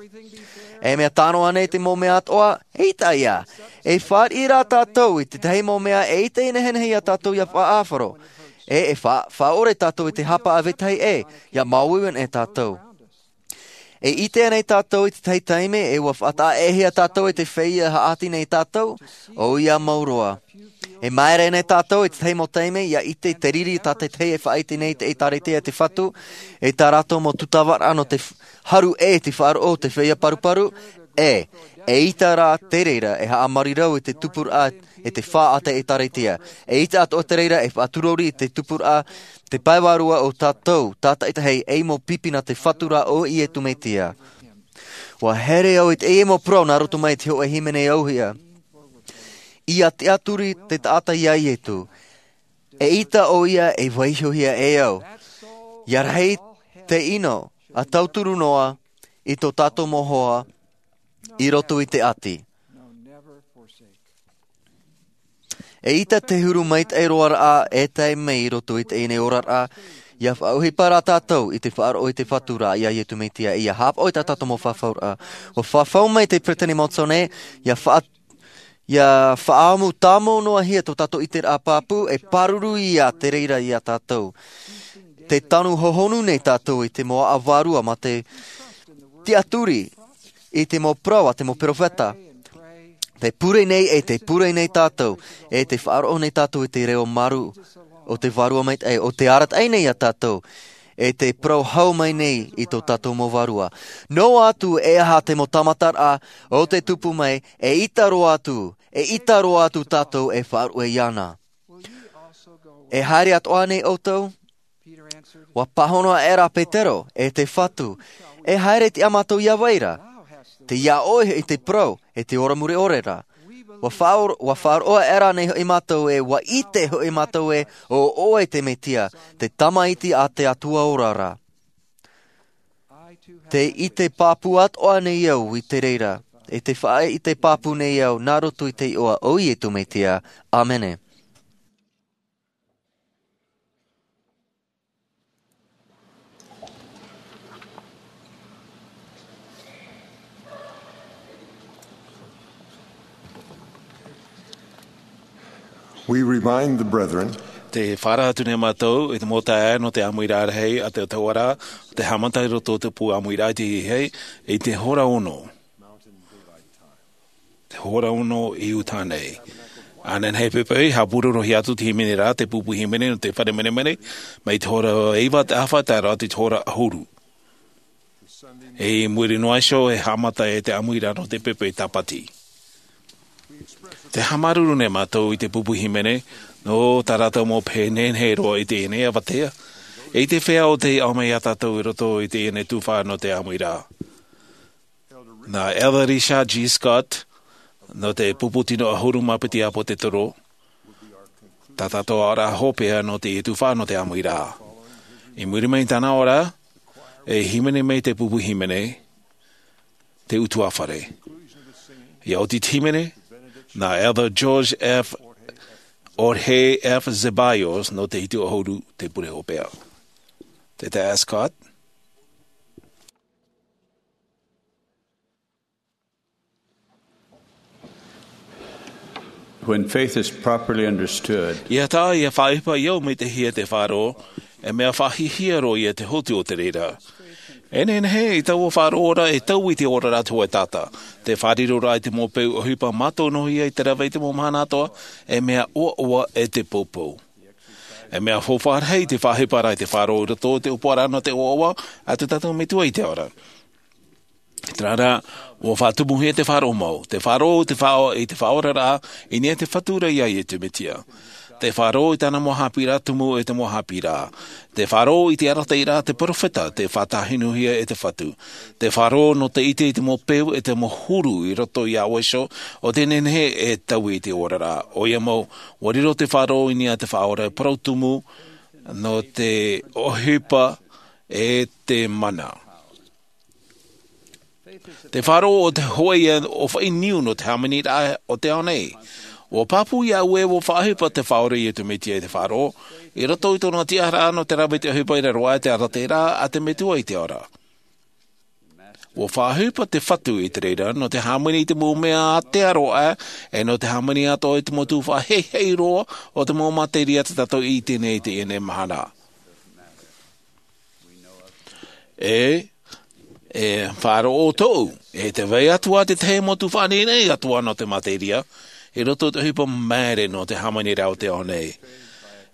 E mea tano ānei te mau mea atoʻa, ʻaita ia. E fāriʻi rā tātou i te tahi mau mea e ʻaita i nehenehe iā tātou ʻia faʻaʻāfaro. E, e fa-, faʻaʻore tātou i te hapa a vetahi ē, ʻia māuiui ana e tātou. E ʻite ānei tātou i te tahi taime, e ʻua faʻataʻaʻehia tātou i te feiā e haʻati nei iā tātou, ʻoia mau roa. E māere ānei tātou i te tahi mau taime, ʻia ʻite te riri tā te tahi e faʻaʻite nei te ʻĒtārētia a te Fatu, e tā rātou mau tūtavaraʻa nō te f-, haru ʻē te faʻaroʻo o te feiā paruparu, e, ʻaita rā te reira e haʻamarirau i te tupuraʻa e te fā a te ʻĒtārētia. ʻAita atoʻa te reira e faʻaturori i te tupuraʻa, te pae vārua o tātou, tātaʻitahi, ei mau pipi nā te Fatu ra ʻo Iesu Mesia. ʻUa here au i teie mau parau nā roto mai i te hōʻē hīmene auhia. ʻIa tiʻaturi te taʻata iā Iesu. ʻAita ʻoia e vaihohia e au. ʻIa rahi te ʻino, ʻa tauturu noa, i tō tātou mau hoa, i roto i te ʻati. ʻAita te huru maitaʻi roa ra e tae mai i roto i teie nei oraraʻa, ʻia faʻaʻohipa rā tātou i te faʻaroʻo i te Fatu ra iā Iesu Mesia, ʻia haʻapaʻo i tā tātou mau fafauraʻa. ʻUa fafau mai te Peresideni Monson ē, ʻia faʻa-, ʻia faʻaʻamu tāmau noa hia tō tātou ʻiteraʻa pāpū, e pāruru ia te reira iā tātou. Tē tanu hohonu nei tātou i te mau aʻo vārua mā te tiʻaturi i te mau parau a te mau perofeta. Tē pure nei e tē pure nei tātou, e tē faʻaroʻo nei tātou i te reo marū o te Vārua Maitaʻi, ʻo tē arataʻi nei iā tātou, e tē parau hau mai nei i tō tātou mau vārua. Noa atu e aha te mau tāmataraʻa o tē tupu mai, ʻaita roa atu, ʻaita roa atu tātou e faʻaruʻe iāna. E haere atoʻa nei ʻoutou? ʻUa pāhono aʻera Petero, e te Fatu, e haere tiʻa mātou iā vai ra? Tei iā ʻoe hoʻi te parau, e te ora mure ʻore ra. ʻUa faʻaro-, ʻua faʻaroʻo aʻera nei hoʻi mātou ē, ʻua ʻite hoʻi mātou ē, ʻo ʻoe te Mesia, te Tamaiti a te Atua ora ra. Tē ʻite pāpū atoʻa nei au i te reira, e tē faʻaʻite pāpū nei au nā roto i te iʻoa o Iesu Mesia. ʻĀmene. We remind the brethren. Tē faʻaara atu nei mātou i te mau taeaʻe nō te ʻāmuiraʻa rahi a te Atua ra, tē haʻamata i roto i te pū ʻāmuiraʻa i te hehei, i te hora ono. Te hora ono i uta nei. Ānei nei pepe, haʻapūrorohia atu te hīmene ra, te pupu hīmene nō te fare menemene, mai te hora iva te ʻāfa, tae roa atu i te hora ʻahuru. I muri noa iho e haʻamata ai te ʻāmuiraʻa nō te pepe tāpati. Tē haʻamāuruuru nei mātou i te pupu hīmene, nō tā rātou mau pehe nehenehe roa i teie nei avatea. I te feiā ʻo tei ʻaumai iā tātou i roto i teie nei tuhaʻa nō te ʻāmuiraʻa. Nā Elder Richard G. Scott, nō te pupu tino ʻahuru mā piti ʻāpōsetolo, tā tātou aʻoraʻa hopeʻa nō te tuhaʻa nō te ʻāmuiraʻa. I muri mai i tāna aʻoraʻa, e hīmene mai te pupu hīmene, te ʻutuāfare. ʻIa oti te hīmene, nā Elder George F. Jorge F. Zeballos nō te hitu ʻahuru te pure hopeʻa. Te taeaʻe Scott. When faith is properly understood, ʻIa taʻa ʻia faʻaʻohipa ʻia maitaʻihia te faʻaroʻo, e mea faʻahiahia roa ia te hotu o te reira. E nehenehe i taua faʻaroʻo ra e taui i te oraraʻa te hōʻē taʻata. Te faʻariroraʻa i te mau peu ʻohipa mātau noa ia i te rave i te mau mahana atoʻa, e mea ʻoaʻoa e te poupou. E mea faufaʻa rahi te faʻaʻohiparaʻa i te faʻaroʻo i roto i te ʻōpuaraʻa nō te ʻoaʻoa a tō tātou Metua i te ao ra. Terā rā, ʻua faʻatumuhia te faʻaroʻo mau. Te faʻaroʻo i te faʻaʻo-, i te faʻaoraraʻa, i niʻa i te Fatu ra ia Iesu Mesia. Te faʻaroʻo i tāna mau haʻapiʻiraʻa tumu e te mau haʻapiʻiraʻa. Te faʻaroʻo i te arataʻiraʻa a te peropheta, te faʻatāhinuhia e te Fatu. Te faʻaroʻo nō te ʻite i te mau peu e te mau huru i roto iā ʻoe iho, ʻo tē nehenehe e taui i te oraraʻa. ʻOia mau, ʻua riro te faʻaroʻo i niʻa i te Faʻaora e parau tumu, nō te ʻohipa e te mana. Te faʻaroʻo ʻo te hōʻē ʻōfaʻi niu nō te hāmaniraʻa o te ao nei. ʻUa pāpū iā ʻoe ʻua faʻaʻohipa te Faʻaora Iesu Mesia i te faʻaroʻo, i roto i tōna tiʻaraʻa nō te rave i te ʻohipa i raro aʻe i te arataʻiraʻa a te Metua i te ao ra. ʻUa faʻaʻohipa te Fatu i te reira, nō te hāmani i te mau mea a te aro aʻe, e nō te hāmani atoʻa i te mau tuhaʻa heihei roa o te mau materia tā tātou i ʻite nei i teie nei mahana. E, e faʻaroʻo tōʻu, e tē vai atoʻa te tahi mau tuhaʻa nehenehe atoʻa nō te materia, i roto i te ʻohipa māere nō te hāmaniraʻa o te ao nei.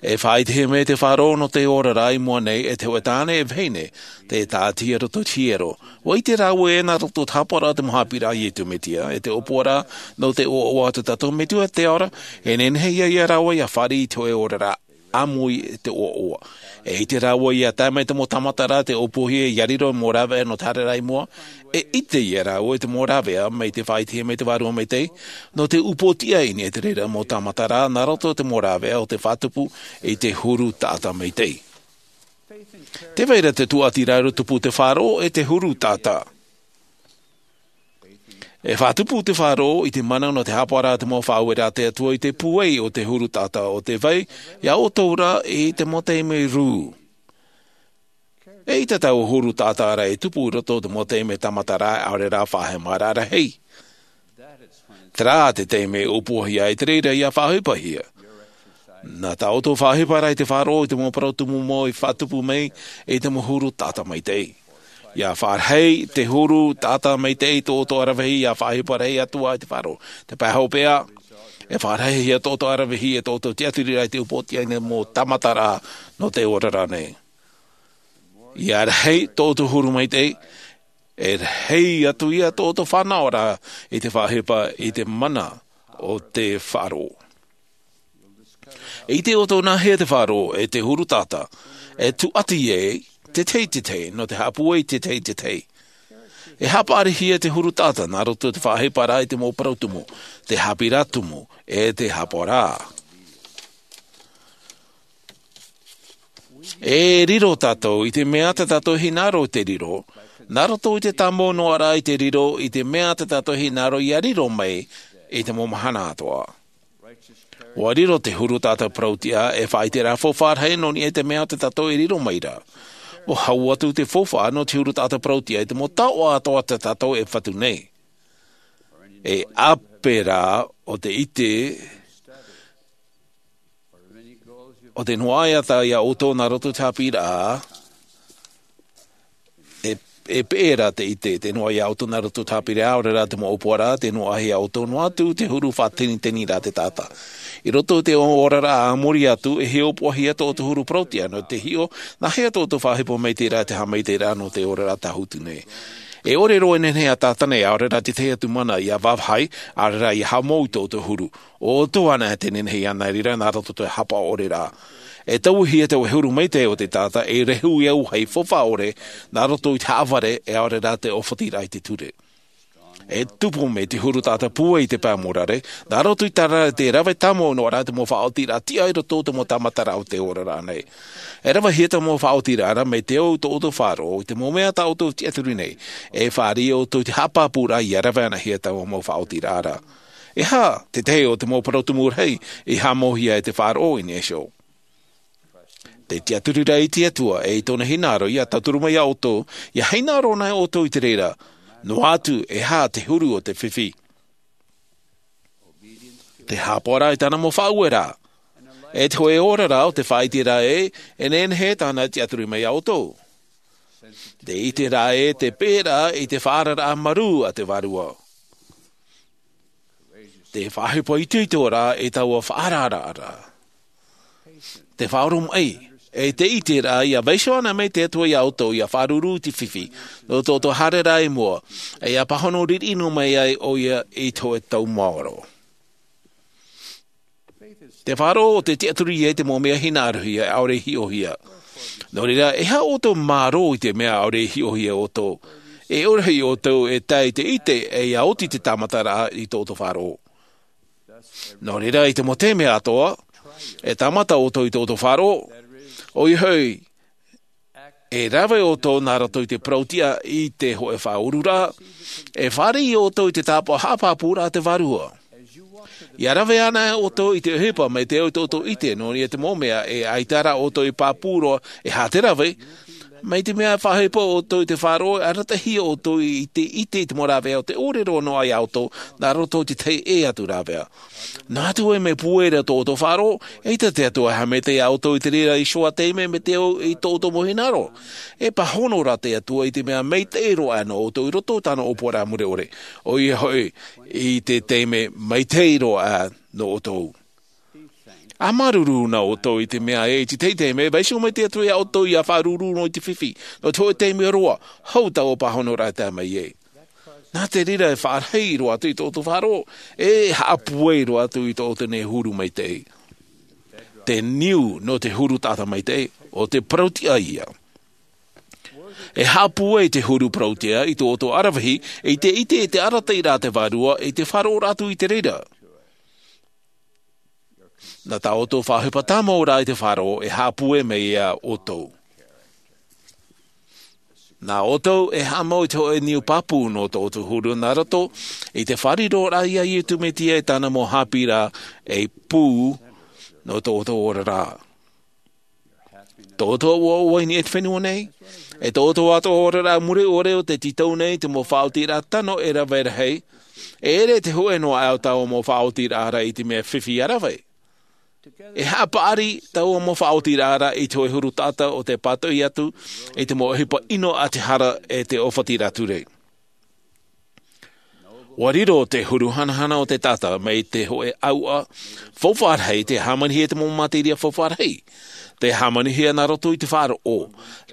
E faʻaʻitehia mai te faʻaroʻo nō te oraraʻa i mua nei, e te hōʻē tāne e vahine, tē tāʻatihia i roto i te hiero. ʻUa ʻite rāua ē nā roto i te haʻapaʻoraʻa i te mau haʻapiʻiraʻa a Iesu Mesia, e te ʻōpuaraʻa nō te ʻoaʻoa a tō tātou Metua i te ao ra, e nehenehe ia, ia rāua ʻia fāriʻi i te hōʻē oraraʻa ʻāmui i te ʻoaʻoa. E ʻite rāua ʻia tae mai te mau tāmataraʻa, te ʻōpuahia ʻia riro mau rāveʻa nō te haereraʻa i mua. E ʻite ia rāua i te mau rāveʻa mai te faʻaʻitehia mai te Vārua Maitaʻi, nō te upoʻotiʻa i niʻa i te reira mau tāmataraʻa, nā roto i te mau rāveʻa o te faʻatupu i te huru taʻata maitaʻi. Tē vai ra te tūʻatiraʻa i tupu te faʻaroʻo e te huru taʻata. E faʻatupu te faʻaroʻo i te mana nō te haʻapaʻoraʻa i te mau faʻaueraʻa a te Atua i te pūai o te huru taʻata, ʻo tē vai iā ʻoutou ra i te mau taime rū. E ʻaita taua huru taʻata ra e tupu i roto i te mau taime tāmataraʻa, ʻaore rā faʻahemaraʻa rahi. Terā te taime e ʻōpuahia ai te reira ʻia faʻaʻohipahia. Nā tā ʻoutou faʻaʻohiparaʻa i te faʻaroʻo i te mau parau tumu mau i faʻatupu mai i te mau huru taʻata maitaʻi. ʻIa faʻarahi te huru taʻata maitaʻi i tō ʻoutou ʻaravihi, ʻia faʻaʻohipa rahi atu ā i te faʻaroʻo. Te pae hopeʻa, e faʻarahihia tō ʻoutou ʻaravihi e tō ʻoutou tiʻaturiraʻa i te upoʻotiʻa i te mau tāmataraʻa nō te oraraʻa nei. ʻIa rahi tō ʻoutou huru maitaʻi, e rahi atu ia tō ʻoutou fānaʻoraʻa i te faʻaʻohipa i te mana o te faʻaroʻo. E ʻite ʻoutou nāhea te faʻaroʻo e te huru taʻata, e tūʻati ai te tahi i te tahi, nō te haʻapūai i te tahi i te tahi. E haʻapaʻarihia te huru taʻata nā roto i te faʻaʻohiparaʻa i te mau parau tumu, te haʻapiʻiraʻa tumu, e te haʻapaʻoraʻa. E riro tātou i te mea tā tātou e hinaʻaro i te riro, nā roto i te tāmau noa ra i te riro i te mea tā tātou e hinaʻaro ʻia riro mai i te mau mahana atoʻa. ʻUa riro te huru taʻata parautiʻa e faʻaʻiteraʻa faufaʻa rahi nō niʻa i te mea tā tātou e riro mai ra. ʻUa hau atu te faufaʻa nō te huru taʻata parautiʻa i te mau taoʻa atoʻa tā tātou e fatu nei. E ʻape rā ʻo te ʻite, ʻo te noaʻa atu iā ʻoutou nā roto i te haʻapiʻiraʻa, e, e peʻe ra te ʻite, te noaʻa iā ʻoutou nā roto i te haʻapiʻiraʻa, ʻaore rā te mau ʻōpuaraʻa, te noaʻa iā ʻoutou noa atu te huru faʻateniteniraʻa a te taʻata. I roto i te oraraʻa a muri atu, e hiʻopoʻahia tō ʻoutou huru parautiʻa nō te hiʻo nāhea tō ʻoutou faʻaʻohipa maitaʻi ra, te haʻamaitaʻiraʻa nō te oraraʻa tāhuti nei. E ʻore roa e nehenehe ʻa Tātana, ʻaore rā te tahi atu mana ʻia vāvāhi, ʻaore rā ʻia haʻamou i tō ʻoutou huru. ʻO ʻoutou anaʻe tē nehenehe ʻia nā reira nā roto i te haʻapaʻo ʻore ra. E tauihia te huru maitaʻi o te taʻata, e rehu ia vāhi faufaʻa ʻore nā roto i te haʻavare, e ʻaore rā te ʻōfatiraʻa i te ture. E tupu mai te huru taʻata pūai i te pae mōrare, nā roto i te rave tāmau noa ra te mau faʻaotiraʻa tiʻa i roto i te mau tāmataraʻa o te oraraʻa nei. E ravehia te mau faʻaotiraʻa ra mai te au tō ʻoutou faʻaroʻo i te mau mea tā ʻoutou e tiʻaturi nei, e fāriʻi ʻoutou i te haʻapāpūraʻa ʻia rave anahia taua mau faʻaotiraʻa ra. E aha te tahi o te mau parau tumu rahi i haʻamauhia e te faʻaroʻo i niʻa iho? Te tiʻaturiraʻa i te Atua e i tōna hinaʻaro ʻia tauturu mai iā ʻoutou, ʻia hinaʻaro anaʻe ʻoutou i te reira, noa atu e aha te huru o te fifi. Te haʻapaʻoraʻa i tāna mau faʻaueraʻa, e te hōʻē oraraʻa o te faʻaʻiteraʻa ē, e nehenehe tāna e tiʻaturi mai iā ʻoutou. Te ʻite rā e te pēraʻa i te faʻaararaʻa marū a te Vārua. Te faʻahepo itoito rā i taua faʻaararaʻa. Te faʻaoromaʻi, e te ʻite rā ia vaiiho ana mai te Atua iā ʻoutou ia faʻaruru i te fifi, nō tō ʻoutou haereraʻa i mua, e ia pāhono riʻiriʻi noa mai ai ʻoia i te hōʻē tau maoro. Te faʻaroʻo o te tiʻaturi ia i te mau mea hinaʻarohia, ʻaore i hiʻohia. Nō reira, e aha ʻoutou mārō i te mea ʻaore i hiʻohia ʻoutou? E ʻore hoʻi ʻoutou e tae i te ʻite, e ia oti te tāmataraʻa i tō ʻoutou faʻaroʻo. Nō reira, i te mau taime atoʻa, e tāmata ʻoutou i tō ʻoutou faʻaroʻo, ʻoia hoʻi, e rave ʻoutou nā roto i te parau-tiʻa i te hōʻē faʻaururaʻa, e fāriʻi ʻoutou i te tāpaʻo haʻapāpūraʻa a te Vārua. Ia rave ana ʻoutou i te ʻohipa mai te ao i tō ʻoutou ʻite, nō reira te mau mea e ʻaita rā ʻoutou i pāpū roa, e aha te rave, mai te mea e faʻahepo ʻoutou i te faʻaroʻo, e aratahia ʻoutou i te ʻite i te mau rāveʻa o tē ʻore roa noa iā ʻoutou, nā roto i te tahi ʻē atu rāveʻa. Noa atu e mea pūai ra tō ʻoutou faʻaroʻo, eʻita te Atua e haʻamaitaʻi iā ʻoutou i te reira i te tahi taime mai te ao i tō ʻoutou mau hinaʻaro. E pāhono rā te Atua i te mea maitaʻi roa nō ʻoutou i roto i tāna ʻōpuaraʻa mure ʻore. ʻOia hoʻi, i te taime maitaʻi roa nō ʻoutou. ʻA māuruuru na ʻoutou i te mea ē, i te tahi taime, vaiiho mai te Atua iā ʻoutou ia faʻaruru noa i te fifi, nō te hōʻē taime roa, hou taua pāhonoraʻa e tae mai ai. Nā te reira e faʻarahi roa atu i tō ʻoutou faʻaroʻo, e haʻapūai roa atu i tō ʻoutou nei huru maitaʻi. Te niu nō te huru taʻata maitaʻi, ʻo te parau-tiʻa ia. E haʻapūai te huru parau-tiʻa i tō ʻoutou ʻaravihi, i te ʻite i te arataʻiraʻa a te Vārua, i te faʻaroʻoraʻa atu i te reira. Nā tā ʻoutou faʻaʻohipa tāmau ra i te faʻaroʻo, e haʻapūai mai iā ʻoutou. Nā ʻoutou e haʻamau i te hōʻē niu pāpū nō tō ʻoutou huru nā roto i te faʻariroraʻa iā Iesu Mesia i tāna mau haʻapiʻiraʻa e pū nō tō ʻoutou oraraʻa. Tō ʻoutou ʻoaʻoa i niʻa i te fenua nei, e tō ʻoutou atoʻa oraraʻa mure ʻore o tē tītau nei te mau faʻaotiraʻa tano e rave rahi, e ʻere te hōʻē noa ʻā o taua mau faʻaotiraʻa ra i te mea fifi ʻa rave. E haʻapaʻari taua mau faʻaotiraʻa ra i te hōʻē huru taʻata o tē pātoʻi atu i te mau ʻohipa ʻino a te hara e te ʻōfatiraʻa ture. ʻUa riro te huru hanahana o te taʻata mai te hōʻē ʻauʻa faufaʻa rahi, tē hāmanihia te mau materia faufaʻa rahi. Tē hāmanihia nā roto i te faʻaroʻo,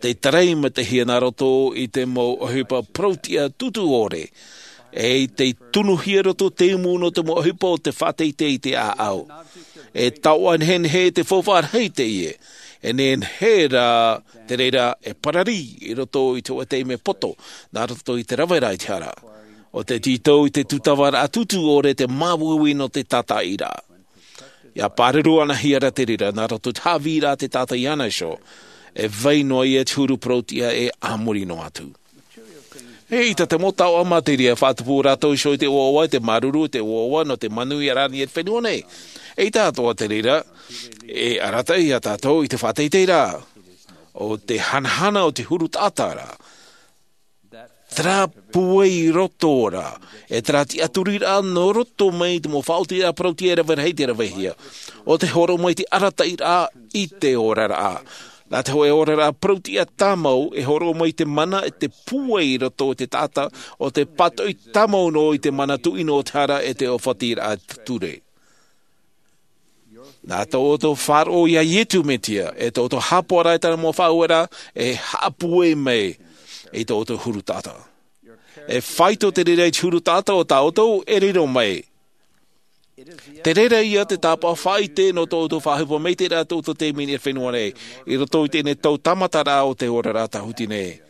tē tarai matahia nā roto i te mau ʻohipa parau-tiʻa tūtū ʻore, e tē tunuhia roto te umu nō te mau ʻohipa o te faʻateitei i te ʻāʻau. E taoʻa nehenehe te faufaʻa rahi teie, e nehenehe rā te reira e parari i roto i te hōʻē taime poto, nā roto i te rave ra i te hara. ʻO tē tītau i te tūtavaraʻa tūtū ʻore te māuiui nō te tātaʻiraʻa. ʻIa pāruru anahia ra te reira, nā roto i te haʻavīraʻa a te taʻata iāna iho, e vai noa ia te huru parau-tiʻa e a muri noa atu. ʻEita te mau taoʻa materia e faʻatupu rātou iho i te ʻoaʻoa, i te māuruuru, i te ʻoaʻoa nō te manuia rānei e te fenua nei. ʻEita atoʻa te reira, e arataʻi iā tātou i te faʻateiteiraʻa. ʻO te hanahana o te huru taʻata ra. Terā pūai i roto ra, e terā tiʻaturiraʻa nō roto mai i te mau faʻaotiraʻa parau-tiʻa e rave rahi tē ravehia. ʻO tē hōroʻa mai te arataʻiraʻa i te oraraʻa. Nā te hōʻē oraraʻa parau-tiʻa tāmau e hōroʻa mai te mana e te pūai i roto i te taʻata, ʻo tē pātoʻi tāmau noa i te mana tuʻino o te hara e te ʻōfatiraʻa ture. Nā tō ʻoutou faʻaroʻo iā Iesu Mesia, e tō ʻoutou haʻapaʻoraʻa i tāna mau faʻaueraʻa, e haʻapūai mai i tō ʻoutou huru taʻata. E faito te reira i te huru taʻata o tā ʻoutou e riro mai. Te reira ia te tāpaʻo faʻaʻite nō tō ʻoutou faʻaʻohipa maitaʻi ra tō ʻoutou taime i niʻa i te fenua nei, i roto i teie nei tau tāmataraʻa o te oraraʻa tāhuti nei.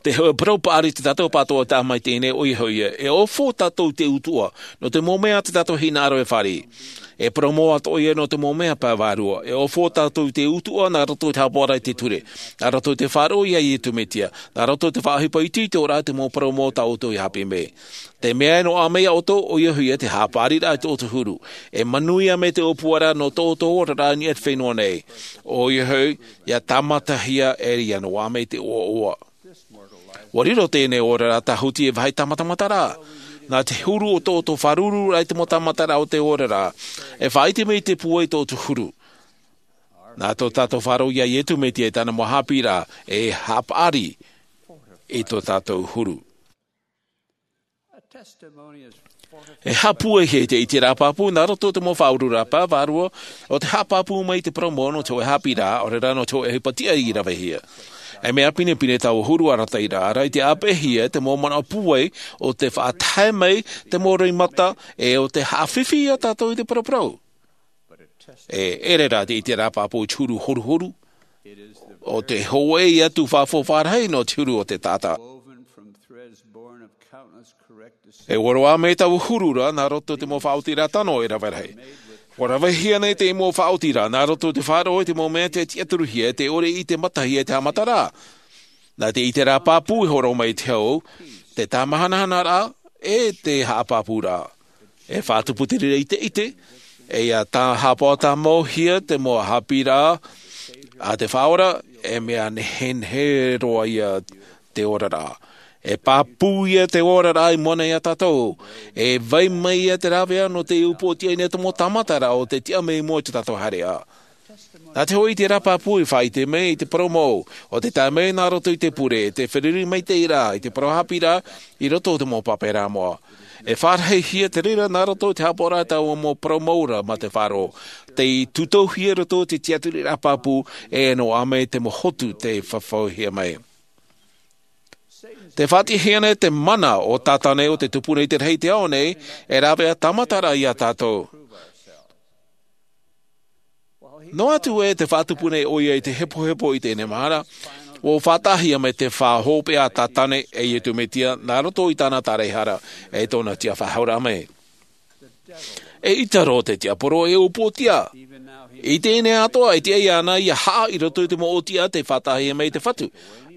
Te hōʻē parau paʻari tā tātou pātoʻi tāmau i teie nei, ʻoia hoʻi ē, e ʻōfō tātou i te utuʻa nō te mau mea tā tātou hinaʻaro e fāriʻi. E parau mau atoʻa ia nō te mau mea pae vārua. E ʻōfō tātou i te utuʻa nā roto i te haʻapaʻoraʻa i te ture, nā roto i te faʻaroʻo iā Iesu Mesia, nā roto i te faʻaʻohipa itoito ra i te mau parau mau tā ʻoutou i haʻapiʻi mai. Te mea e noaʻa mai iā ʻoutou, ʻoia hoʻi ē te haʻapaʻariraʻa i tō ʻoutou huru. E manuia mai te ʻōpuaraʻa nō tō ʻoutou oraraʻa i niʻa i te fenua nei. ʻOia hoʻi, ʻia tāmatahia e ʻia noaʻa mai te ʻoaʻoa. ʻUa riro teie nei oraraʻa tāhuti ei vāhi tāmatamataraʻa. Nā te huru o tō ʻoutou faʻarururaʻa i te mau tāmataraʻa o te oraraʻa, e faʻaʻite mai te pūai i tō ʻoutou huru. Nā tō tātou faʻaroʻo iā Iesu Mesia i tāna mau haʻapiʻiraʻa e haʻapaʻari i tō tātou huru. E haʻapūaihia te ʻiteraʻa pāpū nā roto i te mau faʻaururaʻa pāpū vārua o te haʻapāpū mai i te parau mau nō te hōʻē haʻapiʻiraʻa, ʻaore rā nō te hōʻē ʻohipa tiʻa i rave hia. E mea pinepine taua huru arataʻiraʻa ra i te ʻāpeʻehia te mau manaʻo pūai o te faʻatae mai te mau roimata e o te haʻafifi iā tātou i te paraparau. E ʻere rā te ʻiteraʻa pāpū i te huru horuhoru. ʻO te hōʻē atu faʻafaʻarahi nō te huru o te taʻata. E ʻoroʻa mai taua huru ra nā roto i te mau faʻaotiraʻa tano e rave rahi. ʻUa ravehia nei te mau faʻaotiraʻa nā roto i te faʻaroʻo i te mau mea te tiʻaturuhia e te ʻore i te matahia e te haʻamataraʻa. Nā te ʻiteraʻa pāpū e hōroʻa mai i te hau, te tāmahanahanaraʻa e te haʻapāpūraʻa. E faʻatupu te reira i te ʻite, e ia tā haʻapaʻo tāmauhia te mau haʻapiʻiraʻa a te Faʻaora, e mea nehenehe roa ia te oraraʻa. E pāpū ia te oraraʻa i mua nei iā tātou. E vai mai ia te rāveʻa nō te upoʻotiʻa i niʻa i te mau tāmataraʻa o te tiʻa mai i mua i tō tātou haereʻa. Nā te hōʻē ʻiteraʻa pāpū i faʻaʻite mai i te parau mau o te tae mai nā roto i te pure, te feruri maitaʻi ra i te parau haʻapiʻiraʻa i roto i te mau pāpēraʻa moʻa. E faʻarahihia te reira nā roto i te haʻapaʻoraʻa i taua mau parau mau ra mā te faʻaroʻo, tei tūtouhia i roto i te tiʻaturiraʻa pāpū, e noaʻa mai te mau hotu tei fafauhia mai. Tē faʻatiʻahia nei te mana o Tātane ʻo tē tupu nei i te rahi i te ao nei, e rāveʻa tāmataraʻa iā tātou. Noa atu ē tē faʻatupu nei ʻoia i te hepohepo i teie nei mahana, ʻua faʻataʻahia mai te faʻahopeʻa a Tātane e Iesu Mesia nā roto i tāna taraehara e tōna tiʻafaʻahouraʻa mai. E ʻita roa te tiaporo e upoʻotiʻa. I teie nei atoʻa e tiʻa iāna ia haʻa i roto i te mau ʻōtiʻa tei faʻataʻahia mai e te Fatu.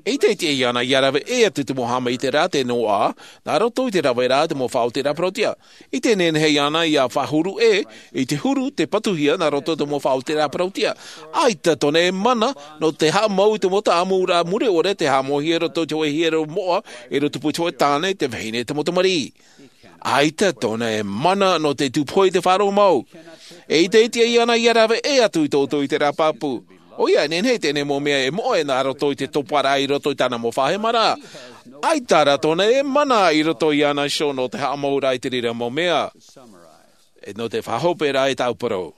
ʻEita e tiʻa iāna ia rave ʻē atu i te mau haʻamaitaʻiraʻa tei noaʻa nā roto i te raveraʻa i te mau faʻaotiraʻa parauʻtiʻa. ʻEita e nehenehe iāna ia faʻahuru ʻē i te huru tei patuhia nā roto i te mau faʻaotiraʻa parauʻtiʻa. ʻAita tōna e mana nō te haʻamau i te mau taʻamuraʻa mure ʻore tei haʻamauhia i roto i te hōʻē hiero moʻa, e riro tupu i te hōʻē tāne, te vahine, te mau tamariʻi. ʻAita tōna e mana nō te tupu i te faʻaroʻo mau. ʻEita e tiʻa iāna ia rave ʻē atu i tō ʻoutou ʻiteraʻa pāpū. ʻOia, e nehenehe teie nei mau mea e moʻe nā roto i te toparaʻa i roto i tāna mau faʻahemaraʻa. ʻAita rā tōna e mana i roto iāna iho nō te haʻamauraʻa i te reira mau mea. E nō te faʻahoperaʻa i tāʻu parau.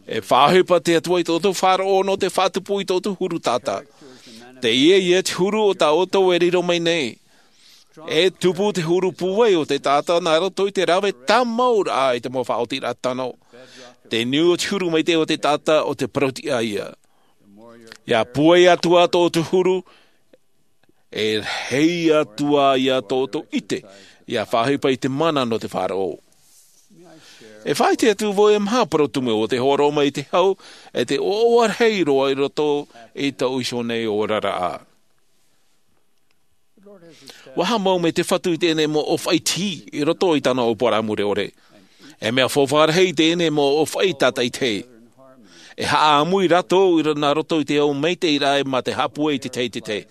E faʻaʻohipa te Atua i tō ʻoutou faʻaroʻo nō te faʻatupu i tō ʻoutou huru taʻata. Teie ia te huru o tā ʻoutou e riro mai nei. E tupu te huru pūai o te taʻata nā roto i te rave tāmauraʻa i te mau faʻaotiraʻa tano. Te niu o te huru maitaʻi o te taʻata ʻo te parauʻtiʻa ia. Ia pūai atu ā tō ʻoutou huru, e rahi atu ā ia tō ʻoutou ʻite, ia faʻaʻohipa i te mana nō te faʻaroʻo. E faʻaʻite atu vau e maha parau tumu o te hōroʻa mai i te hau, e te ʻoaʻoa rahi roa i roto i tō ʻoutou nei oraraʻa. ʻUa haʻamau mai te Fatu i teie nei mau ʻōfaʻi tihi i roto i tāna ʻōpuaraʻa mure ʻore. E mea faufaʻa rahi teie nei mau ʻōfaʻi tātaʻitahi. E haʻamui rātou i ra-, nā roto i te au maitaʻi raʻa mā te haʻapūai i te tahi i te tahi.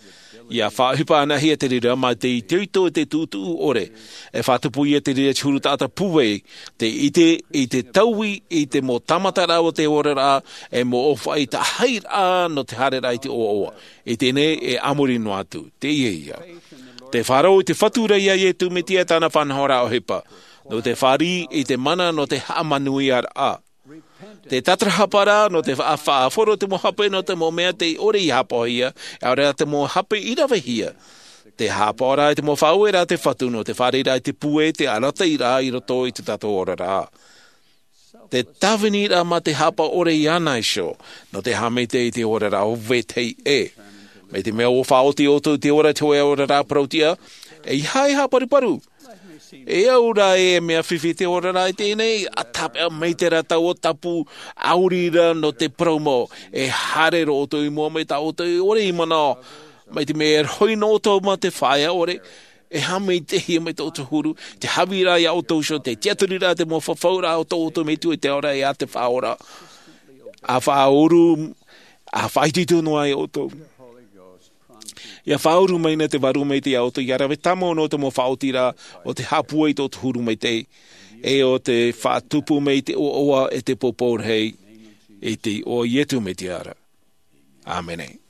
Ia faʻaʻohipa anaʻe hia te reira mā te itoito i te tuʻutuʻu ʻore. E faʻatupu ia te reira te huru taʻata pūai, tei ʻite i te taui i te mau tāmataraʻa o te oraraʻa, e mau ʻōfaʻi taʻahiraʻa nō te haereraʻa i te ʻoaʻoa. I teie nei e a muri noa atu, teie ia. Te faʻaroʻo i te Fatu ra iā Iesu Mesia e tāna faʻanahoraʻa ʻohipa. Nō te fāriʻi i te mana nō te haʻamanuiaraʻa. Te tatarahapa ra nō te fa-, faʻahoro te mau hape nō te mau mea tei ʻore i haʻapaʻohia, ʻaore rā te mau hape i ravehia. Te haʻapaʻoraʻa i te mau faʻaueraʻa a te Fatu nō te fāriʻiraʻa i te pūai, te arataʻiraʻa i roto i tō tātou oraraʻa. Te tāviniraʻa mā te haʻapaʻo ʻore iāna iho, nō te haʻamaitaʻi i te oraraʻa o vetahi ʻē. Mai te mea ʻua faʻaoti ʻoutou i te ora i te hōʻē oraraʻa parauʻtiʻa, ʻeiaha e haʻaparuparu. E au ra e mea fifi te oraraʻa i teie nei, ʻa tāpeʻa mai te reira taua tapu, ʻauri rā nō te parau mau, e haere roa ʻoutou i mua mai tā ʻoutou e ʻore i manaʻo. Mai te mea e rohi noa ʻoutou mā te feiā ʻore, e haʻamaitaʻihia mai tō ʻoutou huru, te haʻavīraʻa iā ʻoutou iho, te tiʻaturiraʻa, te mau fafauraʻa o tō ʻoutou Metua i te ao ra e a te Faʻaora. ʻA faʻaʻuru, ʻa faʻaitoito noa iā ʻoutou. Ia faʻaʻuru mai na te Vārua Maitaʻi iā ʻoutou, ia rave tāmau noa te mau faʻaotiraʻa o te haʻapūai i tō ʻoutou huru maitaʻi, e o te faʻatupu mai i te ʻoaʻoa e te poupou rahi. i te iʻoa o Iesu Mesia ra. ʻĀmene.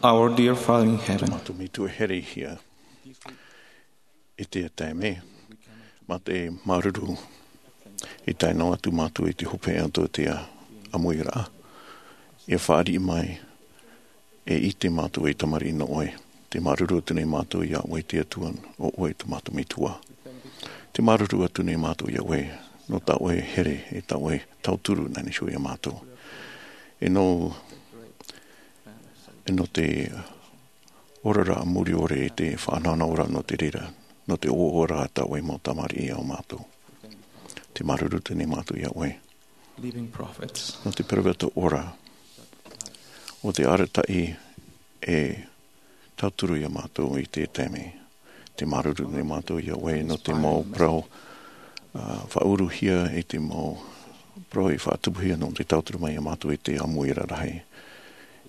Our dear Father in heaven, Mātou Metua here i te taime, mā te māuruuru i tae noa atu mātou i te hopeʻa o tō te ʻāmuiraʻa. E fāriʻi mai, e ʻite mātou ei tamariʻi nō ʻoe. Te māuruuru atu nei mātou iā ʻoe te Atua, ʻo ʻoe tō mātou Metua. Te māuruuru atu nei mātou iā ʻoe, nō tā ʻoe here, e tā ʻoe tauturu nā niʻa iho iā mātou. E nō, e nō te, oraraʻa muri ʻore i te faʻanahonahoraʻa nō te reira, nō te ʻoaʻoaraʻa tā ʻoe mau tamariʻi iā mātou. Te māuruuru atu nei mātou iā ʻoe. Living prophets. Nō te peroveta ora, ʻo te arataʻi e tauturu iā mātou i te taime. Te māuruuru nei mātou iā ʻoe nō te mau parau, ā, faʻauruhia i te mau parau i faʻatupuhia nō te tauturu mai iā mātou i te ʻāmuiraʻa rahi.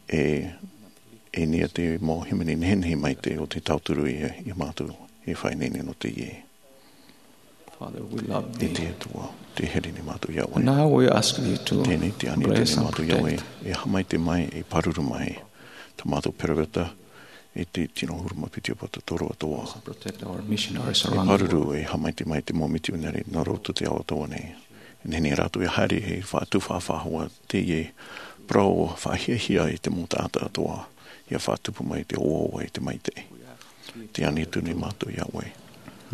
E, e nia te mau hīmene nehenehe maitaʻi o te tauturu iā, iā mātou e faʻaineine nō teie. Father, we love thee. E te Atua, tē here nei mātou iā ʻoe. Now we ask thee to Tēnei te ani bless tēnei and mātou iā ʻoe, protect. E haʻamaitaʻi mai, e pāruru mai tā mātou peroveta, e te tino ʻahuru mā piti ʻōpuaraʻa toro atoʻa. Protect our missionaries E around the pāruru, world. E haʻamaitaʻi mai te mau mitionare nā roto te ao atoʻa nei. E nehenehe rātou e haere e faʻatupu faʻahou teie parau faʻahiahia i te mau taʻata atoʻa, ʻia faʻatupu mai te ʻoaʻoa e te maitaʻi. Tē ani atu nei mātou iā ʻoe.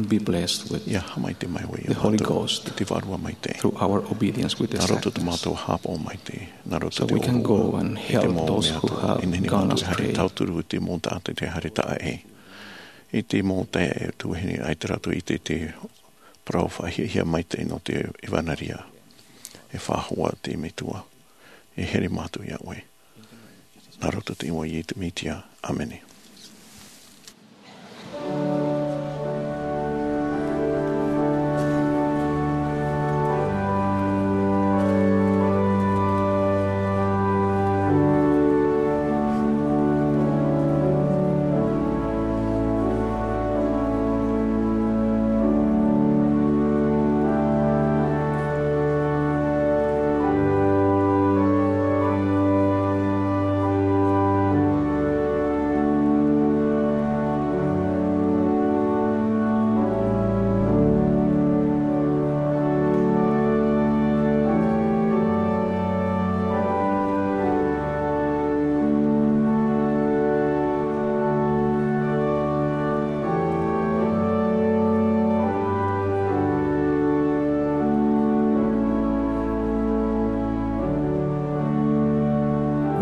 Be blessed with ʻIa haʻamaitaʻi mai ʻoe iā the Holy mātou Ghost i te Vārua Maitaʻi. Through our obedience with the Nā roto tā sacraments. Mātou haʻapaʻo maitaʻi, nā roto So te we can ʻoaʻoa go and i te help mau those mea who atoʻa. have E nehenehe gone mātou e haere astray. tauturu i te mau taʻata tē haere taʻa ʻē. I te mau taeaʻe tuahine, ʻaita rātou i ʻite i te parau faʻahiahia maitaʻi nō te ʻevanelia. E faʻahou te Metua. E here mātou iā ʻoe. Nā roto i te iʻoa o Iesu Mesia. ʻĀmene.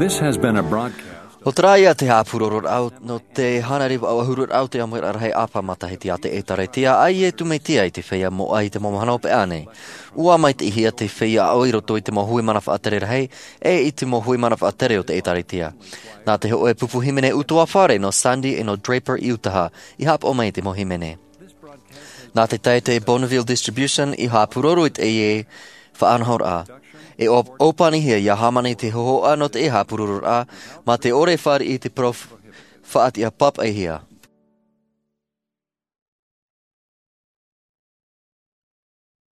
This has been a broadcast. ʻO terā ia te haʻapurororaʻa nō te hānere vaʻu ʻahururaʻa o te ʻāmuiraʻa rahi ʻāpapa matahiti a te ʻĒtārētia a Iesu Mesia i te feiā moʻa i te mau mahana hopeʻa nei. ʻUa maitaʻihia te feiā aʻo i roto i te mau hui mana faʻatere rahi, ʻe i te mau hui mana faʻatere o te ʻĒtārētia. Nā te hōʻē pupu hīmene ʻutuāfare nō Sandy ʻe nō Draper i Utaha, i haʻapaʻo mai i te mau hīmene. Nā te taʻata Bonneville Distribution i haʻapuroro i teie faʻanahoraʻa. E ʻō-, ʻōpanihia ʻia hāmani te hōhoʻa nō te haʻapurororaʻa, mā te ʻore e fāriʻi i te parau faʻatiʻa pāpaʻihia.